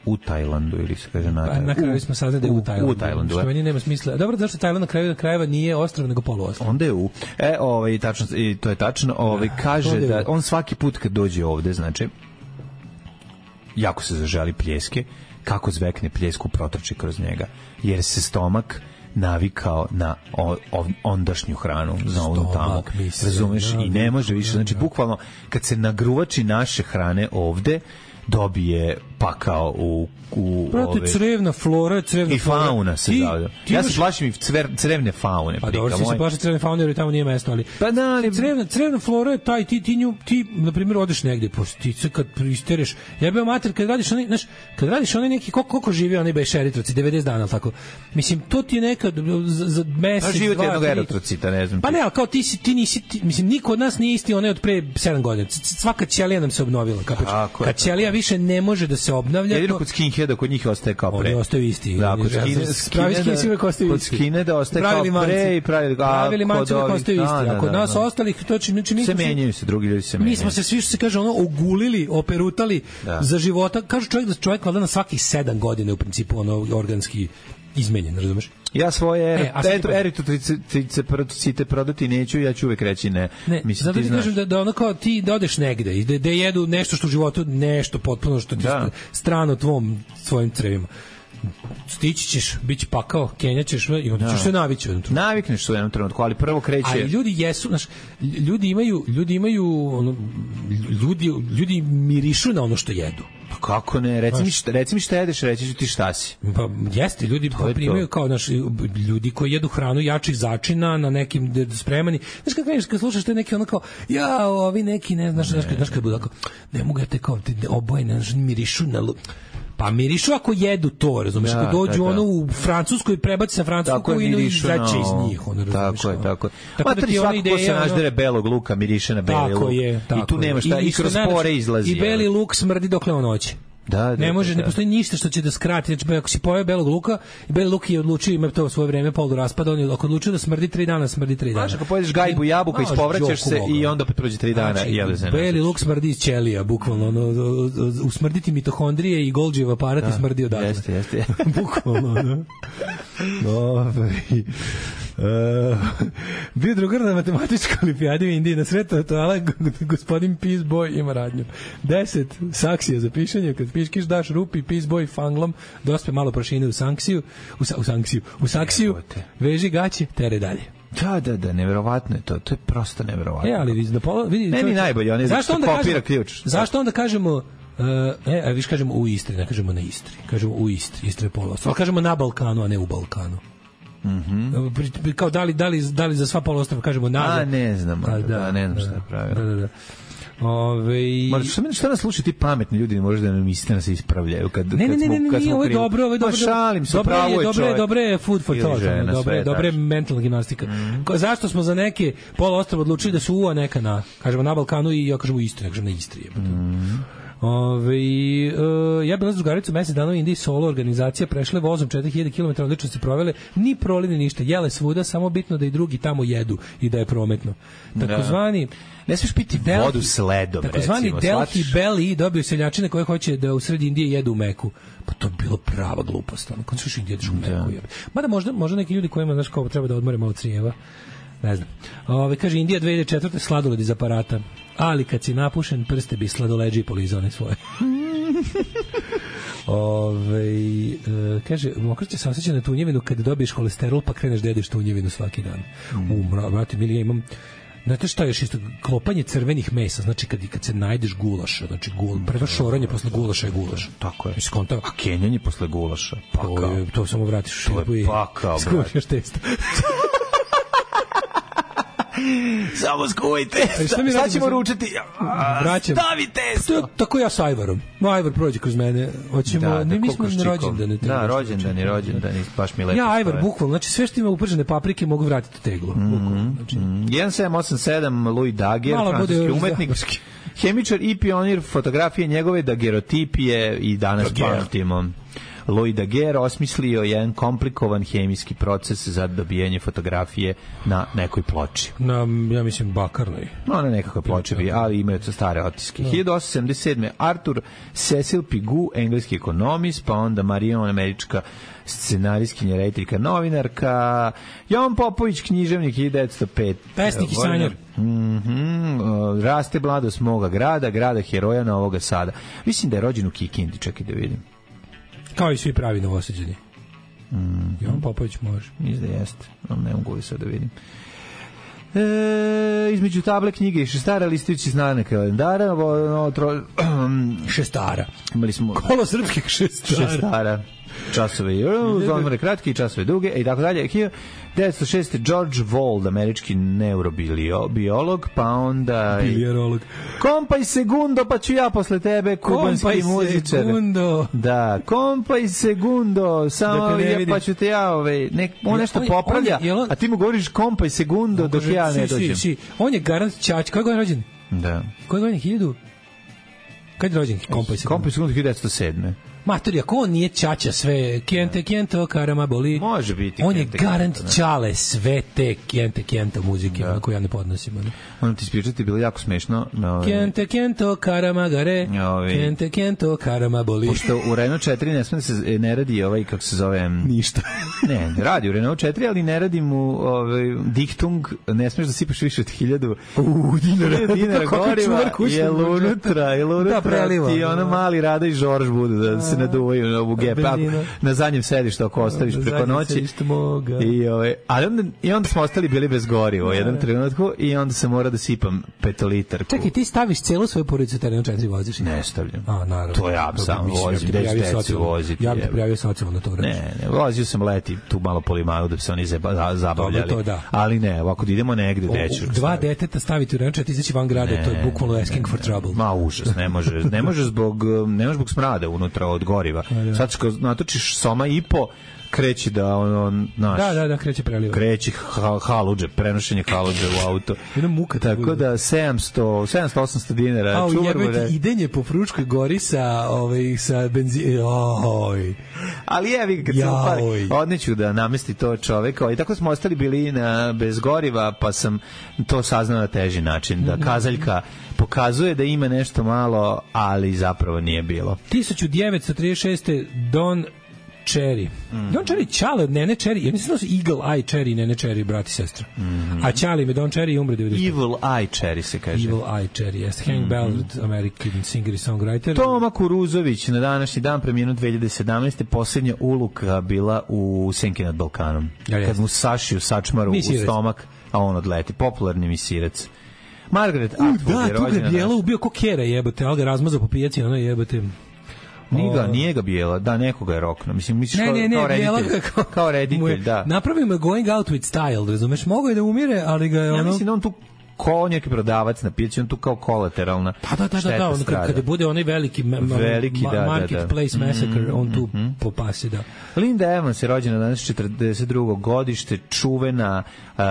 u Tajlandu ili se kaže na Tajlandu. Na kraju smo saznali da je u Tajlandu. U Tajlandu. Što meni nema smisla. Dobro, zašto Tajland na kraju krajeva nije ostrvo nego poluostrvo? Onda je u. E, ovaj tačno i to je tačno, ovaj kaže da on svaki put kad dođe ovde, znači jako se zaželi pljeske, kako zvekne pljesku protrči kroz njega, jer se stomak navikao na o, o, ondašnju hranu za onu tamo. Razumeš? I ne može više. Znači, bukvalno, kad se nagruvači naše hrane ovde, dobije pakao u u Prate, ove crevna flora, crevna i fauna se zavlja. Ja se plašim i cver, crevne faune. Pa dobro, se plaši crevne faune jer tamo nije mesto, ali pa da, ali crevna, crevna flora je taj, ti, ti, nju, ti na primjer, odeš negde, postice kad pristereš, jebeo mater, kad radiš onaj, znaš, kad radiš onaj neki, koliko, koliko živi onaj beš eritroci, devedeset dana, tako. Mislim, to ti je nekad za, za mesec, dva, tri. jednog eritrocita, ne znam. Pa ne, ali kao ti si, ti nisi, ti, mislim, niko od nas nije isti onaj od pre sedam godina. Svaka ćelija nam se obnovila, kapeš. Kad ćelija više ne može da se obnavlja. Jedino kod skinheada, kod njih ostaje kao pre. Oni ostaju isti. Da, kod skinheada uvek ostaju isti. Kod skinheada ostaje kao pre i pravi... Pravili manci uvek ostaju isti. A kod nas ostalih, to će... Se menjaju se, drugi ljudi se menjaju. Mi smo se svi, što se kaže, ono, ogulili, operutali za života. Kažu čovjek da čovjek valjda na svakih sedam godina u principu ono organski izmenjen, razumeš? Ja svoje eritrocite prodati neću, ja ću uvek reći ne. Ne, mislim, zato ti, ti kažem da, da ono kao ti da odeš negde i da, da jedu nešto što u životu, nešto potpuno što ti da. strano tvom, svojim crevima. Stići ćeš, bit će pakao, kenjaćeš i onda ćeš se navići u jednom trenutku. Navikneš se u jednom trenutku, ali prvo kreće... Ali ljudi jesu, znaš, ljudi imaju, ljudi imaju, ono, ljudi, ljudi mirišu na ono što jedu. Pa kako ne, reci mi šta, reci mi šta jedeš, reći ću ti šta si. Pa jeste, ljudi pa primaju kao naš ljudi koji jedu hranu jačih začina na nekim spremani. Znaš kako kažeš, kad slušaš te neki ono kao ja, ovi neki, ne znaš, znaš, znaš kad budu tako, ne mogu ja te kao te oboje, ne znaš, mirišu na Pa mirišu ako jedu to, razumeš, Da, ako dođu da, da. ono u Francusku i prebaci sa francusku kuhinu i izaće iz njih, ono, razumeš. Tako je, tako je. Tako Ma da tri ti ona svako ko se ideja, naždere ono- belog luka, miriše na beli Tako luk. je, tako I tu nema šta, je. i kroz što najlepše, pore izlazi. I beli luk smrdi dokle on hoće. Da, da, Ne može, da, ne da. postoji ništa što će da skrati. Znači, ako si pojeo belog luka, i beli luk je odlučio, ima to svoje vreme, polu raspada, on je ako odlučio da smrdi tri dana, smrdi tri dana. Znaš, ako pojedeš gajbu jabuka, Znaš, ispovraćaš se Đoku i Boga. onda opet prođe tri dana Znači, i jede se. beli luk smrdi iz ćelija, bukvalno. Ono, usmrditi mitohondrije i Golgijev aparat i smrdi odatle. Jeste, jeste. Bukvalno, da. Ove, uh, bio drugar na matematičkoj olimpijadi u Indiji na sretu toala, gospodin Peace Boy ima radnju. Deset saksija za pišanje, kad piškiš daš rupi Peace Boy fanglom, dospe malo prašine u sanksiju, u, sa, u sanksiju, u saksiju, veži gaće, tere dalje. Da, da, da, neverovatno je to. To je prosto neverovatno. E, ali vidi, da pola, vidi, Meni čovječe, najbolje, on je zašto što onda kopira kažemo- ključ. Zašto onda kažemo Uh, e, a viš kažemo u Istri, ne kažemo na Istri. Kažemo u Istri, Istra je poluostrvo. Ali kažemo na Balkanu, a ne u Balkanu. Mhm. Kao da li, da li, da li za sva poluostrva kažemo na... A, ne znam, A, da, ne znam šta je pravilo. Da, da, da. Ove... Ma šta, šta nas slušaju ti pametni ljudi, ne može da nam istina nas ispravljaju kad Ne, ne, kad ne, smo, ne, ne, kad ne, smo ovo je krivi. dobro, ovo je dobro. Ma šalim se, Dobro pravo je dobro čovjek. dobro je food for Ili thought, žena, ono, dobro je, sve dobro je tačno. mentalna gimnastika. Ko- Zašto smo za neke poluostrva odlučili da su u, a neka na, kažemo na Balkanu i ja kažem u Istri, ne kažem na Istri. jebote. Ove, uh, ja bila s drugaricom mesec dana u Indiji, solo organizacija, prešle vozom četiri hiljade kilometara, odlično se provele, ni prolini ništa, jele svuda, samo bitno da i drugi tamo jedu i da je prometno. Takozvani Ne smiješ piti Delhi- vodu s ledom, takozvani recimo, Delhi shvatiš? Belly dobio seljačine koje hoće da u sred Indije jedu u Meku. Pa to je bilo prava glupost. Ono, kad su Indije jedeš u Meku. jebe. Mada možda, možda neki ljudi kojima, znaš, kao treba da odmore malo crijeva. Ne znam. Ove, kaže, Indija dve hiljade četvrte sladoled iz aparata. Ali kad si napušen, prste bi sladoleđi polizane svoje. Ove, e, kaže, mokraće se osjeća na tunjevinu kad dobiješ holesterol pa kreneš da jedeš tunjevinu svaki dan. Mm. U, mra, brate, mili, ja imam znate šta je još isto, klopanje crvenih mesa, znači kad, kad se najdeš gulaša, znači gul, prvo šoranje posle gulaša je gulaš. Tako je. Mislim, konta, A kenjanje posle gulaša. Pa to, kao. je, to samo vratiš u To je šerpu i pakao, skušnjaš testo. Samo skuvaj testo. šta mi Šta radimo ćemo sad? ručati? A, Vraćam. Stavi testo. To, tako ja sa Ajvarom. No, Ajvar prođe kroz mene. Hoćemo, Da, ne, da, mi smo kokoš na čikom. rođendane. Da, rođendani, rođendani, baš mi lepo. Ja Ajvar, stoje. bukvalno, znači sve što ima upržene paprike mogu vratiti u teglu. Bukvalno, znači. jedan sedam osam sedam Louis Daguerre, Malo bude francuski još umetnik, zabarski. hemičar i pionir fotografije njegove dagerotipije i danas Daguerre. pamtimo. Louis Daguerre osmislio jedan komplikovan hemijski proces za dobijanje fotografije na nekoj ploči. Na, ja mislim, bakarnoj. No, na nekakve ploče bi, ali imaju to stare otiske. hiljadu osamsto sedamdeset sedme Arthur Cecil Pigou, engleski ekonomist, pa onda Marion, američka scenarijskinja, rediteljka, novinarka, Jovan Popović, književnik, hiljadu devetsto pete Pesnik i sanjar. Mhm, uh, raste mladost moga grada, grada heroja Novoga Sada. Mislim da je rođen u Kikindi, čekaj da vidim. Kao i svi pravi Novosađani. Mm. Jovan Popović može. Mislim da jeste, ali ne mogu li sad da vidim. E, između table knjige i šestara listujući znane kalendara, no, tro, Šestara. imali smo Kolo srpskih šestara. šestara časove i odmore kratki i časove duge i tako dalje. hiljadu devetsto šeste George Wald, američki neurobiolog, pa onda Bilijarolog. Kompaj segundo, pa ću ja posle tebe, kubanski Kompaj muzičar. segundo. Da, kompaj segundo, samo Da te ne ja, vidim. pa ću te ja, ovaj, nek, on nešto On je- popravlja, on je- jel on- a ti mu govoriš kompaj segundo dok Kaže, ja ne si, dođem. si, si. On je garant Čać. Koje godine je rođen? Da. Koje godine? Hiljadu? Kad je rođen? Kompaj se. Kompaj segundo hiljadu devetsto sedme Matori, ako on nije Čača sve, kjente, kjento, karama boli. Može biti On je kjente, garant kjento, da. Čale sve te kjente, kjento muzike, da. Koju ja ne podnosim. Ono. Moram ti ispričati, bilo jako smešno. No, Kjente, kjento, karama gare, Ovi. kjente, kjento, karama boli. pošto u Renault četiri ne sme da se ne radi ovaj, kako se zove... Ništa. Ne, radi u Renault četiri, ali ne radi mu ovaj, diktung, ne smeš da sipaš više od hiljadu U, dinara. dinara Kako goriva, čuvar kućnog jel budžeta. unutra, jel unutra, Da, preliva. ti ono mali Rada i Žorž budu da se naduvaju na ovu gepe, ako Benzina. na zadnjem sedištu ako ostaviš Na preko zadnjem noći. sedištu moga. I, ovaj, ali onda, i onda smo ostali bili bez goriva u jednom trenutku i onda sam mora da sipam petolitarku. Čekaj, ti staviš celu svoju porodicu terenu četiri voziš? Ne stavljam. A, naravno. To ja Dobro, sam mislim, vozim, ja bi te gde prijavio ću decu socijalno. voziti, Ja bih te jebe. prijavio socijalno na to vreme. Ne, ne, vozio sam leti tu malo po limanu da bi se oni zeba, za- zabavljali. Dobro, to da. Ali ne, ovako da idemo negde, O, gde ću. u- Dva deteta staviti u renčet, izaći van grada, to je bukvalno asking for trouble. Ma užas, ne može, ne može zbog ne može zbog smrada unutra od od goriva. Da. Sad kad natočiš soma i po, kreće da ono naš. Da, da, da, kreće preliva. Kreće ha, haludže, prenošenje haludže u auto. Jedna muka. Tako da sedamsto, sedamsto osamsto dinara. A jebate idenje po Fruškoj gori sa ovaj sa benzinom. Oj. Ali je vi kad se upali, odneću da namesti to čoveka. I tako smo ostali bili na bez goriva, pa sam to saznao na teži način da kazaljka pokazuje da ima nešto malo, ali zapravo nije bilo. hiljadu devetsto trideset šeste Don Cherry. Mm. Don Cherry Ćale od Nene Cherry. Ja mislim da su Eagle Eye Cherry i Nene Cherry, brat i sestra. Mm -hmm. A Ćale me Don Cherry umre devedeset. Evil Eye Cherry se kaže. Evil Eye Cherry, yes. Hank mm -hmm. Ballard, American singer i songwriter. Toma Kuruzović na današnji dan preminuo dve hiljade sedamnaeste. Posljednja uluka bila u Senki nad Balkanom. Ja, kad mu sašiju sačmaru u stomak, a on odleti. Popularni misirac. Margaret Atwood da, je rođena. Da, tu ga bijela ubio ko kera jebote, ali ga razmazao po pijaci, ono jebote. Nije ga, nije ga bijela, da, nekoga je rokno. Mislim, misliš ne, kao, ne, ne, kao reditelj, kao, kao reditelj, da. Napravimo Going Out with Style, razumeš, mogo je da umire, ali ga je ono... Ja mislim da on tu ko neki prodavac na pijaci, on tu kao kolateralna pa da, da, da, da, on kad, kada bude onaj veliki, veliki ma, da, marketplace da, da. massacre, on tu mm-hmm. popasi, da. Linda Evans je rođena danas četrdeset drugo godište, čuvena uh,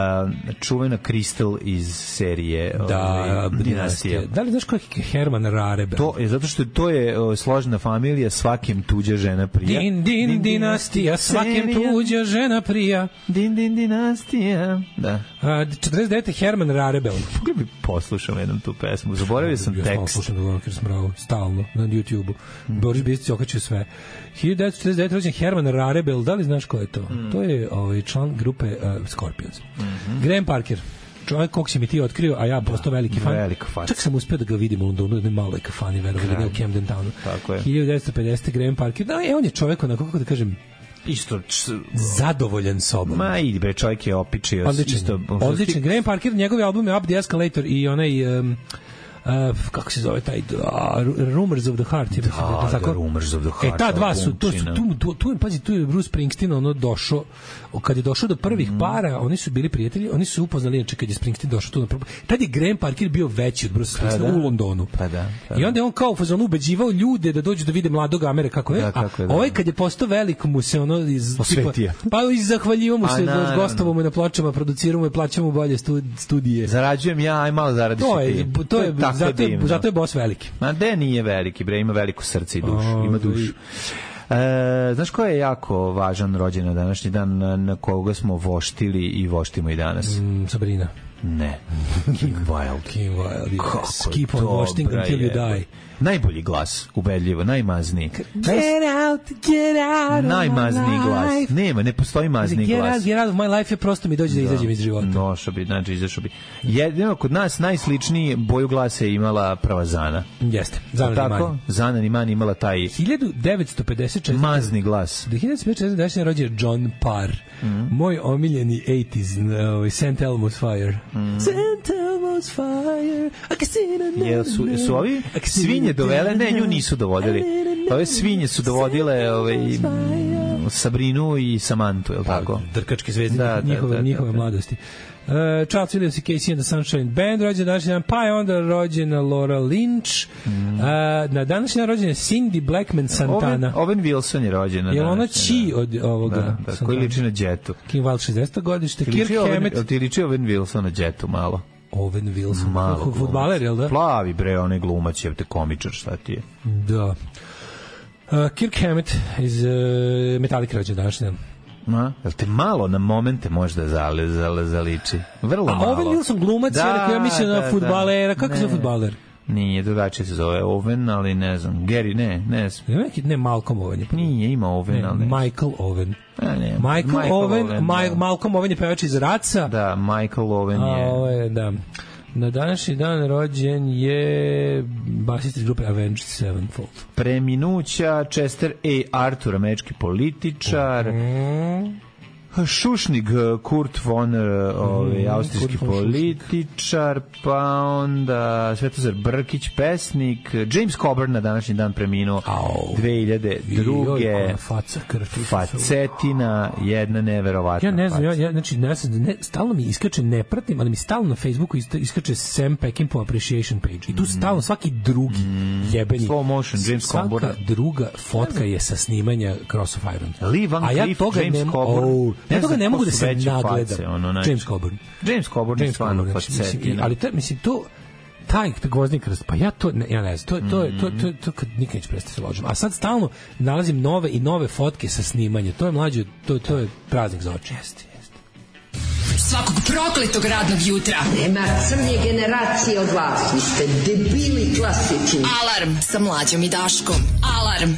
čuvena Crystal iz serije da, uh, Dinastija. Da li znaš ko je Herman Rarebel? To je, zato što to je uh, složena familija, svakim tuđa žena prija. Din, din, din dinastija, svakim tuđa žena prija. Din, din, dinastija. Da. Uh, četrdeset devete Herman Rarebel. Kako bi poslušao jednom tu pesmu? Zaboravio sam tekst. Ja sam slušao da govorim smravo, stalno, na YouTube-u. Mm. Boris Bistić okačio sve. hiljadu devetsto četrdeset devete rođen Herman Rarebel, da li znaš ko je to? Mm. To je ovaj, član grupe uh, Scorpions. Mm-hmm. Graham Parker. Čovjek kog si mi ti otkrio, a ja postao veliki fan. Velik fan. Čak sam uspio da ga vidim u Londonu, da ne malo je kafani, verovali, ne u Camden Townu. Tako je. hiljadu devetsto pedesete Graham Parker. Da, je, on je čovjek, onako, kako da kažem, isto zadovoljan sobom. Ma i bre, čovjek je opičio. Odličan, isto, odličan. Graham Parker, njegovi album je Up the Escalator i onaj... Um, Uh, kako se zove taj uh, Rumors of the Heart je, da, da, tako? Rumors of the Heart. E, ta dva su, to su tu, tu, tu, pazi, tu je Bruce Springsteen ono došao, kad je došao do prvih mm. para, oni su bili prijatelji, oni su upoznali, inače kad je Springsteen došao tu na prvo, tad je Graham Parker bio veći od Bruce Springsteen pa, u Londonu. Pa da, pa I onda je on kao u fazonu ubeđivao ljude da dođu da vide mladog Amere kako je, da, a je, da. Ovaj kad je postao velik mu se ono iz, osvetio. Pa i zahvaljivo mu se, gostovao mu na pločama, producirao mu i plaćamo bolje studije. Zarađujem ja, aj malo zaradiš to je, ti. To je, zato je, zato je boss veliki. Ma de nije veliki, bre, ima veliko srce i dušu, oh, ima dušu. E, znaš ko je jako važan rođen na današnji dan, na, na koga smo voštili i voštimo i danas? Mm, Sabrina. Ne. King Wild. King Wild, yes. Keep on vošting until you die. Najbolji glas, ubedljivo, najmazniji. Get out, get out najmazniji glas. Nema, ne postoji mazniji get glas. Out, get out of my life je prosto mi dođe da, da izađem iz života. Došao bi, znači izašao bi. Jedino kod nas najsličniji boju glasa je imala prava Zana. Jeste, Zana tako? Zana Nimani imala taj hiljadu devetsto pedeset četiri mazni glas. Do hiljadu devetsto pedeset četiri rođen John Parr. Mm. Moj omiljeni osamdesetih, uh, Saint Elmo's Fire. Mm. Saint Elmo's Fire. I can see the Jel su, su ovi svinje dovele? Ne, nju nisu dovodili. Ove svinje su dovodile ovaj, Sabrinu i Samantu, je li tako? Drkačke zvezde da, njihove, da, njihove da, da. mladosti. Uh, Charles Williams i Casey and the Sunshine Band rođen današnji dan, pa je onda rođena Laura Lynch. Mm. Uh, na današnji dan rođena Cindy Blackman Santana. Owen, Owen Wilson je rođen na je ona či od ovoga? Da, da, koji liči na Jetu. King Wild šezdeseto godište. Kirk Hammett. Jel ti liči Owen Wilson na Jetu malo? Owen Wilson, malo fudbaler, jel da? Plavi bre, onaj glumac je te komičar, šta ti je? Da. Uh, Kirk Hammett iz uh, Metallica rođen današnji dan. Ma, jel te malo na momente možda zale, zale, zaliči? Vrlo a malo. A Owen Wilson glumac, da, ja mislim da, na fudbalera, kako se fudbaler? Nije, drugačije se zove Owen, ali ne znam, Gary, ne, ne znam. Ne, ne Malcolm Owen je. Nije, ima Owen, ne, ali ne. Michael Owen. A, ne, Michael, Michael Owen, Owen Ma- da. Malcolm Owen je pevač iz Raca. Da, Michael Owen je. A, ovo je, da. Na današnji dan rođen je basist iz grupe Avenged Sevenfold. Preminuća Chester A. Arthur, američki političar. Mm. Šušnig, Kurt von, ovaj, austrijski Kurt von političar, pa onda Svetozar Brkić, pesnik, James Coburn na današnji dan preminuo dve hiljade druge. Faca, krv, facetina, jedna neverovatna. Ja ne znam, ja, ja, znači, ne, ne, stalno mi iskače, ne pratim, ali mi stalno na Facebooku iskače Sam Peckinpah Appreciation Page. I tu stalno svaki drugi jebeni. Slow motion, James Coburn. Svaka druga fotka je sa snimanja Cross of Iron. Lee Van A ja Cleef, toga James ne, Coburn. Oh, ja toga ne mogu da se nagledam. Face, ono, znači, James Coburn. James Coburn je stvarno facetina. Ali to, mislim, to taj gvozdnik, pa ja to ne, ja ne znam, to to to to to kad nikad neće prestati se ložim. A sad stalno nalazim nove i nove fotke sa snimanja. To je mlađe, to to je praznik za oči. Jeste, jeste. Svakog prokletog radnog jutra. Nema crnje generacije od vas. Vi ste debili klasični. Alarm sa Mlađom i Daškom. Alarm.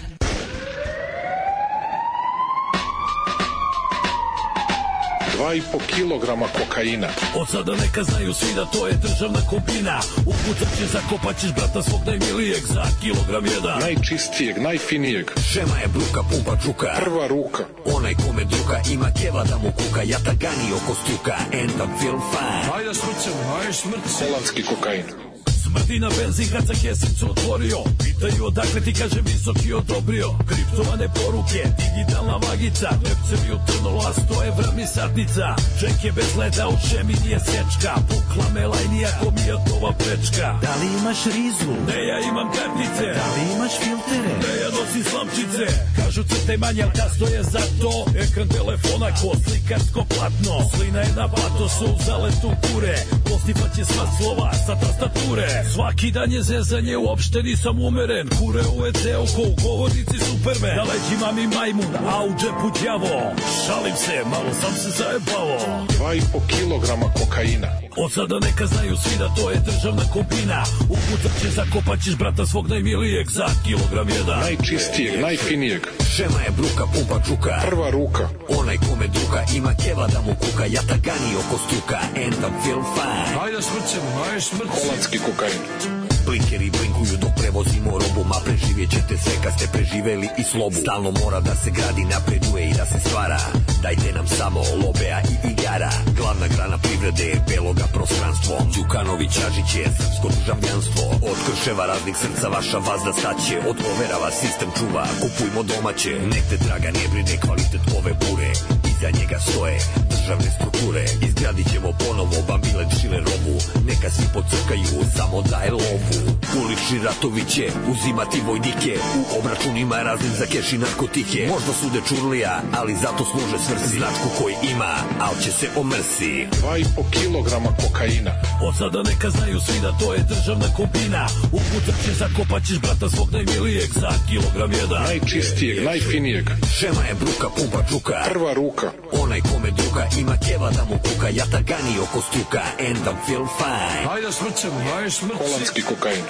Dva i po kilograma kokaina. Od sada neka znaju svi da to je državna kombina. Ukucat će, zakopat ćeš brata svog najmilijeg za kilogram jedan. Najčistijeg, najfinijeg. Šema je bruka, pumpa čuka. Prva ruka. Onaj kome druga ima keva da mu kuka. Jatagani oko stuka, and I feel fine. Hajde smrcem, hajde smrcem. Holandski kokain. Smrti na benzin kad sa kesicu otvorio. Pitaju odakle ti, kaže visoki odobrio. Kriptovane poruke, digitalna magica. Nepcevi utrnula sto evra mi satnica. Čeke bez leda, u šemi nije sječka. Pukla me lajnija ko mijatova prečka. Da li imaš rizu? Ne, ja imam kartice. Da li imaš filtere? Ne, ja nosim slamčice. Kažu crtaj manje, ali kasto je za to. Ekran telefona ko slikarsko platno. Slina je na patosu, zaletu kure. Postipaće sva slova sa tastature. Svaki dan je zezanje, uopšte nisam umeren. Kure u E C-u ko u govornici Superman. Na leđima mi majmun, a u džepu đavo. Šalim se, malo sam se zajebalo. Dva i po kilograma kokaina. Od sada neka znaju svi da to je državna kombina. Ukucat će, zakopat ćeš brata svog najmilijeg za kilogram jedan. Najčistijeg, najfinijeg. Šema je bruka, pumpa čuka. Prva ruka. Onaj kome druga ima keva da mu kuka. Jatagani oko stuka, and I feel fine. Hajde smrcem, hajde smrcem. Holandski kokain. Blinkeri blinkuju dok prevozimo robu, ma preživjet ćete sve kad ste preživeli i slobu. Stalno mora da se gradi, napreduje i da se stvara. Dajte nam samo lobea i igara. Glavna grana privrede je beloga prostranstvo. Đukanović Ažić je srpsko državljanstvo. Od krševa raznih srca vaša vazda staće. Od overava sistem čuva, kupujmo domaće. Nek te draga ne brine kvalitet ove bure. Iza njega stoje državne strukture. Izgradit ćemo ponovo Bambilet šile robu. Neka svi pocrkaju, samo daj lovu. Ulični ratovi će uzimati vojnike. U obračunima raznim za keš i narkotike. Možda sude čurlija, ali zato služe svrsi. Značku koji ima, al će se omrsi. Dva i po kilograma kokaina. Od sada neka znaju svi da to je državna kombina. Ukucat će, zakopat ćeš brata svog najmilijeg za kilogram jedan. Najčistijeg, najfinijeg. Šema je bruka, pumpa čuka. Prva ruka. Onaj kome druga ima keva da mu kuka. Jatagani oko stuka, and I feel fine. Hajde smrcem, hajde smrcem. Holandski kokain.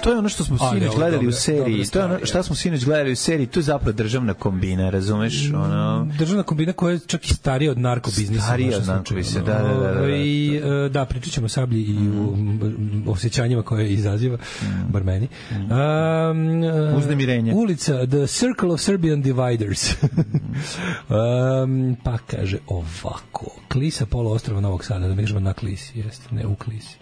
To je ono što smo sinoć gledali u seriji. To je ono šta smo sinoć gledali u seriji. To je zapravo državna kombina, razumeš? Ono... Državna kombina koja je čak i starija od narkobiznisa. Starija od narkobiznisa, da, da, da, da. I, da, pričat ćemo o sablji i u osjećanjima koje izaziva, bar meni. Um, Uznemirenje. Ulica, The Circle of Serbian Dividers. um, pa kaže ovako. Klisa poluostrava Novog Sada, da mi kažemo na Klisi, jeste, ne u Klisi.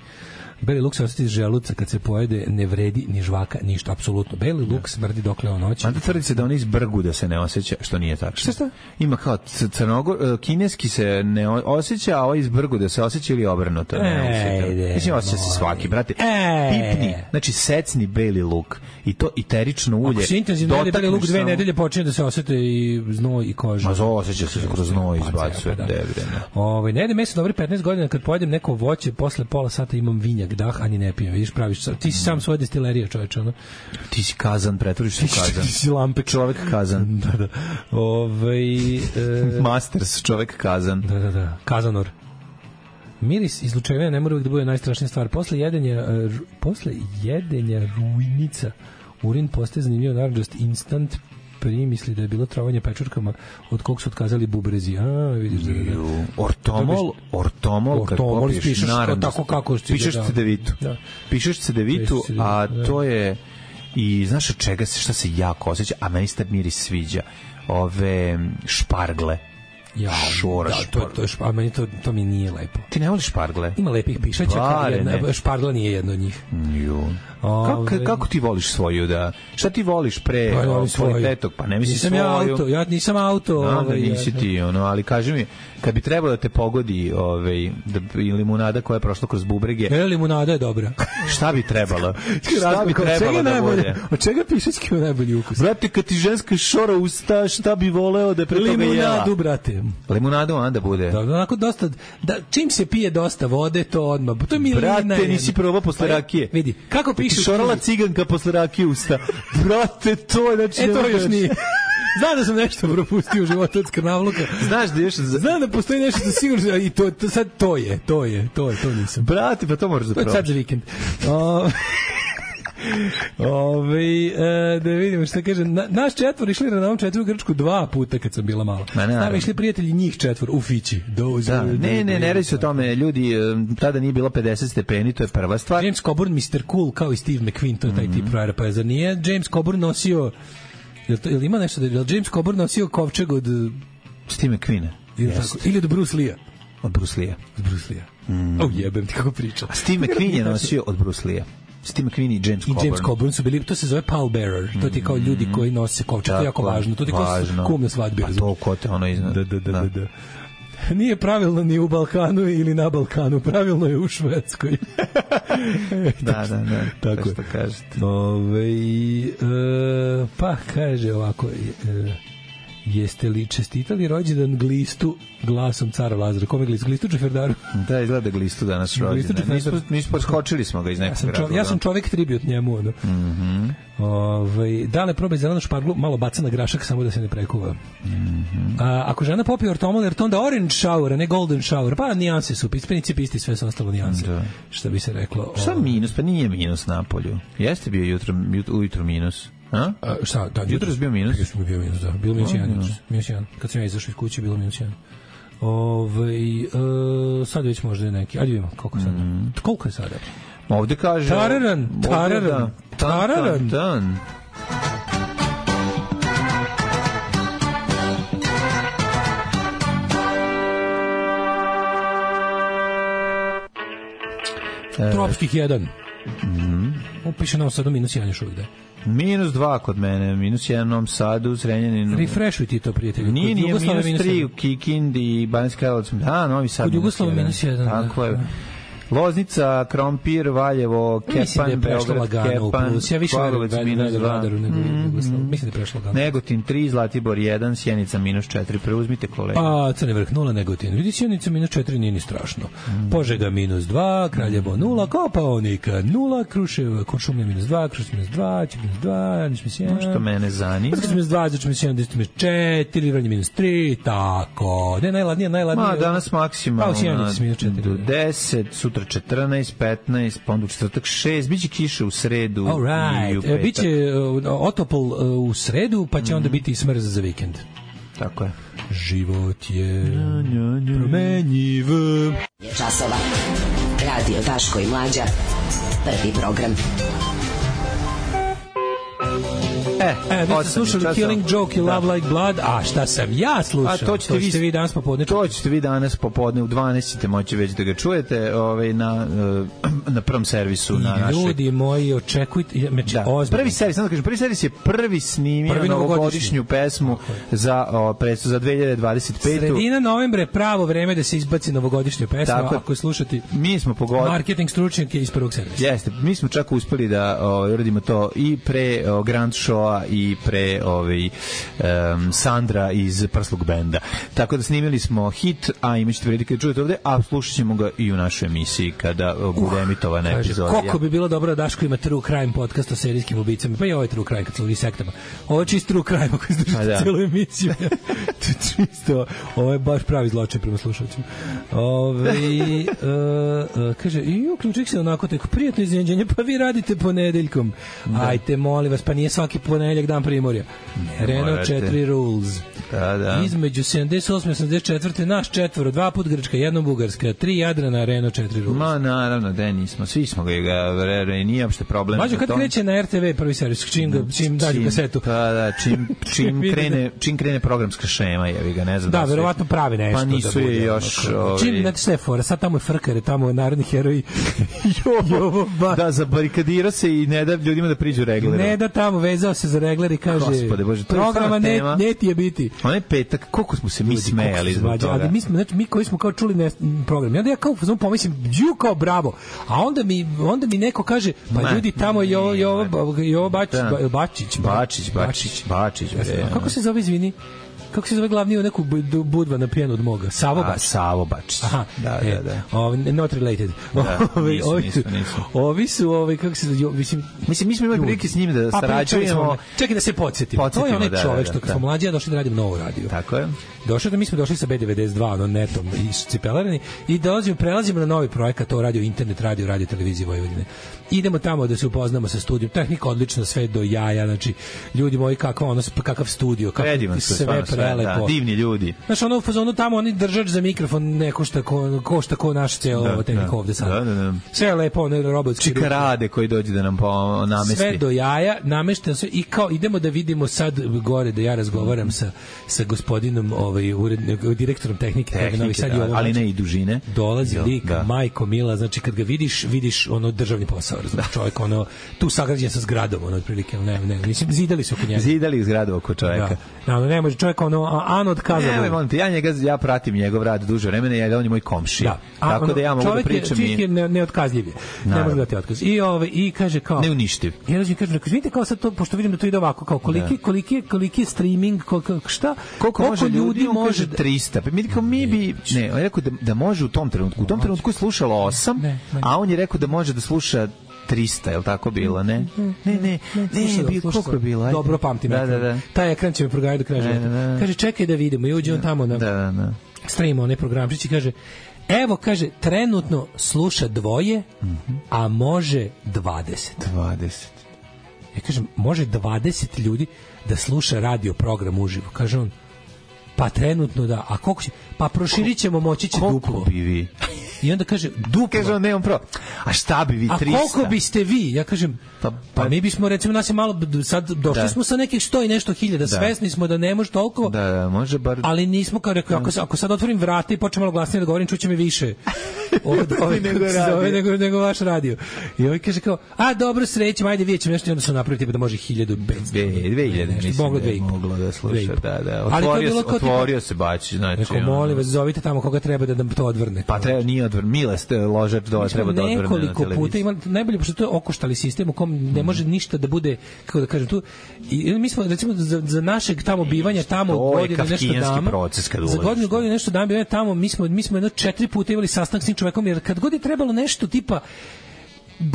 Beli luk se osjeti iz želuca kad se pojede, ne vredi ni žvaka, ništa, apsolutno. Beli luk smrdi dokle on hoće. Mada tvrdi se da on iz Brgu da se ne osjeća, što nije tako. Šta šta? Ima kao crnogor, kineski se ne osjeća, a ovo iz Brgu da se osjeća ili obrnuto. Ne, mislim, osjeća se svaki, brate. Pipni, znači secni beli luk i to iterično ulje. Ako se intenzivno jede beli luk dve nedelje, počinje da se osjete i znoj i koža. Ma zo osjeća se kroz znoj izbacuje. Ovaj, ne jede meso dobri petnaest godina, kad pojedem neko voće, posle pola sata imam vinjak, dah, a ni ne pijem, vidiš, praviš, ti si sam svoja destilerija, čoveče, ono. Ti si kazan, pretvoriš se u kazan. Ti si lampek. Čovek kazan. Da, da. Ovaj e... Masters, čovek kazan. Da, da, da. Kazanor. Miris izlučevanja ne mora uvijek da bude najstrašnija stvar. Posle jedenja, uh, posle jedenja rujnica urin postaje zanimljivo, naravno instant primisli da je bilo trovanje pečurkama od kog su otkazali bubrezi. A, vidiš da je. Ortomol, ortomol, kad popiješ pišeš naranđu, tako kako ti pišeš cedevitu. Da. Pišeš cedevitu, a to je i znaš od čega se, šta se jako osjeća, a meni se miris sviđa. Ove špargle. Ja, šora, da, to, to, to, a meni to, to mi nije lepo. Ti ne voliš špargle? Ima lepih pišaća, jedna, špargla nije jedna od njih. Jo. Kako, kako ti voliš svoju, da? Šta ti voliš pre pa, kvalitetog? Pa ne misli nisam svoju. Ja, auto, ja nisam auto. No, ovaj, nisi ti, ono, ali kaži mi, kad bi trebalo da te pogodi ovaj, da, limunada koja je prošla kroz bubrege... E, limunada je dobra. Šta bi trebalo? Šta bi trebalo da bude? Od čega pišački ima najbolji ukus? Brate, kad ti ženska šora usta, šta bi voleo da je pre toga jela? Limunadu, brate. Limunadu onda bude. Da, onako dosta, da, čim se pije dosta vode, to odmah. To je milina. Brate, nisi probao posle rakije. Vidi, kako pišu... Šorala ciganka posle rakije usta. Brate, to je... Znači, e, to još nije. Znam da sam nešto propustio u životu od skrnavluka. Znaš da još... Znam da postoji nešto da sigurno... I to, to, sad to je, to je, to je, to nisam. Brate, pa to moraš da probaš. To je sad za vikend. O... Ove, e, da vidimo šta kaže. Na, naš četvor išli na ovom četvoru Grčku dva puta kad sam bila mala. Znam, išli prijatelji njih četvor u Fići. Da, ne, ne, ne radi se o tome. Ljudi, tada nije bilo pedeset stepeni, to je prva stvar. James Coburn, mister Cool, kao i Steve McQueen, to je taj mm-hmm. tip frajera. Pa zar nije James Coburn nosio... Jel, to, jel ima nešto da je James Coburn nosio kovčeg od... Steve McQueena. Ili, ili od Bruce Lee-a? Od Bruce Lee-a. Od Bruce Lee-a. Mm. Oh, jebem ti kako priča. A Steve McQueen je nosio od Bruce Lee-a. Steve McQueen i James Coburn. I James Coburn su bili, to se zove pallbearer, to ti kao ljudi koji nose kovčeg, to je jako važno, to ti kao kum na svadbi. Pa to ko te ono iznad. Da, da, da, da, da. Nije pravilno ni u Balkanu ili na Balkanu, pravilno je u Švedskoj. da, da, da, tako što kažete. Ove, e, pa kaže ovako, e, jeste li čestitali rođendan Glistu glasom cara Lazara? Kome Glistu? Glistu Džeferdaru? Da, izgleda Glistu danas rođendan. Nismo, nismo poskočili smo ga iz nekog ja razloga. Ja sam čovek tribut njemu. Ono. Mm-hmm. Ove, da li probaj zelenu šparglu, malo baca na grašak samo da se ne prekuva. Mm-hmm. A, ako žena popije ortomol, jer to onda orange shower, a ne golden shower, pa nijanse su, ispenici pisti, sve su ostalo nijanse. Da. Što bi se reklo. Šta minus? Pa nije minus na polju. Jeste bio jutro, ujutro minus. A? A, šta, da, jutro je bio minus? Jutro je bio minus, da. Bilo minus jedan. Minus jedan. Kad sam ja izašao iz kuće, bilo minus jedan. Ove, uh, sad već možda je neki. Ajde vidimo koliko je sada. Mm. Koliko je sada? Ovde kaže... Tararan, tararan, tararan. Tan, tan, tan. Tropskih jedan. Mhm. Upiše nam sada minus jedan još uvijek, da. Minus dva kod mene, minus jedan u Novom Sadu, Zrenjaninu. Refreshuj ti to, prijatelju. Nije, nije, minus, minus tri u Kikindi i Banjska Karlovac. Da, Novi Sad. Kod Jugoslava minus jedan. Tako je. Loznica, Krompir, Valjevo, Kepan, mislim da je prešlo Beograd, lagano Kepan, plus. Ja više minus dva. Nego mm, mislim da je prešlo lagano. Negotin tri, Zlatibor jedan, Sjenica minus četiri. Preuzmite kolega. A, Crni Vrh nula, Negotin. Vidi, Sjenica minus četiri, nije ni strašno. Mm. Požega minus dva, Kraljevo nula, Kopaonika nula, Krušev, Kuršumlja minus dva, Krušev minus dva, Čep minus dva, Niš minus jedan. Što mene zanima. Krušev minus dva, Zač minus jedan, Deset minus četiri, Vranje minus tri, tako. Ne, najladnije, najladnije. Ma, danas maksimalno. Pa, u Sjenici minus četiri. deset, sutra četrnaest, petnaest, pa onda u četvrtak šest, biće kiše u sredu right. i u petak. Biće uh, otopol uh, u sredu, pa će mm. onda biti i smrz za vikend. Tako je. Život je promenjiv. Časova. Radio Daško i Mlađa. Prvi program. E, e vi ste slušali časov. Killing Joke i Love da. Like Blood, a šta sam ja slušao? A to ćete, to ćete vi, vi danas popodne. To ćete vi danas popodne u dvanaest ćete moći već da ga čujete ovaj, na, na prvom servisu. I na našeg... ljudi moji, očekujte... Da. Prvi servis, sam da kažem, prvi servis je prvi snimio prvi novogodišnju pesmu za, o, presu, za dve hiljade dvadeset petu. Sredina novembra je pravo vreme da se izbaci novogodišnju pesmu, tako, ako je slušati mi smo pogodili marketing stručnjake iz prvog servisa. Jeste, mi smo čak uspeli da o, uradimo to i pre o, Grand Show i pre ovaj um, Sandra iz Prsluk benda. Tako da snimili smo hit, a imaćete prilike da čujete ovde, a slušat ćemo ga i u našoj emisiji kada uh, bude emitovana epizoda. Koliko bi bilo dobro da Daško ima True Crime podcast o serijskim ubicama, pa i ovo je True Crime kad su ovi sektama. Ovo je čist True Crime ako izdržite da. Cijelu emisiju. Čisto, ovo je baš pravi zločin prema slušalcima. Ove, uh, uh, kaže, i uključik se onako tako, prijatno iznenađenje, pa vi radite ponedeljkom. Da. Ajte, molim vas, pa nije svaki ponedeljkom ponedjeljak dan Primorja. Ne Renault morate. četiri Rules. Da, da. Između sedamdeset osme i osamdeset četvrte naš četvoro, dva put Grčka, jednom Bugarska, tri Jadrana, Renault četiri Rules. Ma naravno, da nismo, svi smo ga, ga nije uopšte problem. Mađo, kad kreće na R T V prvi servis, čim, ga, čim dađu kasetu? Pa da, čim, čim, krene, čim krene programska šema, jevi ga, ne znam. Da, da verovatno pravi nešto. Pa nisu da bude, je još... Ono, čim, ovi... znate sve fora, sad tamo je frkare, tamo je narodni heroj. Jovo, ba... Da, zabarikadirao se i ne da ljudima da priđu regleru. Ne da tamo, vezao se za regler i kaže, Gospode Bože, to je programa ne, ne ti je biti. Onaj petak, koliko smo se mi Ljudi, smejali zbog toga. Ali mi smo, znači, mi koji smo kao čuli ne, program, ja da ja kao samo pomislim, ju kao bravo, a onda mi, onda mi neko kaže, pa Ma, ljudi tamo je ovo, je ovo, je ovo Bačić, Da. Bačić, Bačić, Bačić, Bačić. bre. A kako se zove, izvini? Kako se zove glavni u neku bu- budva na pijanu od moga? Savo A, Bačić. Savo Bačić. Aha, Da, e, da, da. Ovi, not related. Da, Ovi, nisu, ovi, nisu, nisu. ovi su, ovi, kako se zove, mislim, Mislim, mi smo imali prilike s njim da Pa, pričali smo sarađujemo. onda. Čekaj da se podsjetimo. To je Podsjetimo, onaj da, čovek da, što kad da. smo mlađi, ja došli da radimo novu radio. Tako je. Došao da mi smo došli sa B devedeset dva, ono netom i cipelarani i dolazimo, prelazimo na novi projekat, to radio internet, radio, radio televizije Vojvodine. Idemo tamo da se upoznamo sa studijom. Tehnika odlična, sve do jaja, znači ljudi moji kakav ono kakav studio, kako Predivan su, sve stvarno sve, prelepo. da, divni ljudi. Znaš, ono u fazonu tamo, oni držač za mikrofon ne košta ko, košta ko naš ceo Da, ovo tehnika da. ovde sad. Da, da, da. Sve je lepo, ono robotski. Čikarade koji dođe da nam po, namesti. Sve do jaja, namešten sve i kao idemo da vidimo sad gore da ja razgovaram sa sa gospodinom ovaj urednik, direktorom tehnike, Tehnike, Novi Sad da, je ovo, ali znači, ne i dužine. dolazi Jo, lik, da. majko mila, znači kad ga vidiš, vidiš ono državni posao, razumiješ, čovjek ono tu sagrađen sa zgradom, ono otprilike, ne, ne, mislim zidali su oko njega. Zidali zgradu oko čoveka. Da, no, ne može čovjek ono a- ano od kaza. Ne, molim te, ja njega, ja pratim njegov rad duže vremena, ja on je moj komšija. Da. A, Tako ono, da ja mogu da čovjek je- pričam čovjek je i... ne, neotkazljiv je. Ne Naravno. može dati otkaz. I ovaj i kaže kao Neuništiv. Ja razumim, kaže, kaže, vidite kao sad to, pošto vidim da to ide ovako, kao koliki, koliki, je- koliki je streaming, koliko, šta? Koliko može ljudi, on kaže trista. Pa mi, kao mi bi, ne, on je rekao da, da može u tom trenutku. U tom trenutku je slušalo osam, Ne, ne. a on je rekao da može da sluša trista, je li tako bilo, ne? Ne, ne, ne, Slušaj, bi, slušaj, koliko je bilo? Ajde. Dobro pamtim. Da, ekran. da, da. Taj ekran će me proganjati do kraja Da, života. da, da. Kaže, čekaj da vidimo. I uđe on tamo na Da, da, da. streamu, onaj programčić i kaže, evo, kaže, trenutno sluša dvoje, a može dvadeset. dvadeset. Ja kažem, može dvadeset ljudi da sluša radio program uživo. Kaže on, pa trenutno da, a koliko će, pa proširit ćemo, moći će Koliko duplo. bi vi? I onda kaže, duplo. Kaže on, nemam pro. A šta bi vi, A trista? koliko biste vi? Ja kažem, Pa- pa, pa- mi bismo, recimo, nas je malo, sad došli Da. smo sa nekih sto i nešto hiljada, svesni smo da ne može toliko, Da, da, može bar... ali nismo, kao rekao, ako, ako sad otvorim vrata i počnem malo glasnije da govorim, čuće me više od ove, Nego kako se radio. zove, nego, nego vaš radio. I ovaj kaže kao, a dobro, srećem, ajde, vidjet ćemo nešto, i onda su napravili tipa da može hiljadu petsto. Dve, dve hiljade, Nešto, mislim moglo da dve je i po. moglo da Dve i sluša, po. da, da. Ali to je Otvorio, bilo se, kao tipa- otvorio se Bačić, znači... Rekao, ono, molim vas, zovite tamo koga treba da nam to odvrne. Pa treba, nije odvrn, Mile ste ložač do, treba da odvrne na nekoliko televiziji. puta imali najbolje, pošto to je okoštali sistem u kom ne može ništa da bude, kako da kažem, tu i mi smo recimo za, za našeg tamo bivanja tamo To je godinu nešto kafkijanski dama proces kad za ulaziš. godinu godinu nešto dama bivanja tamo mi smo mi smo jedno četiri puta imali sastanak s tim čovekom, jer kad god je trebalo nešto tipa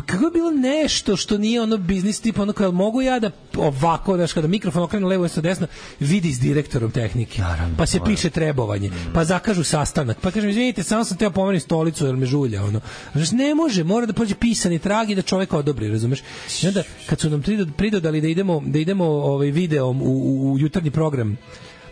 kako je bilo nešto što nije ono biznis tipa ono kao mogu ja da ovako daš kada mikrofon okrenu levo i desno vidi s direktorom tehnike, Naravno, pa se naravno. piše trebovanje, pa zakažu sastanak, pa kažem izvinite samo sam teo pomenuti stolicu jer me žulja ono. Znači ne može, mora da prođe pisani trag i da čovjek odobri, razumeš? I onda kad su nam prido- pridodali da idemo da idemo ovaj videom u, u, u jutarnji program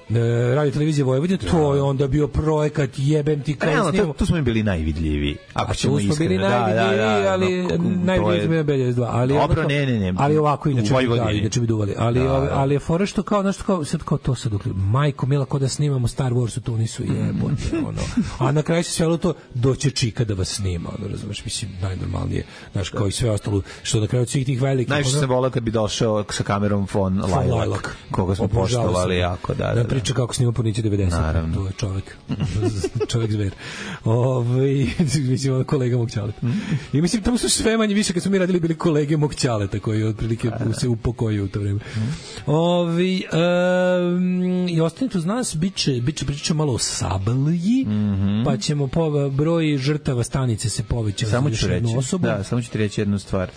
e, radio televizije Vojvodine, to je onda bio projekat jebem ti kao Realno, snimamo. tu, tu smo mi bili najvidljiviji. Ako A ćemo tu smo bili iskreno. Da, da, najvidljiviji, da, ali no, to najvidljiviji je- smo bili B devedeset dva, ali Dobro, ono kao- ne, ne, ne. ali ovako U inače bi Vojvodini. dali, inače bi duvali, ali Da, ove- da. ali je fora što kao nešto kao sad kao to sad dok majko mila kao da snimamo Star Wars, to nisu jebote ono. A na kraju se svelo to doće čika da vas snima, ono razumeš, mislim najnormalnije, znaš, kao i sve ostalo što na kraju svih tih velikih Najviše ono- sam volao kad bi došao sa kamerom von Von Lilac, Lilac. koga smo Obožavao poštovali sam. jako, da, da, Da da. priča kako snima Porniće devedeset. Naravno. To je čovjek. čovjek zver. Ovaj mislim ono kolega mog ćaleta. I mislim tamo su sve manje više kad smo mi radili bili kolege mog ćaleta koji otprilike se upokojio u to vreme. Ovi um, i ostanite uz nas, biće biće pričamo malo o Sablji, pa ćemo po broj žrtava stanice se povećati Samo za ću još jednu reći, osobu. da, samo ću ti reći jednu stvar.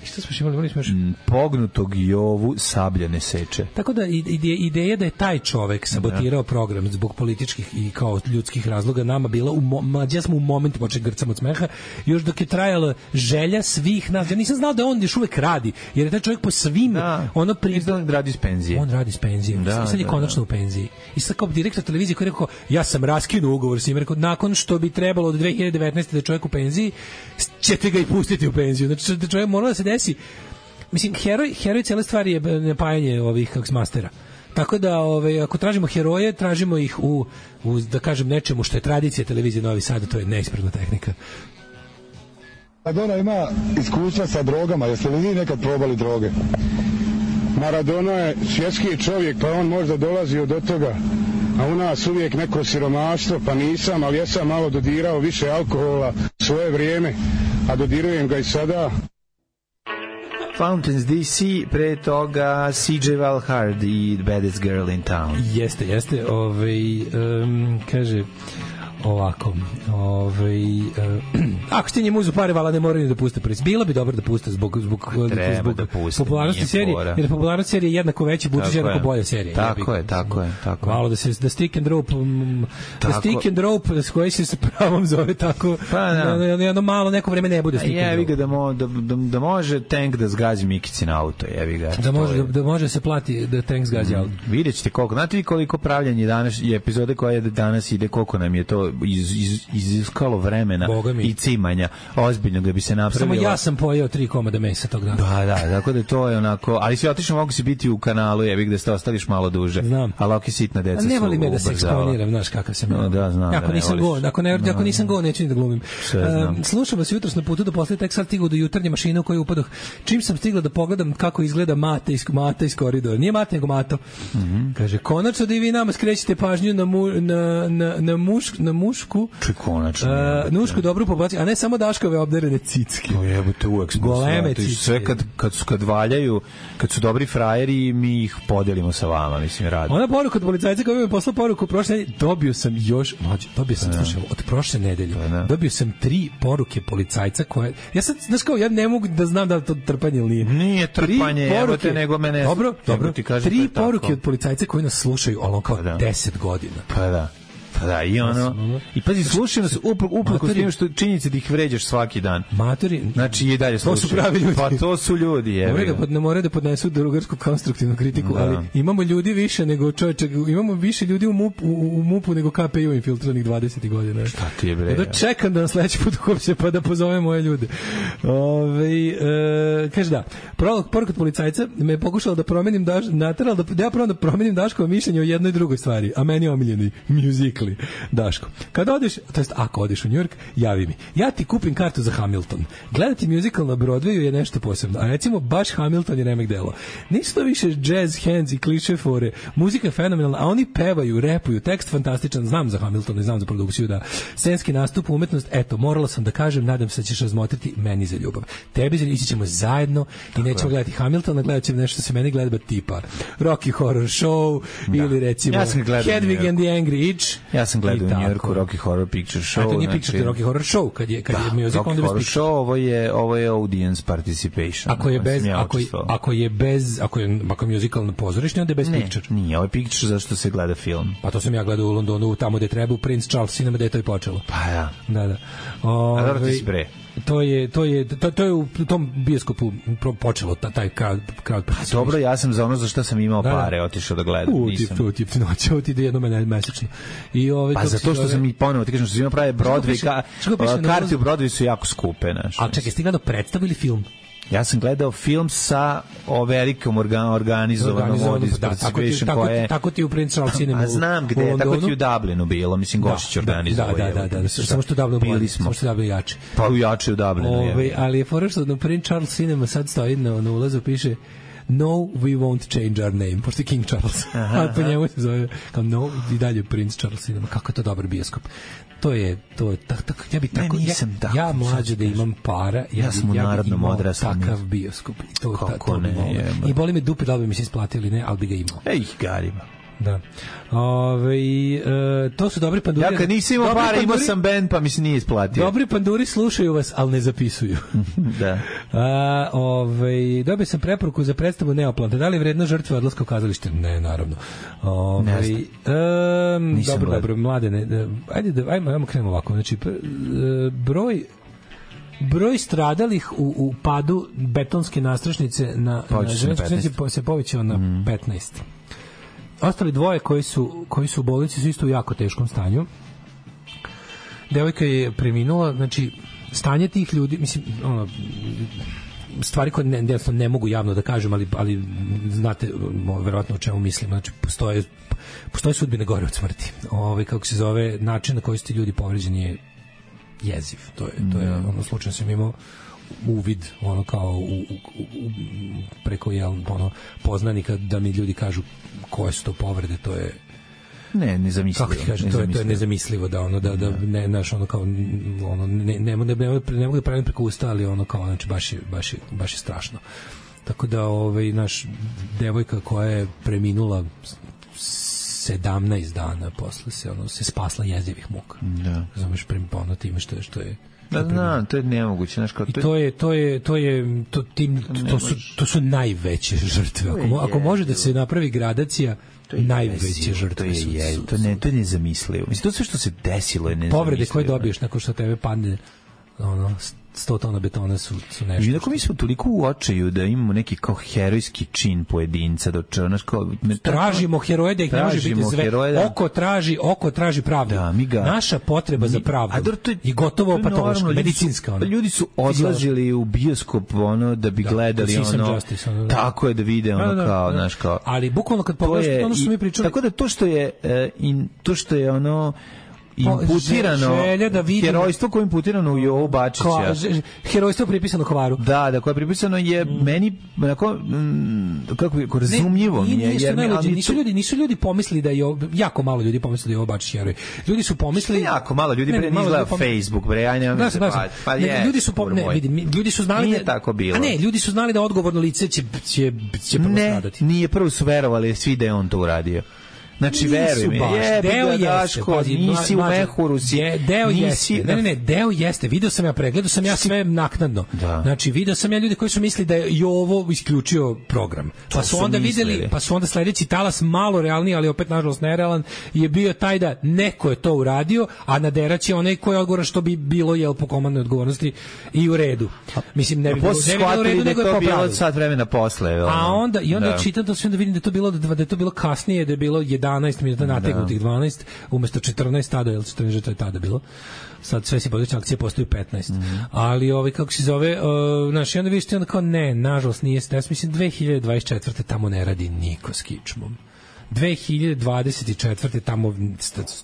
Što smo imali, imali smo još... Pognutog Jovu sablja ne seče. Tako da ide, ideja da je taj čovek sabotirao program zbog političkih i kao ljudskih razloga nama bila, u mo, mađa smo u momentu počeli grcamo od smeha, još dok je trajala želja svih nas. Ja nisam znao da on još uvek radi, jer je taj čovjek po svim... Da, ono pri... on radi iz penzije. On radi iz penzije. Da, sad je da, konačno da. u penziji. I sad kao direktor televizije koji je rekao, ja sam raskinuo ugovor s njim, rekao, nakon što bi trebalo od dve hiljade devetnaeste da je čovjek u penziji, ćete ga i pustiti u penziju. Znači, da čovjek mora da se desi. Mislim, heroj, heroj cijele stvari je napajanje ovih kako mastera. Tako da, ove, ako tražimo heroje, tražimo ih u, u, da kažem, nečemu što je tradicija televizije Novi Sad, to je neispravna tehnika. Maradona ima iskustva sa drogama, jeste li vi nekad probali droge? Maradona je svjetski čovjek, pa on možda dolazi od toga, a u nas uvijek neko siromaštvo, pa nisam, ali ja sam malo dodirao više alkohola svoje vrijeme, a dodirujem ga i sada. Fountains D C, pre toga C J Valhard i Baddest Girl in Town. Jeste, jeste. Ovaj, um, kaže ovako, ovaj, uh, ako ste njemu uzu pare, vala ne moraju da puste prvi. Bilo bi dobro da puste zbog, zbog, zbog da puste, popularnosti serije, jer popularnost serije je jednako veća, budući jednako bolja serija. Tako je, tako je, tako je. Malo da se da stick and rope, um, da stick and rope, da koji se sa pravom zove tako, pa, da. Na, na, na, malo neko vreme ne bude stick and rope. Jevi ga da, mo, da, da, da može tank da zgazi Mikici na auto, jevi ga. Da može, da, da može se plati da tank zgazi mm, auto. Vidjet ćete koliko, znate vi koliko pravljanje danas, i epizode koje danas ide, koliko nam je to iz, iz, iziskalo vremena i cimanja ozbiljnog da bi se napravilo. Samo ja sam pojeo tri komada mesa tog dana. Da, da, tako da to je onako, ali svi otično mogu se biti u kanalu, jebi gde ste ostališ malo duže. Znam. Ali ok, sitna deca su ubrzala. Ne volim me da se eksponiram, znaš kakav sam. No, da, znam. Ako da nisam go, ako, ne, ako nisam go, neću ni da glumim. Uh, slušam vas jutros na putu do posle, tek sad stigao do jutarnje mašine u koju upadoh. Čim sam stigla da pogledam kako izgleda Mate iz, Mate iz koridora. Nije Mate, nego Mato. Mm -hmm. Kaže, konačno da i vi nama skrećete pažnju na, mu, na, na, na, muš, na mušku. Či konačno. Uh, nušku dobru populaciju, a ne samo Daškove obdarene cicke. O jebote, uvek smo goleme cicke. Sve kad, kad, su, kad valjaju, kad su dobri frajeri, mi ih podelimo sa vama, mislim, radi. Ona poruka od policajca koja mi je poslao poruku prošle nedelje, dobio sam još, mlađe, dobio sam, slušaj, od prošle nedelje, dobio sam tri poruke policajca koje, ja sad, znaš kao, ja ne mogu da znam da to trpanje ili nije. Nije trpanje, evo te, nego mene... Dobro, dobro, ti kažem, tri poruke od policajca koji nas slušaju, ono kao pa deset godina. Pa da. Pa da, i ono, i pazi, slušaj nas upravo s tim što činjenice da ih vređaš svaki dan. Matori, znači i dalje slušaj. To su pravi ljudi. Pa to su ljudi, je. Moraju da, pod, ne moraju da podnesu drugarsku konstruktivnu kritiku, da. Ali imamo ljudi više nego čovječe, imamo više ljudi u MUP, u, u MUP-u nego K P I-u infiltranih dvadeset godina. Šta ti je bre? Da čekam da nam sledeći put uhapse pa da pozove moje ljude. Ove, e, kaže da, poruka od policajca me je pokušala da promenim daš, nateral da, da ja probam da promenim Daškovo mišljenje o jednoj drugoj stvari, a meni je omiljeni musicali. Daško, kad odeš, to jest ako odeš u New York, javi mi. Ja ti kupim kartu za Hamilton. Gledati musical na Broadwayu je nešto posebno. A recimo baš Hamilton je remek delo. Nisu to više jazz hands i kliše fore. Muzika je fenomenalna, a oni pevaju, repuju, tekst fantastičan. Znam za Hamilton i znam za produkciju, da. Scenski nastup, umetnost, eto, morala sam da kažem, nadam se da ćeš razmotriti meni za ljubav. Tebi za ići ćemo zajedno i nećemo gledati Hamiltona, gledat ćemo nešto što se meni gleda tipa Rocky Horror Show da. Ili recimo ja Hedwig and the Angry Itch. Ja sam gledao u New Yorku Rocky Horror Picture Show. A to nije znači, Picture, Rocky Horror Show, kad je, kad da, je music, onda bez Picture. Show, ovo je, ovo je audience participation. Ako je bez, ako je, ako je bez, ako je, ako je musical pozorišni, onda je bez ne, Picture. Nije, ovo je Picture zašto se gleda film. Pa to sam ja gledao u Londonu, tamo gde treba, u Prince Charles Cinema, gde je to i počelo. Pa ja. Da, da. Ove, A dobro ti si bre. To je to je to, to je u tom bioskopu počelo ta, taj crowd crowd. Pa dobro, ja sam za ono za što sam imao da, pare otišao da gledam, u, nisam. To tip noć, ovo ti ide jednom mesečno. I ovaj pa zato što sam i ponovo ti kažem što svima prave Broadway, ka, karte u Broadway su jako skupe, znaš. A čekaj, ste gledao predstavu ili film? Ja sam gledao film sa o velikom organ, organizovanom audience da, participation tako, koje... Tako ti u Prince Charles Cinema. A znam gde, tako ti u Dublinu bilo, mislim, Gošić organizovao. Da, da, da, da, samo što u Dublinu bili smo. Samo što Dublinu jače. Pa u jače u Dublinu, Ove, je. Ali je fora što na Prince Charles Cinema sad stoji na, na ulazu, piše No, we won't change our name, pošto je King Charles. Aha, a po njemu se zove, kao no, i dalje Prince Charles Cinema. Kako je to dobar bioskop. To je, to je, tak, tak, ja bi tako, ne, nisam, ja, ja mlađe da imam para, ja, ja sam u narodnom odraslu. Takav bioskop. I to, kako ta, to ne, je. I boli me dupe da li bi mi se isplatili, ne, ali bi ga imao. Ej, garima. Da. Ove, e, to su dobri panduri. Ja kad nisam imao para, imao sam band, pa mi se nije isplatio. Dobri panduri slušaju vas, ali ne zapisuju. Da. A, ove, dobio sam preporuku za predstavu Neoplante. Da li je vredno žrtve odlaska u kazalište? Ne, naravno. Ove, ne znam. E, dobro, dobro, mladene. Ajde, da, ajmo, ajmo krenemo ovako. Znači, broj broj stradalih u, u padu betonske nastrašnice na, na železnici se povećao na mm. petnaest. Ostali dvoje koji su, koji su u bolnici su isto u jako teškom stanju. Devojka je preminula, znači stanje tih ljudi, mislim, ono, stvari koje ne, ne mogu javno da kažem, ali, ali znate verovatno o čemu mislim. Znači, postoje, postoje sudbine gore od smrti. Ovaj, kako se zove, način na koji su ti ljudi povređeni je jeziv. To je, to je ono, slučajno sam imao uvid, ono kao u, u, u, preko jel, ono, poznanika da mi ljudi kažu koje su to povrede, to je ne, nezamislivo. Kako ti kažem, to je, to je nezamislivo da ono, da, da ne, naš, ono kao, ono, ne, ne, ne, ne, ne mogu da pravim preko usta, ali ono kao, znači, baš je, baš je, baš je strašno. Tako da, ovaj, naš devojka koja je preminula sedamnaest dana posle se, ono, se spasla jezivih muka. Da. Znaš, ono, time što je, što je Da, da, to je nemoguće, znaš kao. I to je to je to je to tim to su to su najveće žrtve. Ako ako može da se napravi gradacija, najveće žrtve su. To ne, to je nezamislivo. Mislim, to sve što se desilo je nezamislivo. Povrede koje dobiješ nakon što tebe padne ono sto tona betona su, su nešto. I tako mi smo toliko u očaju da imamo neki kao herojski čin pojedinca, da črnaš kao... Tražimo heroje da ih ne može biti sve. Da... Oko traži, oko traži pravdu. Da, mi ga... Naša potreba mi... za pravdu a, to je, je gotovo patološka, medicinska. Ono. Ljudi su odlazili u bioskop ono, da bi da, gledali ono... Justice, ono da. Tako je da vide ono da, da, kao, da. Znaš kao... Ali bukvalno kad pogledaš ono što smo mi pričali... Tako da to što je, uh, in, to što je ono... imputirano da herojstvo koje je imputirano u Jovu Bačića. Ko, herojstvo pripisano Hvaru. Da, da, koje je pripisano je mm. meni onako mm, kako je razumljivo mi je, jer ali nisu ljudi, nisu ljudi pomislili da je jako malo ljudi pomislili da je Jovo Bačić heroj. Ljudi su pomislili jako malo ljudi pre ne izgleda Facebook, bre, aj ne znam. Pa je. Ljudi su ne, vidi, ljudi su znali da tako bilo. A ne, ljudi su znali da odgovorno lice će će će postradati. Nije prvo su verovali svi da je on to uradio. Znači, veruj mi, je, deo jeste, Daško, pazi, nisi mlađe, u mehuru, si, je, deo nisi, jeste, ne, ne, ne, deo jeste, video sam ja, pregledao sam ja sve naknadno, da. Znači, video sam ja ljudi koji su mislili da je Jovo isključio program, pa su onda mislili. videli, pa su onda sledeći talas malo realniji, ali opet nažalost nerealan, je bio taj da neko je to uradio, a naderać je onaj koji je odgovoran što bi bilo, jel, po komandnoj odgovornosti i u redu. Mislim, ne bi bilo, ne bi bilo u redu, nego je popravljeno. Sat vremena posle. A onda, i onda čitam to sve, onda vidim da je to bilo, da je to bilo kasnije, da je bilo jedanaest minuta nategnutih dvanaest umesto četrnaest tada, jel četrnaest je tada bilo. Sad sve se buduće akcije postaju petnaest. Mm -hmm. Ali ovaj kako se zove, uh, znaš, i onda vidiš ti onda kao ne, nažalost nije se, mislim dve hiljade dvadeset četvrte tamo ne radi niko s kičmom. dve hiljade dvadeset četvrte tamo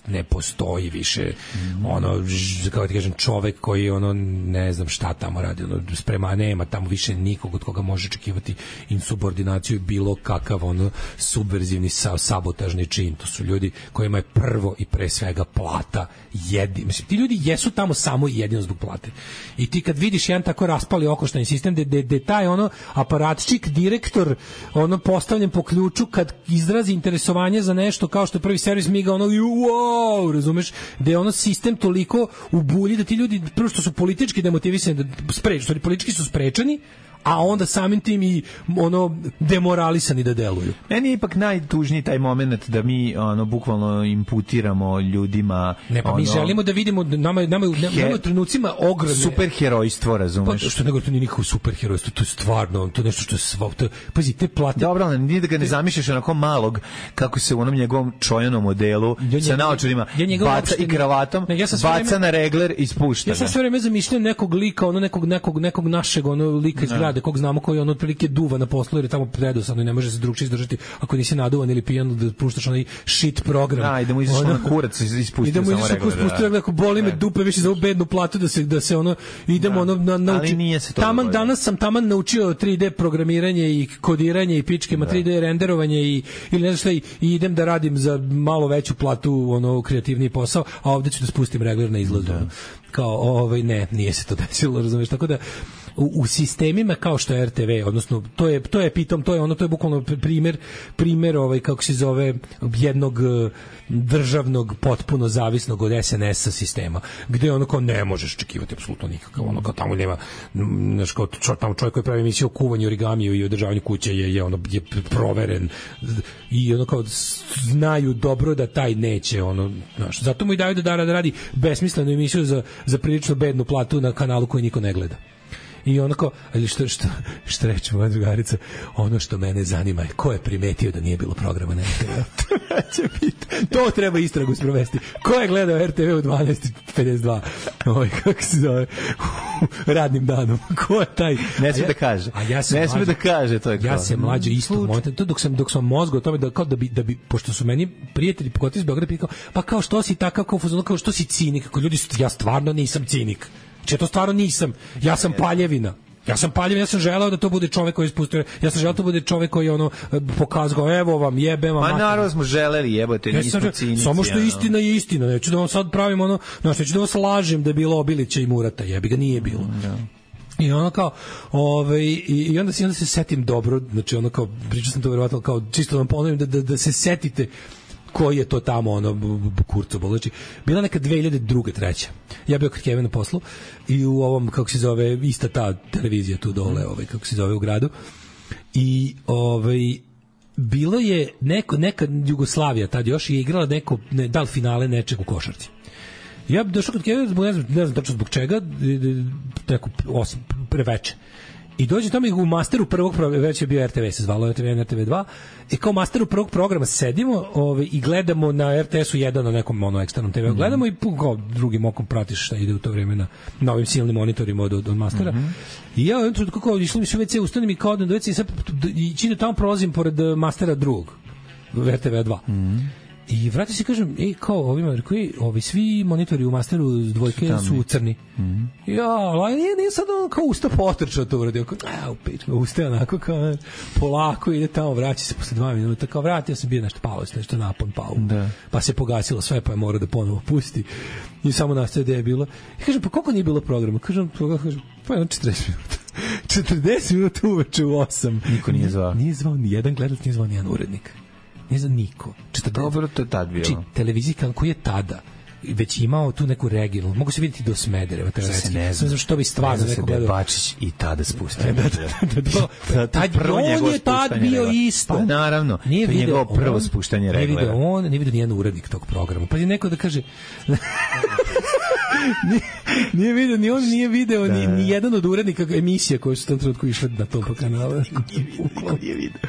ne postoji više mm. ono, kao ti kažem, čovek koji ono, ne znam šta tamo radi, ono, sprema, nema tamo više nikog od koga može očekivati insubordinaciju i bilo kakav ono subverzivni sabotažni čin. To su ljudi kojima je prvo i pre svega plata jedi. Mislim, ti ljudi jesu tamo samo i jedino zbog plate. I ti kad vidiš jedan tako raspali okoštani sistem gde, gde, gde taj ono aparatčik, direktor ono postavljen po ključu kad izrazi interes interesovanje za nešto kao što je prvi servis miga ono wow, razumeš, da je ono sistem toliko u bulji da ti ljudi prvo što su politički demotivisani, da sprečeni, politički su sprečeni, a onda samim tim i ono demoralisani da deluju. Meni je ipak najtužniji taj moment da mi ono bukvalno imputiramo ljudima. Ne, pa ono, mi želimo da vidimo nama nama nama u trenucima ogromne superherojstvo, razumeš? Pa što nego to nije nikakvo superherojstvo, to je stvarno, to je nešto što je sva, to, pazi, te plate. Dobro, ali nije da ga ne zamišljaš onako malog kako se u onom njegovom čojanom modelu ja, sa naočarima ja baca i kravatom, ne, ja baca vreme, na regler i spušta. Ja sam sve vreme zamišljam nekog lika, ono nekog nekog nekog našeg ono lika iz grada kog znamo koji on otprilike duva na poslu jer je tamo predosadno i ne može se drugčije izdržati ako nisi naduvan ili pijan da puštaš onaj shit program. Da, idemo izaš na kurac ispusti samo regler. Idemo izaš regler, ako boli me dupe više za ovu bednu platu da se da se ono idemo ono na nauči. Taman danas sam taman naučio tri D programiranje i kodiranje i pičkema tri D renderovanje i ili ne znam šta i idem da radim za malo veću platu ono kreativniji posao, a ovde ću da spustim regler na izlazu. Kao ovaj ne, nije se to desilo, razumeš, tako da u, u sistemima kao što je R T V, odnosno to je to je pitom, to je ono to je bukvalno primer primer ovaj kako se zove jednog državnog potpuno zavisnog od S N S-a sistema, gde ono kao ne možeš očekivati apsolutno nikakav, ono kao tamo nema znaš kao čo, tamo čovjek koji pravi emisiju o kuvanju origamiju i održavanju kuće je, je ono je proveren i ono kao znaju dobro da taj neće ono, znaš, zato mu i daju da, da radi besmislenu emisiju za, za prilično bednu platu na kanalu koji niko ne gleda. I onako, ali što, što, što reče moja drugarica, ono što mene zanima je ko je primetio da nije bilo programa na R T V. To treba istragu sprovesti. Ko je gledao R T V u dvanaest pedeset dva? Ovaj, kako se zove? Radnim danom. Ko je taj? Ne smije ja, da kaže. A ja ne smije da kaže, to je ja se mlađe isto momentu, to dok sam dok sam mozgu o tome da kao da bi da bi pošto su meni prijatelji pogotovo iz Beograda pitali, pa kao što si takav kao fuzon, kao što si cinik, kako ljudi su, ja stvarno nisam cinik. Če to stvarno nisam. Ja sam paljevina. Ja sam paljevina, ja sam želeo da to bude čovjek koji ispustuje. Ja sam želeo da to bude čovjek koji ono pokazao, evo vam, jebem vam. Ma naravno smo želeli, jebote, ja nismo cinici. Samo što istina je istina. Neću da vam sad pravim ono, znači neću da vas lažem da je bilo Obilića i Murata, jebi ga, nije bilo. Da. I ono kao, ovaj i, i onda se onda se setim dobro, znači ono kao pričao sam to verovatno kao čisto da vam ponovim da, da, da se setite koji je to tamo ono Kurco Bolači. Bila neka dve hiljade druga treća. Ja bio kod Kevina na poslu i u ovom kako se zove ista ta televizija tu dole, ovaj kako se zove u gradu. I ovaj bilo je neko neka Jugoslavija tad još je igrala neko ne, dal finale nečeg u košarci. Ja bih došao kod Kevina, ne znam, ne znam tačno zbog čega, neko osam preveče. I dođe tamo i u masteru prvog programa, već je bio R T V, se zvalo R T V jedan, R T V dva, i kao masteru prvog programa sedimo ovaj, i gledamo na R T S-u jedan na nekom ono, eksternom T V-u, gledamo i kao drugim okom pratiš šta ide u to vreme na, na ovim silnim monitorima od, od, od mastera. Mm-hmm. I ja jednom trenutku kao išli mi su u ve ce, ustanem i kao odem do ve ce i sad i čini tamo prolazim pored mastera drugog, R T V dva. Mm-hmm. I vrati se kažem, ej, kao ovima, koji, ovi svi monitori u masteru dvojke su crni. Mm-hmm. Ja, ali nije, nije sad on kao usta potrčao to uradio. A, u pičku, usta onako kao polako ide tamo, vraća se posle dva minuta. Kao vratio sam bio nešto pao, nešto napon pao. Da. Pa se pogasilo sve, pa je mora da ponovo pusti. I samo nastaje da je bilo. I kažem, pa koliko nije bilo programa? Kažem, kažem pa je on četrdeset minuta. četrdeset minuta uveče u osam. Niko nije zvao. Nije zvao ni jedan gledač, nije zvao ni jedan urednik. Ne znam niko. Dobro, to je tad bilo. Znači, televizija koji je tada već imao tu neku regionalnu, mogu se vidjeti do Smedereva, teoretski. Ne znam što bi stvarno neko gledao. Da Bačić i tada spustio. Da, da, da, tad prvo on je tad bio isto. Pa naravno, nije to je njegovo prvo spuštanje reglera. Nije video on, nije video nijedan urednik tog programa. Pa je neko da kaže nije, nije video, ni on nije video da. ni, ni jedan od urednika emisija koje su u tom trenutku išle na tom kanalu. Nije video.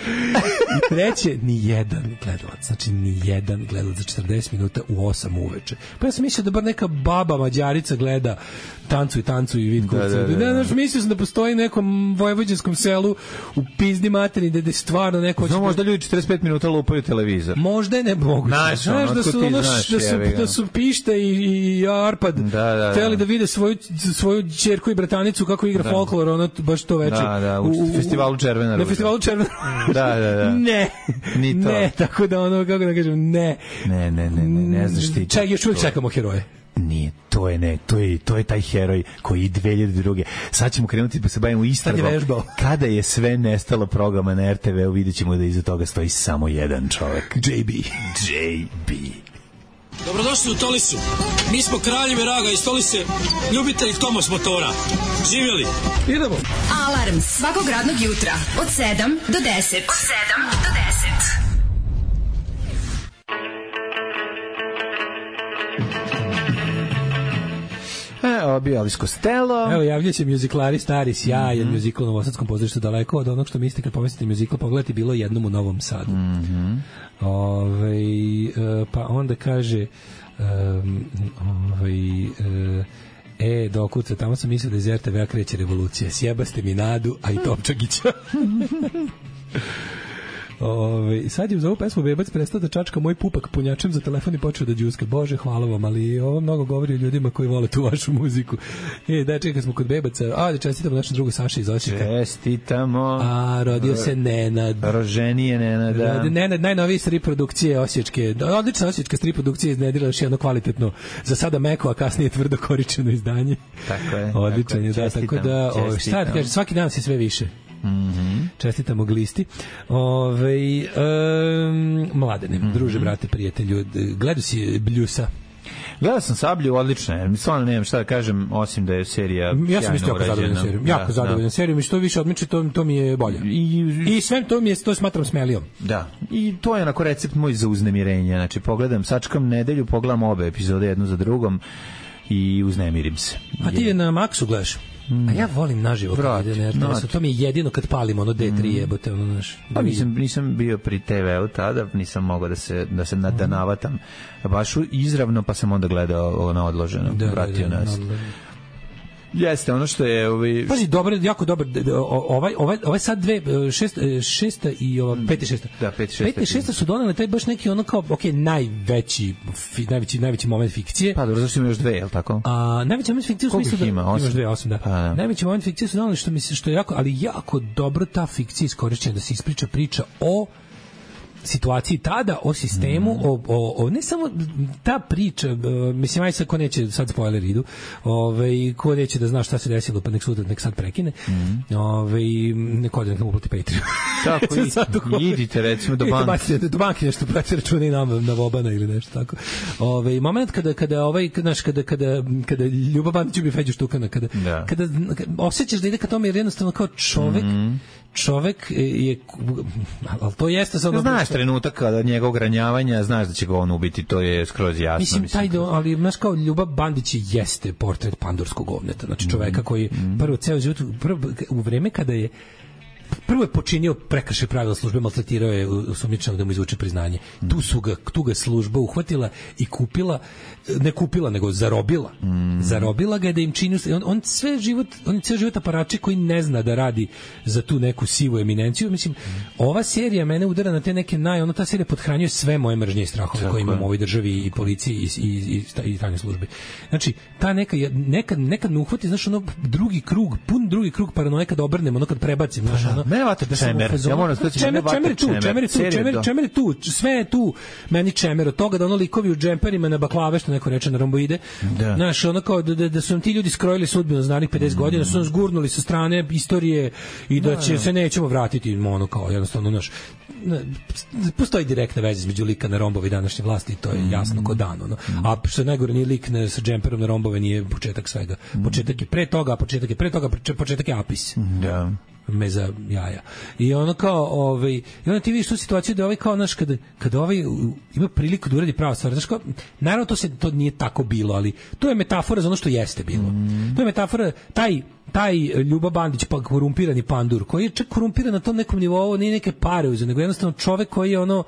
I treće, ni jedan gledalac, znači ni jedan gledalac za četrdeset minuta u osam uveče. Pa ja sam mislio da bar neka baba Mađarica gleda Tancu i tancu i vid kurcu. Da, da, da, da. Ne, mislio sam da postoji nekom vojvođanskom selu u pizdi materini da je stvarno neko... Znamo, možda ljudi četrdeset pet minuta lupaju televizor. Možda je ne moguće. Znaš, znaš da su, ono, znaš, da su, da su Pište i, i Arpad da, da, da. hteli da vide svoju, svoju ćerku i bratanicu kako igra da. folklor, ono baš to veče. Da, da, u, u festivalu Červena ruža. Na festivalu Červena Da, da, da. Ne. Ni to. Ne, tako da ono, kako da kažem, ne. Ne, ne, ne, ne, ne znaš ti. Čak, još uvijek čekamo heroje. Nije, to je ne, to je, to je taj heroj koji je dve hiljade druge. Sad ćemo krenuti pa se bavimo istragom. Kada je sve nestalo programa na R T V-u, vidjet ćemo da iza toga stoji samo jedan čovjek. J B. J B. Dobrodošli u Tolisu. Mi smo kraljevi raga iz Tolise, ljubitelji Tomos motora. Živjeli. Idemo. Alarm svakog radnog jutra od sedam do deset. Od sedam do deset. E, ovo bio Elvis Costello. Evo, javlja se muziklari stari, sjajan mm-hmm. muzikal u Novosadskom pozorištu, daleko od onog što mislite kad pomislite muzikal, pogledajte, bilo jednom u Novom Sadu. Mm-hmm. Ove, pa onda kaže um, ovaj, e, dokuca, tamo sam mislio da iz R T V-a kreće revolucija. Sjebaste mi Nadu, a i Topčagića. Ove, sad je za ovu pesmu Bebac prestao da čačka moj pupak punjačem za telefon i počeo da džuska. Bože, hvala vam, ali ovo mnogo govori o ljudima koji vole tu vašu muziku. E, da, čekaj, smo kod Bebaca. A, da čestitamo našem drugu Saši iz Osijeka. Čestitamo. A, rodio se Nenad. Roženije Nenada. Rodi, Nenad, najnoviji strip produkcije osječke. Odlična osječka strip produkcija iznedila još jedno kvalitetno, za sada meko, a kasnije tvrdo koričeno izdanje. Tako je. Odličan je, da, tako da, o, šta ti kaže, svaki dan si sve više. Mm-hmm. Čestitamo glisti. Ove, um, mladene, mm-hmm. druže, brate, prijatelju, gledao si Bljusa? Gledao sam Sablju, odlično je. Stvarno nemam šta da kažem, osim da je serija ja sam isto jako zadovoljan serijom. Jako da, zadovoljan da. serijom i što više odmiče, to, to mi je bolje. I, I sve to mi je, to smatram smelijom. Da. I to je onako recept moj za uznemirenje. Znači, pogledam, sačkam nedelju, pogledam obe epizode jednu za drugom i uznemirim se. A ti je na Maxu gledaš? A ja volim naživo kad ide na er te esu, to mi je jedino kad palimo ono de tri jebote, ono naš. Pa nisam, nisam bio pri te veu tada, nisam mogao da se, da se nadanavatam baš izravno, pa sam onda gledao ono odloženo, da, vratio da, da, nas. da, da. Jeste, ono što je ovaj pazi, dobro, jako dobar ovaj ovaj ovaj sad dve šest šesta i ova peta šesta. Da, peta šesta. Peta šesta su donele taj baš neki ono kao okej, okay, najveći fi, najveći najveći moment fikcije. Pa dobro, zašto ima još dve, je l' tako? A najveći moment fikcije u smislu da ima imaš dve, osam, da. Pa, da. Najveći moment fikcije su donele što mislim što je jako, ali jako dobro ta fikcija iskorišćena da se ispriča priča o situaciji tada, o sistemu, mm. o, o, o, ne samo ta priča, mislim, aj sad ko neće, sad spoiler idu, ovaj, ko neće da zna šta se desilo, pa nek sutra, nek sad prekine, mm. ovaj, neko da nek mu uplati Patreon. Tako, i, idite recimo do banke. Do banke nešto prati računa i nam na Vobana ili nešto tako. Ovaj, moment kada, kada, ovaj, znaš, kada, kada, kada Ljubav Bandić ubi Feđu Štukana, kada, da. kada, kada osjećaš da ide ka tome, jer jednostavno kao čovek, mm. čovek je, ali to jeste sad... Znaš trenutak kada njegovog ranjavanja, znaš da će ga on ubiti, to je skroz jasno. Mislim, mislim. taj do, ali znaš kao Ljubav Bandić jeste portret pandurskog govneta, znači čoveka koji mm. prvo ceo život, prvo, u vreme kada je prvo je počinio prekršaj pravila službe, maltretirao je osumnjičenog da mu izvuče priznanje. Mm. Tu su ga, tu ga služba uhvatila i kupila, ne kupila, nego zarobila. Mm. Zarobila ga da im čini, on, on sve život, on je ceo život aparači koji ne zna da radi za tu neku sivu eminenciju. Mislim, mm. ova serija mene udara na te neke naj, ono ta serija pothranjuje sve moje mržnje i strahove koje imamo u ovoj državi i policiji i i i, i, i tajne službe. Znači, ta neka nekad nekad me uhvati, znaš, ono drugi krug, pun drugi krug paranoje kad obrnemo, ono kad prebacim, znaš, ono. Ne vata čemer. Ja moram da kažem, čemer, čemer tu, čemer tu, čemer, čemer tu, sve je tu. Meni čemer od toga da ono likovi u džemperima na baklave, što neko reče na romboide. Da. Znaš, ono kao da, da, da su nam ti ljudi skrojili sudbinu za narednih pedeset mm. godina, su nas gurnuli sa strane istorije i da, da će da. se nećemo vratiti, ono kao jednostavno, znaš, postoji direktna veza između lika na rombove i današnje vlasti, to je jasno ko dan, ono. A što najgore, nije lik na, sa džemperom na rombove, nije početak svega. Početak je pre toga, početak je pre toga, početak je apis. Da. Me za jaja. I ono kao, ovaj, i onda ti vidiš tu situaciju da ovaj kao, znaš, kada, kada ovaj ima priliku da uradi prava stvar, znaš kao, naravno to se, to nije tako bilo, ali to je metafora za ono što jeste bilo. Mm. To je metafora, taj taj Ljuba Bandić, pa korumpirani pandur, koji je čak korumpiran na tom nekom nivou, nije neke pare uzeo, nego jednostavno čovek koji je ono,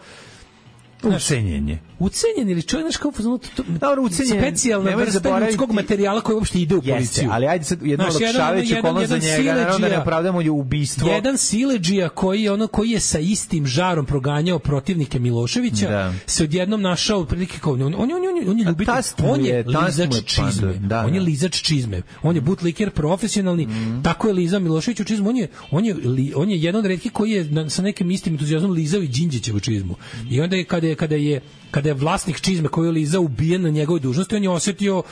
ucenjenje. Ucenjen ili čovjek, znaš kao to, to, dobro, ucenjen, specijalna vrsta ljudskog materijala koji uopšte ide u policiju. Jeste, ali ajde sad jedno olakšavajući okolnost za njega, naravno da ne opravdamo je ubistvo. Jedan siledžija koji je ono koji je sa istim žarom proganjao protivnike Miloševića, da. Se odjednom našao otprilike kao on on on on, on je ljubitelj, on je lizač čizme. Da, on je lizač čizme. On je butliker profesionalni, mm. tako je lizao Miloševiću čizmu. On je on je on je jedan od retkih koji je na, sa nekim istim entuzijazmom lizao i Đinđićevu čizmu. I onda je kada je kada je kada je vlasnik čizme koji je lizao ubijen na njegovoj dužnosti, on je osetio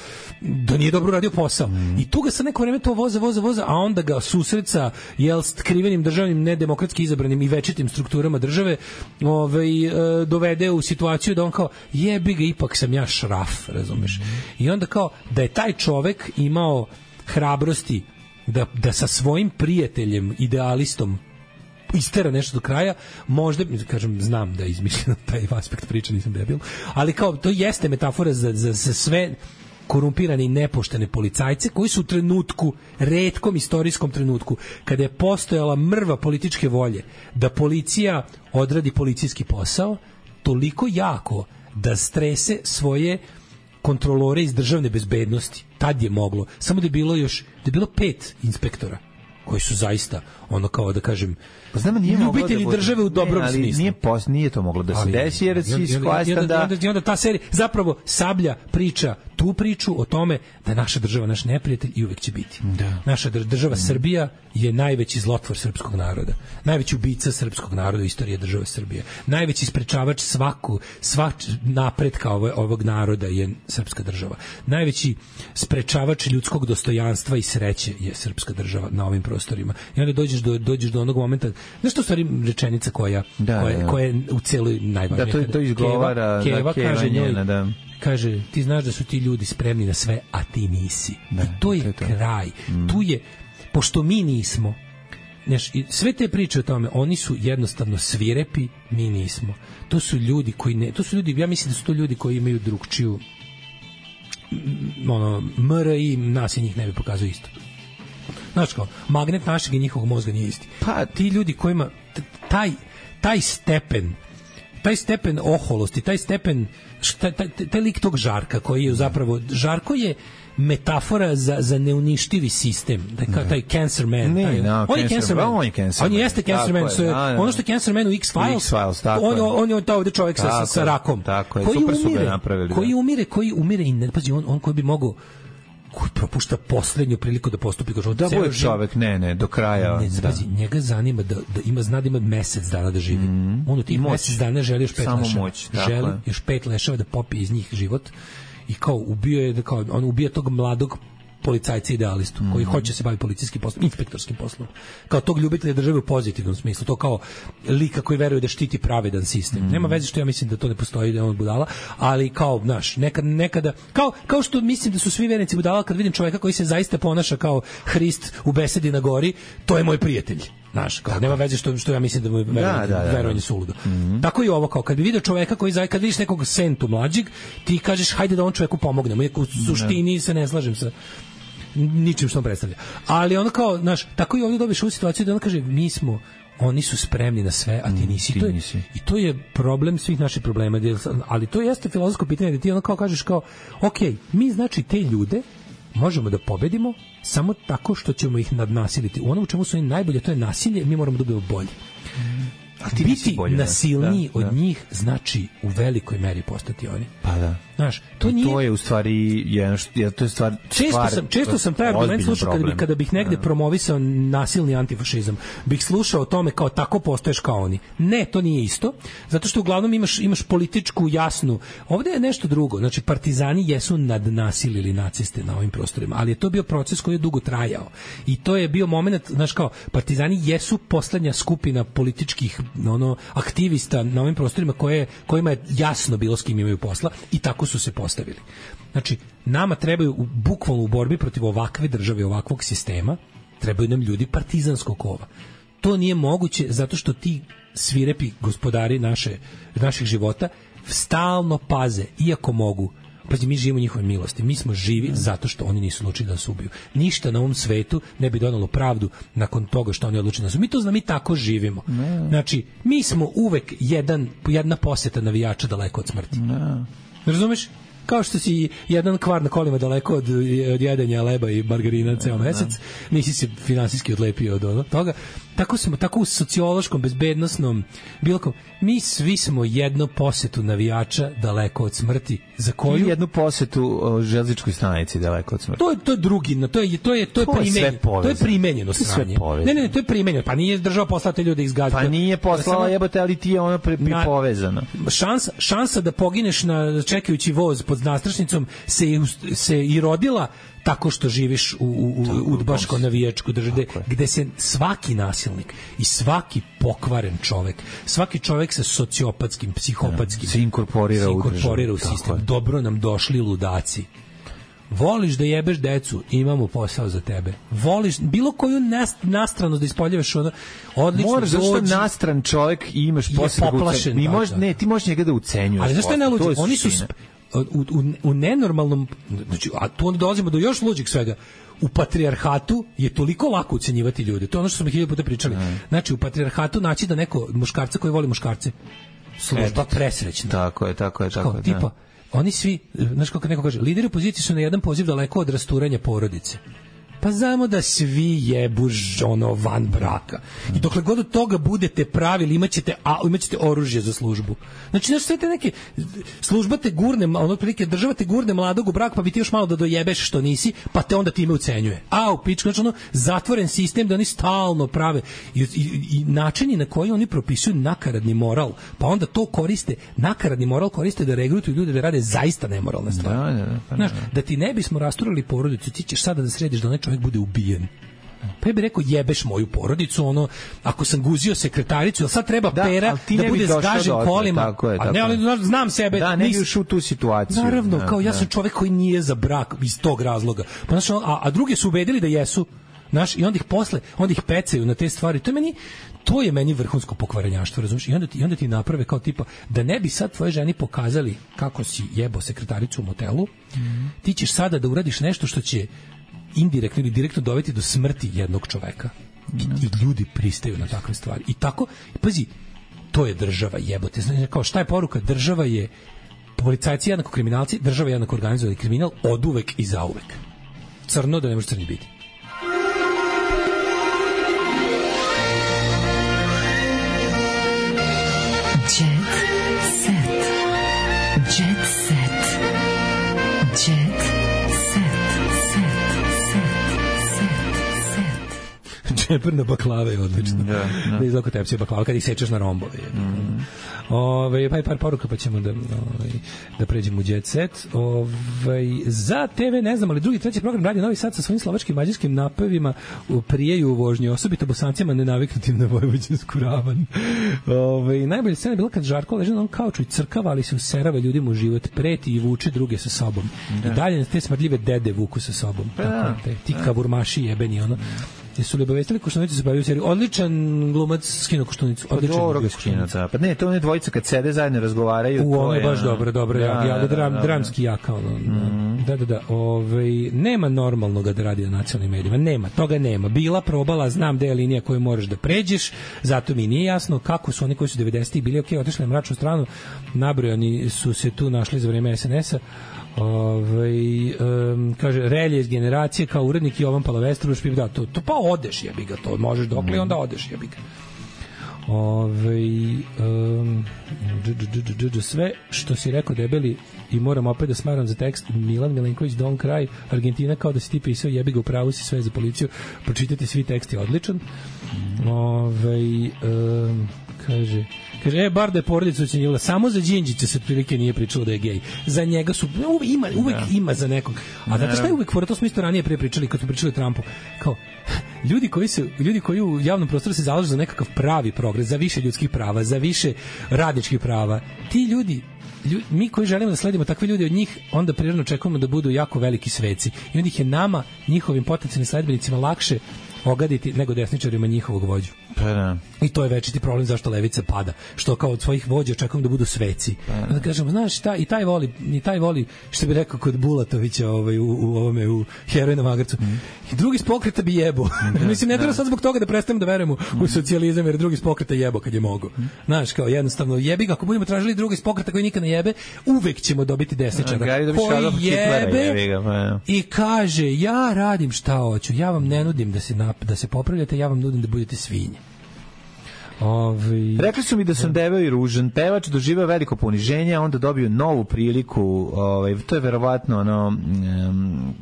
da nije dobro radio posao. Mm. I tu ga sa neko vreme to voza, voza, voza, a onda ga susreca jel skrivenim državnim, nedemokratski izabranim i večitim strukturama države ovaj, e, dovede u situaciju da on kao, jebi ga, ipak sam ja šraf, razumeš? Mm. I onda kao, da je taj čovek imao hrabrosti da, da sa svojim prijateljem, idealistom, istera nešto do kraja, možda, kažem, znam da je izmišljeno taj aspekt priče, nisam debil, ali kao, to jeste metafora za, za, za sve korumpirane i nepoštene policajce koji su u trenutku, retkom istorijskom trenutku, kada je postojala mrva političke volje da policija odradi policijski posao, toliko jako da strese svoje kontrolore iz državne bezbednosti. Tad je moglo. Samo da je bilo još, da je bilo pet inspektora koji su zaista ono kao da kažem pa znam, nije ljubitelji da države u dobrom ne, ali smislu. Nije, pos, nije to moglo da se ali, desi, jer si shvastan da... I onda, i onda ta serija, zapravo Sablja priča tu priču o tome da je naša država naš neprijatelj i uvek će biti. Da. Naša država mm. Srbija je najveći zlotvor srpskog naroda. Najveći ubica srpskog naroda u istoriji države Srbije. Najveći sprečavač svaku, svak napretka ovog, ovog naroda je srpska država. Najveći sprečavač ljudskog dostojanstva i sreće je srpska država na ovim prostorima. I onda dođeš do, dođeš do onog momenta, znaš što u stvari rečenica koja, da, koja, da. koja je u celoj najvažnija. Da, to, to izgovara Keva, Keva kaže njoj, njena, da. kaže, ti znaš da su ti ljudi spremni na sve, a ti nisi. Da, I to je, to je to. kraj. Mm. Tu je, pošto mi nismo, znaš, i sve te priče o tome, oni su jednostavno svirepi, mi nismo. To su ljudi koji ne, to su ljudi, ja mislim da su to ljudi koji imaju drugčiju ono, M R I, nas i njih ne bi pokazao isto. Znaš kao, magnet našeg i njihovog mozga nije isti. Pa ti ljudi kojima taj, taj stepen taj stepen oholosti, taj stepen taj, taj, taj lik tog Žarka koji je zapravo, Žarko je metafora za, za neuništivi sistem, da kao taj cancer man. Ne, taj, no, on je cancer man. On je cancer on man. jeste cancer man. So, da, da. Ono što je cancer man u X-Files, X-Files tako on, je. on je taj ovde čovjek sa, sa rakom. Tako je, koji super su umire, ga napravili. koji umire, koji umire i ne, pazi, on, on koji bi mogao koji propušta poslednju priliku da postupi kao da bude čovjek, ne, ne, do kraja. Ne, pazi, da. Njega zanima da, da ima, zna da ima mesec dana da živi. Mm. On u tih mesec dana želi još pet samo leševa. Moć, želi još pet leševa da popije iz njih život i kao ubio je, da kao, on ubija tog mladog policajca idealistu, mm. koji hoće se baviti policijskim poslom, inspektorskim poslom. Kao tog ljubitelja države u pozitivnom smislu, to kao lika koji veruje da štiti pravedan sistem. Mm. Nema veze što ja mislim da to ne postoji, da je on budala, ali kao, znaš, nekad, nekada, kao, kao što mislim da su svi vernici budala, kad vidim čoveka koji se zaista ponaša kao Hrist u besedi na gori, to je moj prijatelj. Znaš, kao, nema veze što, što ja mislim da mu je verovanje, da, da, da, verovanje suludo. Mm-hmm. Tako i ovo, kao kad bi vidio čoveka koji, kad vidiš nekog sentu mlađeg, ti kažeš, hajde da on čoveku pomognemo, iako u suštini se ne slažem sa ničim što on predstavlja. Ali ono kao, znaš, tako i ovdje dobiš ovu situaciju da on kaže, mi smo, oni su spremni na sve, a ti nisi. Ti to je, nisi. I to je problem svih naših problema. Ali to jeste filozofsko pitanje da ti ono kao kažeš kao, ok, mi znači te ljude možemo da pobedimo samo tako što ćemo ih nadnasiliti. U onom u čemu su oni najbolje, to je nasilje, mi moramo da budemo bolji. A ti biti bolje, nasilniji da, od da. njih znači u velikoj meri postati oni. Pa da. Znaš, to, I nije... to je u stvari jedan što to je stvar često stvar, sam često sam taj argument slušao kada bih kada bih negde da. promovisao nasilni antifašizam. Bih slušao o tome kao tako postoješ kao oni. Ne, to nije isto, zato što uglavnom imaš imaš političku jasnu. Ovde je nešto drugo. Znači partizani jesu nadnasilili naciste na ovim prostorima, ali je to bio proces koji je dugo trajao. I to je bio momenat, znaš kao partizani jesu poslednja skupina političkih ono aktivista na ovim prostorima koje kojima je jasno bilo s kim imaju posla i tako su se postavili. Znači, nama trebaju u, bukvalno u borbi protiv ovakve države, ovakvog sistema, trebaju nam ljudi partizanskog kova. To nije moguće zato što ti svirepi gospodari naše, naših života stalno paze, iako mogu. Pazi, mi živimo u njihovoj milosti. Mi smo živi zato što oni nisu odlučili da nas ubiju. Ništa na ovom svetu ne bi donalo pravdu nakon toga što oni odlučili da nas ubiju. Mi to znamo, mi tako živimo. Znači, mi smo uvek jedan, jedna poseta navijača daleko od smrti. Ne. Razumeš? Kao što si jedan kvar na kolima daleko od, od jedanja leba i margarina ceo mesec, nisi se finansijski odlepio od ono, toga. Tako smo, tako u sociološkom, bezbednosnom, bilo kom, mi svi smo jedno posetu navijača daleko od smrti, za koju... I jednu posetu o železničkoj stanici daleko od smrti. To je, to je drugi, to je, to je, to je, to je primenjeno. To je primenjeno sranje. Ne, ne, ne, to je primenjeno. Pa nije država poslala te ljude izgaziti. Pa nije poslala jebote, ali ti je ono pri, pri povezano. Šansa, šansa da pogineš na čekajući voz pod nastrašnicom se, se i rodila tako što živiš u, u, u udbaško navijačku državu gde se svaki nasilnik i svaki pokvaren čovek, svaki čovek sa sociopatskim, psihopatskim se inkorporira, se inkorporira u, u sistem. Dobro nam došli ludaci. Voliš da jebeš decu, imamo posao za tebe. Voliš bilo koju nast, nastranost da ispoljavaš, ono, odlično. Moraš zašto nastran čovek i imaš posao da ucenjuješ. Možeš, ne, ti možeš njega da ucenjuješ. Ali zašto je najluđe? Oni su u, u, u nenormalnom, znači, a tu onda dolazimo do još luđeg svega. U patrijarhatu je toliko lako ucenjivati ljude. To je ono što smo mi hiljadu puta pričali. Mm. Znači, u patrijarhatu naći da neko muškarca koji voli muškarce, služba presrećna. Tako je, tako je, tako je. Tipa, da. Oni svi, znaš kako neko kaže, lideri opozicije su na jedan poziv daleko od rasturanja porodice. Pa znamo da svi jebu ono van braka. I dokle god od toga budete pravili, imaćete, a, imaćete oružje za službu. Znači, znaš, sve te neke služba te gurne, ono prilike, država te gurne mladog u brak, pa bi ti još malo da dojebeš što nisi, pa te onda time ucenjuje. A, u pičku, znači ono, zatvoren sistem da oni stalno prave. I, i, i načini na koji oni propisuju nakaradni moral, pa onda to koriste, nakaradni moral koriste da regrutuju ljude da rade zaista nemoralne stvari. Da, da, pa znaš, da ti ne bismo rasturali porodicu, ti ćeš sada da središ da onaj čovjek bude ubijen. Pa ja bih rekao, jebeš moju porodicu, ono, ako sam guzio sekretaricu, jel sad treba da, Pera da bude zgažen kolima? Tako je, tako a ne, ali znam sebe. Da, ne bi ušao u tu situaciju. Naravno, da, kao ja da. sam čovjek koji nije za brak iz tog razloga. Pa, znaš, a, a drugi su ubedili da jesu. Znaš, i onda ih posle, onda ih pecaju na te stvari. To je meni, to je meni vrhunsko pokvarenjaštvo, razumiješ? I onda ti, i onda ti naprave kao tipa, da ne bi sad tvoje ženi pokazali kako si jebo sekretaricu u motelu, mm. ti ćeš sada da uradiš nešto što će indirektno ili direktno dovesti do smrti jednog čoveka. I, i ljudi pristaju na takve stvari. I tako, pazi, to je država, jebote. Znači, kao šta je poruka? Država je, policajci jednako kriminalci, država je jednako organizovani kriminal, oduvek i zauvek. Crno da ne može crni biti. Džeper na baklave je odlično. Da, da. Da izlako tepsije baklava kad ih sečeš na rombove. Mm. Ove, pa je par poruka pa ćemo da, ove, da pređemo u Jet Set. Ove, za te ve ne znam, ali drugi, treći program Radio Novi Sad sa svojim slovačkim mađarskim napevima prijeju u vožnji, osobito Bosancima nenaviknutim na vojvođansku ravan. Ove, najbolja scena je bila kad Žarko leže na onom kauču i crkava, ali se userava ljudima u život, preti i vuče druge sa sobom. Da. I dalje te smrdljive dede vuku sa sobom. Pa, tako, te, ti kavurmaši jebeni, ono. Jesu li obavestili Koštunicu se bavio u seriju? Odličan glumac skino Koštunicu. Odličan glumac skino, da. Pa ne, to one dvojice kad sede zajedno razgovaraju. U, ono je baš dobro, dobro. Da, ja, ja, da, dram, da, dramski jaka. Ono, mm. Da, da, da. Ove, nema normalnog da radi na nacionalnim medijima. Nema, toga nema. Bila probala, znam da je linija koju moraš da pređeš, zato mi nije jasno kako su oni koji su devedesetih bili, ok, otišli na mračnu stranu, nabrojani su se tu našli za vreme es en es-a. Ove, um, kaže Relje iz generacije kao urednik Jovan Palavestrović, da, to, to pa odeš jebi ga, to možeš dokle mm. onda odeš jebi ga. Ove, um, sve što si rekao debeli i moram opet da smaram za tekst Milan Milenković Don't Cry, Argentina kao da si ti pisao jebi ga, u pravu si, sve za policiju, pročitajte svi, tekst je odličan. mm. Ove, um, kaže Kaže, e, bar da je porodica ucenjivala, samo za Đinđića se otprilike nije pričalo da je gej. Za njega su, uvek ima, uvek ja. ima za nekog. A znate šta je uvek fora, to smo isto ranije prije pričali, kad smo pričali o Trumpu, kao, ljudi koji, se, ljudi koji u javnom prostoru se zalažu za nekakav pravi progres, za više ljudskih prava, za više radničkih prava, ti ljudi, ljudi mi koji želimo da sledimo takve ljudi od njih, onda prirodno očekujemo da budu jako veliki sveci. I onda ih je nama, njihovim potencijalnim sledbenicima, lakše ogaditi nego desničarima njihovog vođu. Pa da. I to je večiti problem zašto levica pada. Što kao od svojih vođa očekujem da budu sveci. Pa da kažemo, znaš, šta, i taj voli, i taj voli, što bi rekao kod Bulatovića ovaj, u, u ovome, u Heroj na Magarcu. Mm. I drugi iz pokreta bi jebo. Da, mislim, ne treba sad zbog toga da prestanemo da verujemo mm. u socijalizam, jer drugi iz pokreta jebo kad je mogo. Mm. Znaš, kao jednostavno, jebi ga, ako budemo tražili drugi iz pokreta koji nikad ne jebe, uvek ćemo dobiti desničara. Koji jebe jebiga, pa, ja. I kaže, ja radim šta hoću, ja vam ne nudim da se, nap, da se popravljate, ja vam nudim da budete svinje. Ovi... Rekli su mi da sam debeo i ružan. Pevač doživeo veliko poniženje, a onda dobio novu priliku. Ovaj, to je verovatno ono... Um,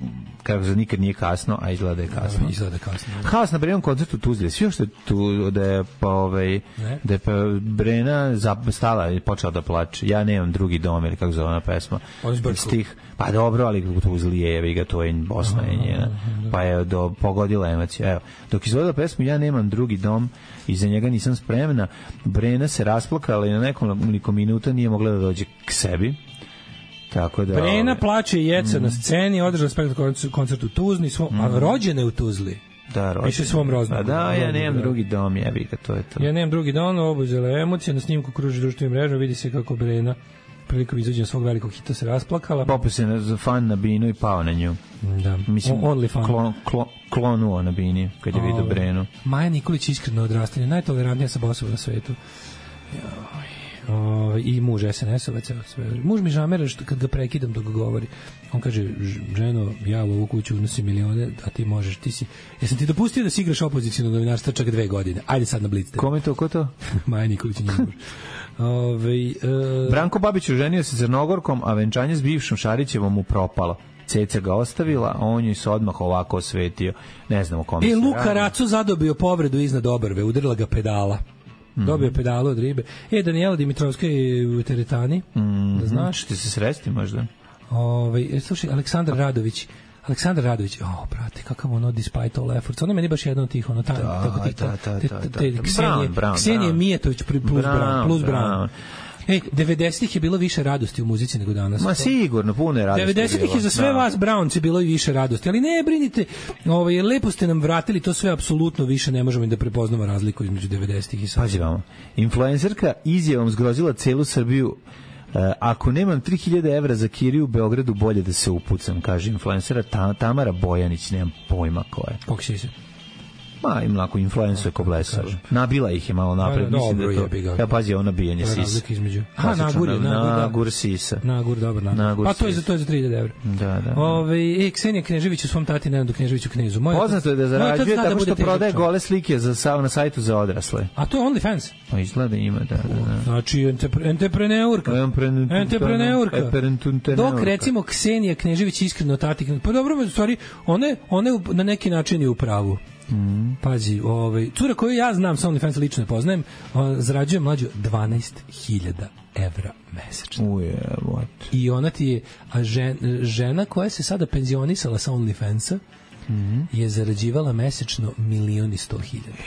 kako se nikad nije kasno, a izgleda je kasno. Da, izgleda kasno. Haos na Brenom koncertu Tuzle. Svi što je tu, da je pa, ovaj, da je pa Brena stala i počela da plače. Ja nemam drugi dom, ili kako zove ona pesma. Stih. Pa dobro, ali u Tuzli je, jevi ga, to je Bosna je njena. Pa je do, pogodila emocija. Evo, dok izvodila pesmu Ja nemam drugi dom, iza njega nisam spremna, Brena se rasplakala i na nekoliko minuta nije mogla da dođe k sebi. Tako da, Brena ove, plače i jeca mm. na sceni, održala spektakl koncert u Tuzli, svom, mm. a rođena je u Tuzli. Da, rođena. Piše svom roznogu. Da, ja nemam drugi dom, jebi ga, to je to. Ja nemam drugi dom, obuzela emocija, na snimku kruži društvenim mrežama, vidi se kako Brena prilikom izađenja svog velikog hita se rasplakala. Popio se na fan na binu i pao na nju. Da. Mislim, only fan. Klon, klon, klonuo na bini kad je vidio Brenu. Maja Nikolić iskreno odrastanje, najtolerantnija sa bosova na svetu. Joj. O, i muž es en esovac, sve. Muž mi žamera što kad ga prekidam dok govori. On kaže, ženo, ja u ovu kuću unosim milione, a ti možeš, ti si... Jesam ti dopustio da si igraš opozicijno novinarstvo čak dve godine? Ajde sad na Blitz. Kome to, ko to? Maja Nikolić i njih muž. Ove, e... Branko Babić oženio se Crnogorkom, a venčanje s bivšom Šarićevom mu propalo. Ceca ga ostavila, a on joj se odmah ovako osvetio. Ne znam o kome e, se Luka radi. Raco zadobio povredu iznad obrve, udarila ga pedala. Mm. Dobio pedalu od ribe. E, Danijela Dimitrovska je u teretani, mm. da znaš. Ćete se sresti možda? Ove, slušaj, Aleksandar Radović, Aleksandar Radović, o, brate, kakav ono despite all efforts. Ono meni baš jedno od tih, ono, ta, da, tako tih, da, da, te, da, te, da, te, da. Ksenije, Brown, Brown, Ksenije Brown. Mijetović plus Brown, Brown, plus Brown. Brown. Ej, devedesetih je bilo više radosti u muzici nego danas. Ma sigurno, puno je radosti. devedesetih je za sve da. vas Brownci bilo i više radosti, ali ne brinite, ovaj, lepo ste nam vratili to sve, apsolutno više ne možemo da prepoznamo razliku između devedesetih i sada. Pazi vamo, influencerka izjavom zgrozila celu Srbiju. Uh, ako nemam tri hiljade evra za kiriju u Beogradu, bolje da se upucam, kaže influencera Ta- Tamara Bojanić, nemam pojma ko je. Kako si se? Ma, im lako influencuje ko blesav. Nabila ih je malo napred, da, mislim dobro, da to... jebi ga. Ja pazi, ono nabijanje sisa. Razlika između. Aha, Klasično, nagur je, nagur, da. Nagur sisa. Nagur, dobar nagur. Nagur pa to je, za, sisa. to je za tri hiljade evra. Da, da. da. Ove, e, Ksenija Knežević u svom tati Nenadu Kneževiću Knezu. Moje Poznato je da zarađuje da tako što bude prodaje težak. gole slike za, sa, na sajtu za odrasle. A to je OnlyFans? Pa izgleda ima, da, da, da. Znači, entrepreneurka. Entrepreneurka. Dok, recimo, Ksenija Knežević iskreno tati... Pa dobro, u stvari, one, one na neki način je u pravu. Mm. Pazi, ovaj, cura koju ja znam sa OnlyFans lično ne poznajem, on zarađuje mlađu dvanaest hiljada evra mesečno. Uje, what? I ona ti je, a žen, žena koja se sada penzionisala sa OnlyFansa mm. je zarađivala mesečno milion i sto hiljada.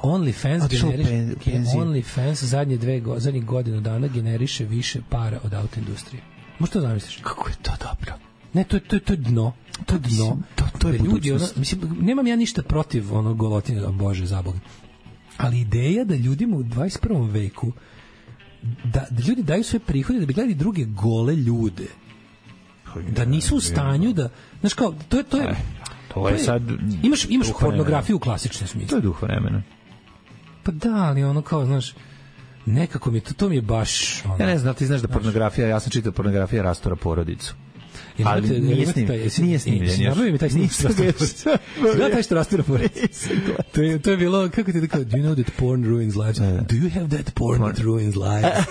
OnlyFans generiše, OnlyFans zadnje dve go, zadnjih godinu dana generiše više para od auto industrije. Možeš to zamisliš? Kako je to dobro? Ne, to je, to je, to je dno. To je dno. To, to je ljudi, ono, mislim, nemam ja ništa protiv onog golotine, bože, zabog. Ali ideja da ljudima u dvadeset prvom veku da, da ljudi daju sve prihode da bi gledali druge gole ljude. Da nisu u stanju da... Znaš kao, to je... To je, to je sad... Imaš, imaš pornografiju u klasičnom smislu. To je duh vremena. Pa da, ali ono kao, znaš... Nekako mi je to, to mi je baš... Ono, ja ne znam, ti znaš da pornografija, ja sam čitao pornografija rastora porodicu. Ali imate, nije imate snimljen. Taj, nije snimljen. Nabavi mi taj snimljen. Gleda taj što rastura porodicu. To je, to je bilo, kako ti da kao, do you know that porn ruins lives? Do you have that porn that ruins lives?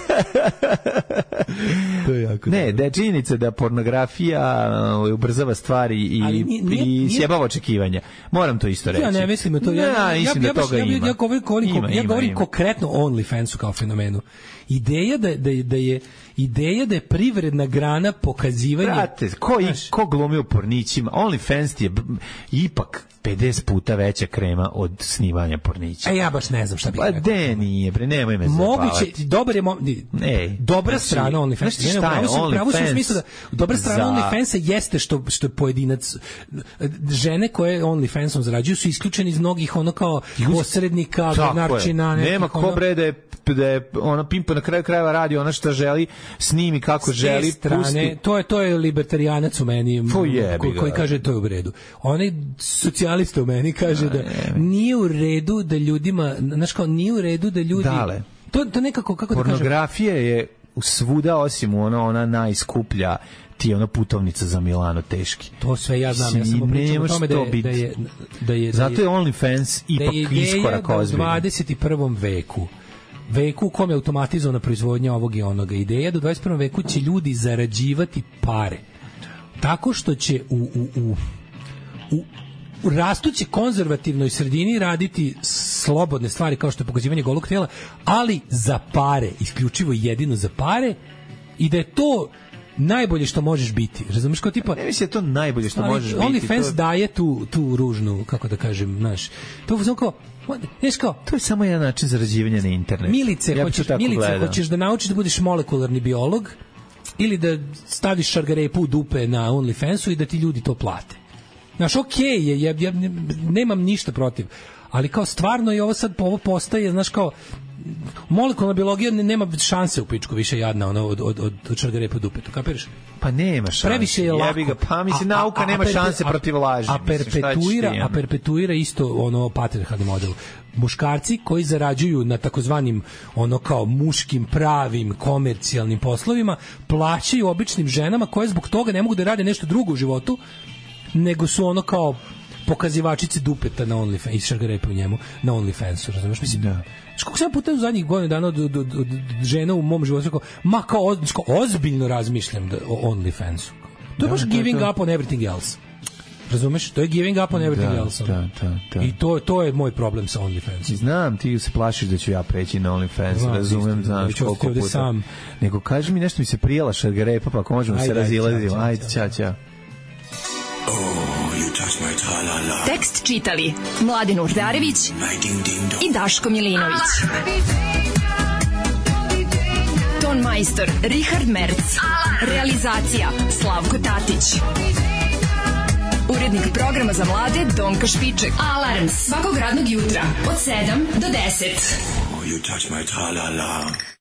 To je jako. Ne, da je činjenica da pornografija uh, ubrzava stvari i, nije, nije, i sjebava očekivanja. Moram to isto reći. Ja ne mislim to. Ja, ja, ja, mislim ja, da toga ja, ima. Ja govorim, govorim, ima, ja govorim ima, konkretno o OnlyFansu kao fenomenu. Ideja da, da, da je ideja da je privredna grana pokazivanje... Brate, ko, i, ko glumi u pornićima? OnlyFans je b, ipak pedeset puta veća krema od snimanja pornića. E, ja baš ne znam šta bih pa rekao. Pa de nije, bre, nemoj me zabavati. Moguće, dobar je... Mo, Ej, dobra znači, strana OnlyFans. Znaš šta je OnlyFans? Da, dobra strana za... OnlyFansa jeste što, što je pojedinac... Žene koje OnlyFansom zarađuju su isključeni iz mnogih ono kao posrednika, glednarčina... Nema ko ono... bre da je, da je ona pimpa na kraju krajeva radi ona što želi, snimi kako želi, strane, pusti. To je, to je libertarijanac u meni koji, koji kaže to je u redu. Onaj socijalista u meni kaže da, da nije u redu da ljudima, znaš kao, nije u redu da ljudi... Dale. To, to nekako, kako da kažem... Pornografija je svuda osim ona, ona najskuplja ti je ona putovnica za Milano teški. To sve ja znam, ja samo pričam o tome da je, da je, da je... Zato je OnlyFans ipak iskorak ozbiljno. Da je ideja da u dvadeset prvom veku veku u kome je automatizovana proizvodnja ovog i onoga. Ideja da u dvadeset prvom veku će ljudi zarađivati pare. Tako što će u, u, u, u, u rastuće konzervativnoj sredini raditi slobodne stvari kao što je pokazivanje golog tela, ali za pare, isključivo jedino za pare, i da je to najbolje što možeš biti. Razumeš, kao tipa... Ne mislim da je to najbolje što možeš biti. OnlyFans to... daje tu, tu ružnu, kako da kažem, znaš, to je kao, znaš kao... To je samo jedan način zarađivanja na internetu. Milice, ja hoćeš, milice hoćeš da naučiš da budeš molekularni biolog ili da staviš šargarepu u dupe na OnlyFansu i da ti ljudi to plate. Znaš, okej okay je, ja, ja nemam ništa protiv, ali kao stvarno je ovo sad, ovo postaje, znaš kao, molekularna biologija nema šanse u pičku više jadna ono, od, od, od, od šargarepa u dupetu, kapiraš? Pa nema šanse. Previše je lako. Ga, pa mislim, nauka a, a, nema a, šanse a, protiv laži. A, perpetuira, a perpetuira isto ono patrijarhalni model. muškarci koji zarađuju na takozvanim ono kao muškim pravim komercijalnim poslovima plaćaju običnim ženama koje zbog toga ne mogu da rade nešto drugo u životu nego su ono kao pokazivačice dupeta na OnlyFans i šargarepe u njemu na OnlyFansu, razumiješ? Mislim, da. Kako sam puta u zadnjih godina dana od, od, od, od žena u mom životu rekao, ma kao oz, ozbiljno razmišljam da, o OnlyFansu. To je da, baš da, giving to. up on everything else. Razumeš? To je giving up on everything da, else. Da, da, da. I to, to je moj problem sa OnlyFans. Znam, ti se plašiš da ću ja preći na OnlyFans, znam, razumem, znaš koliko puta. Sam. Nego kaži mi nešto mi se prijela šargarepa, pa ako možemo ajde, se razilaziti. Ajde, ća, ća. Tekst čitali Mladin Urdarević i Daško Milinović. Ton majstor Richard Merc. Realizacija Slavko Tatić. Urednik programa za mlade Donka Špiček. Alarms svakog radnog jutra od sedam do deset. Oh, you touch my tra-la-la.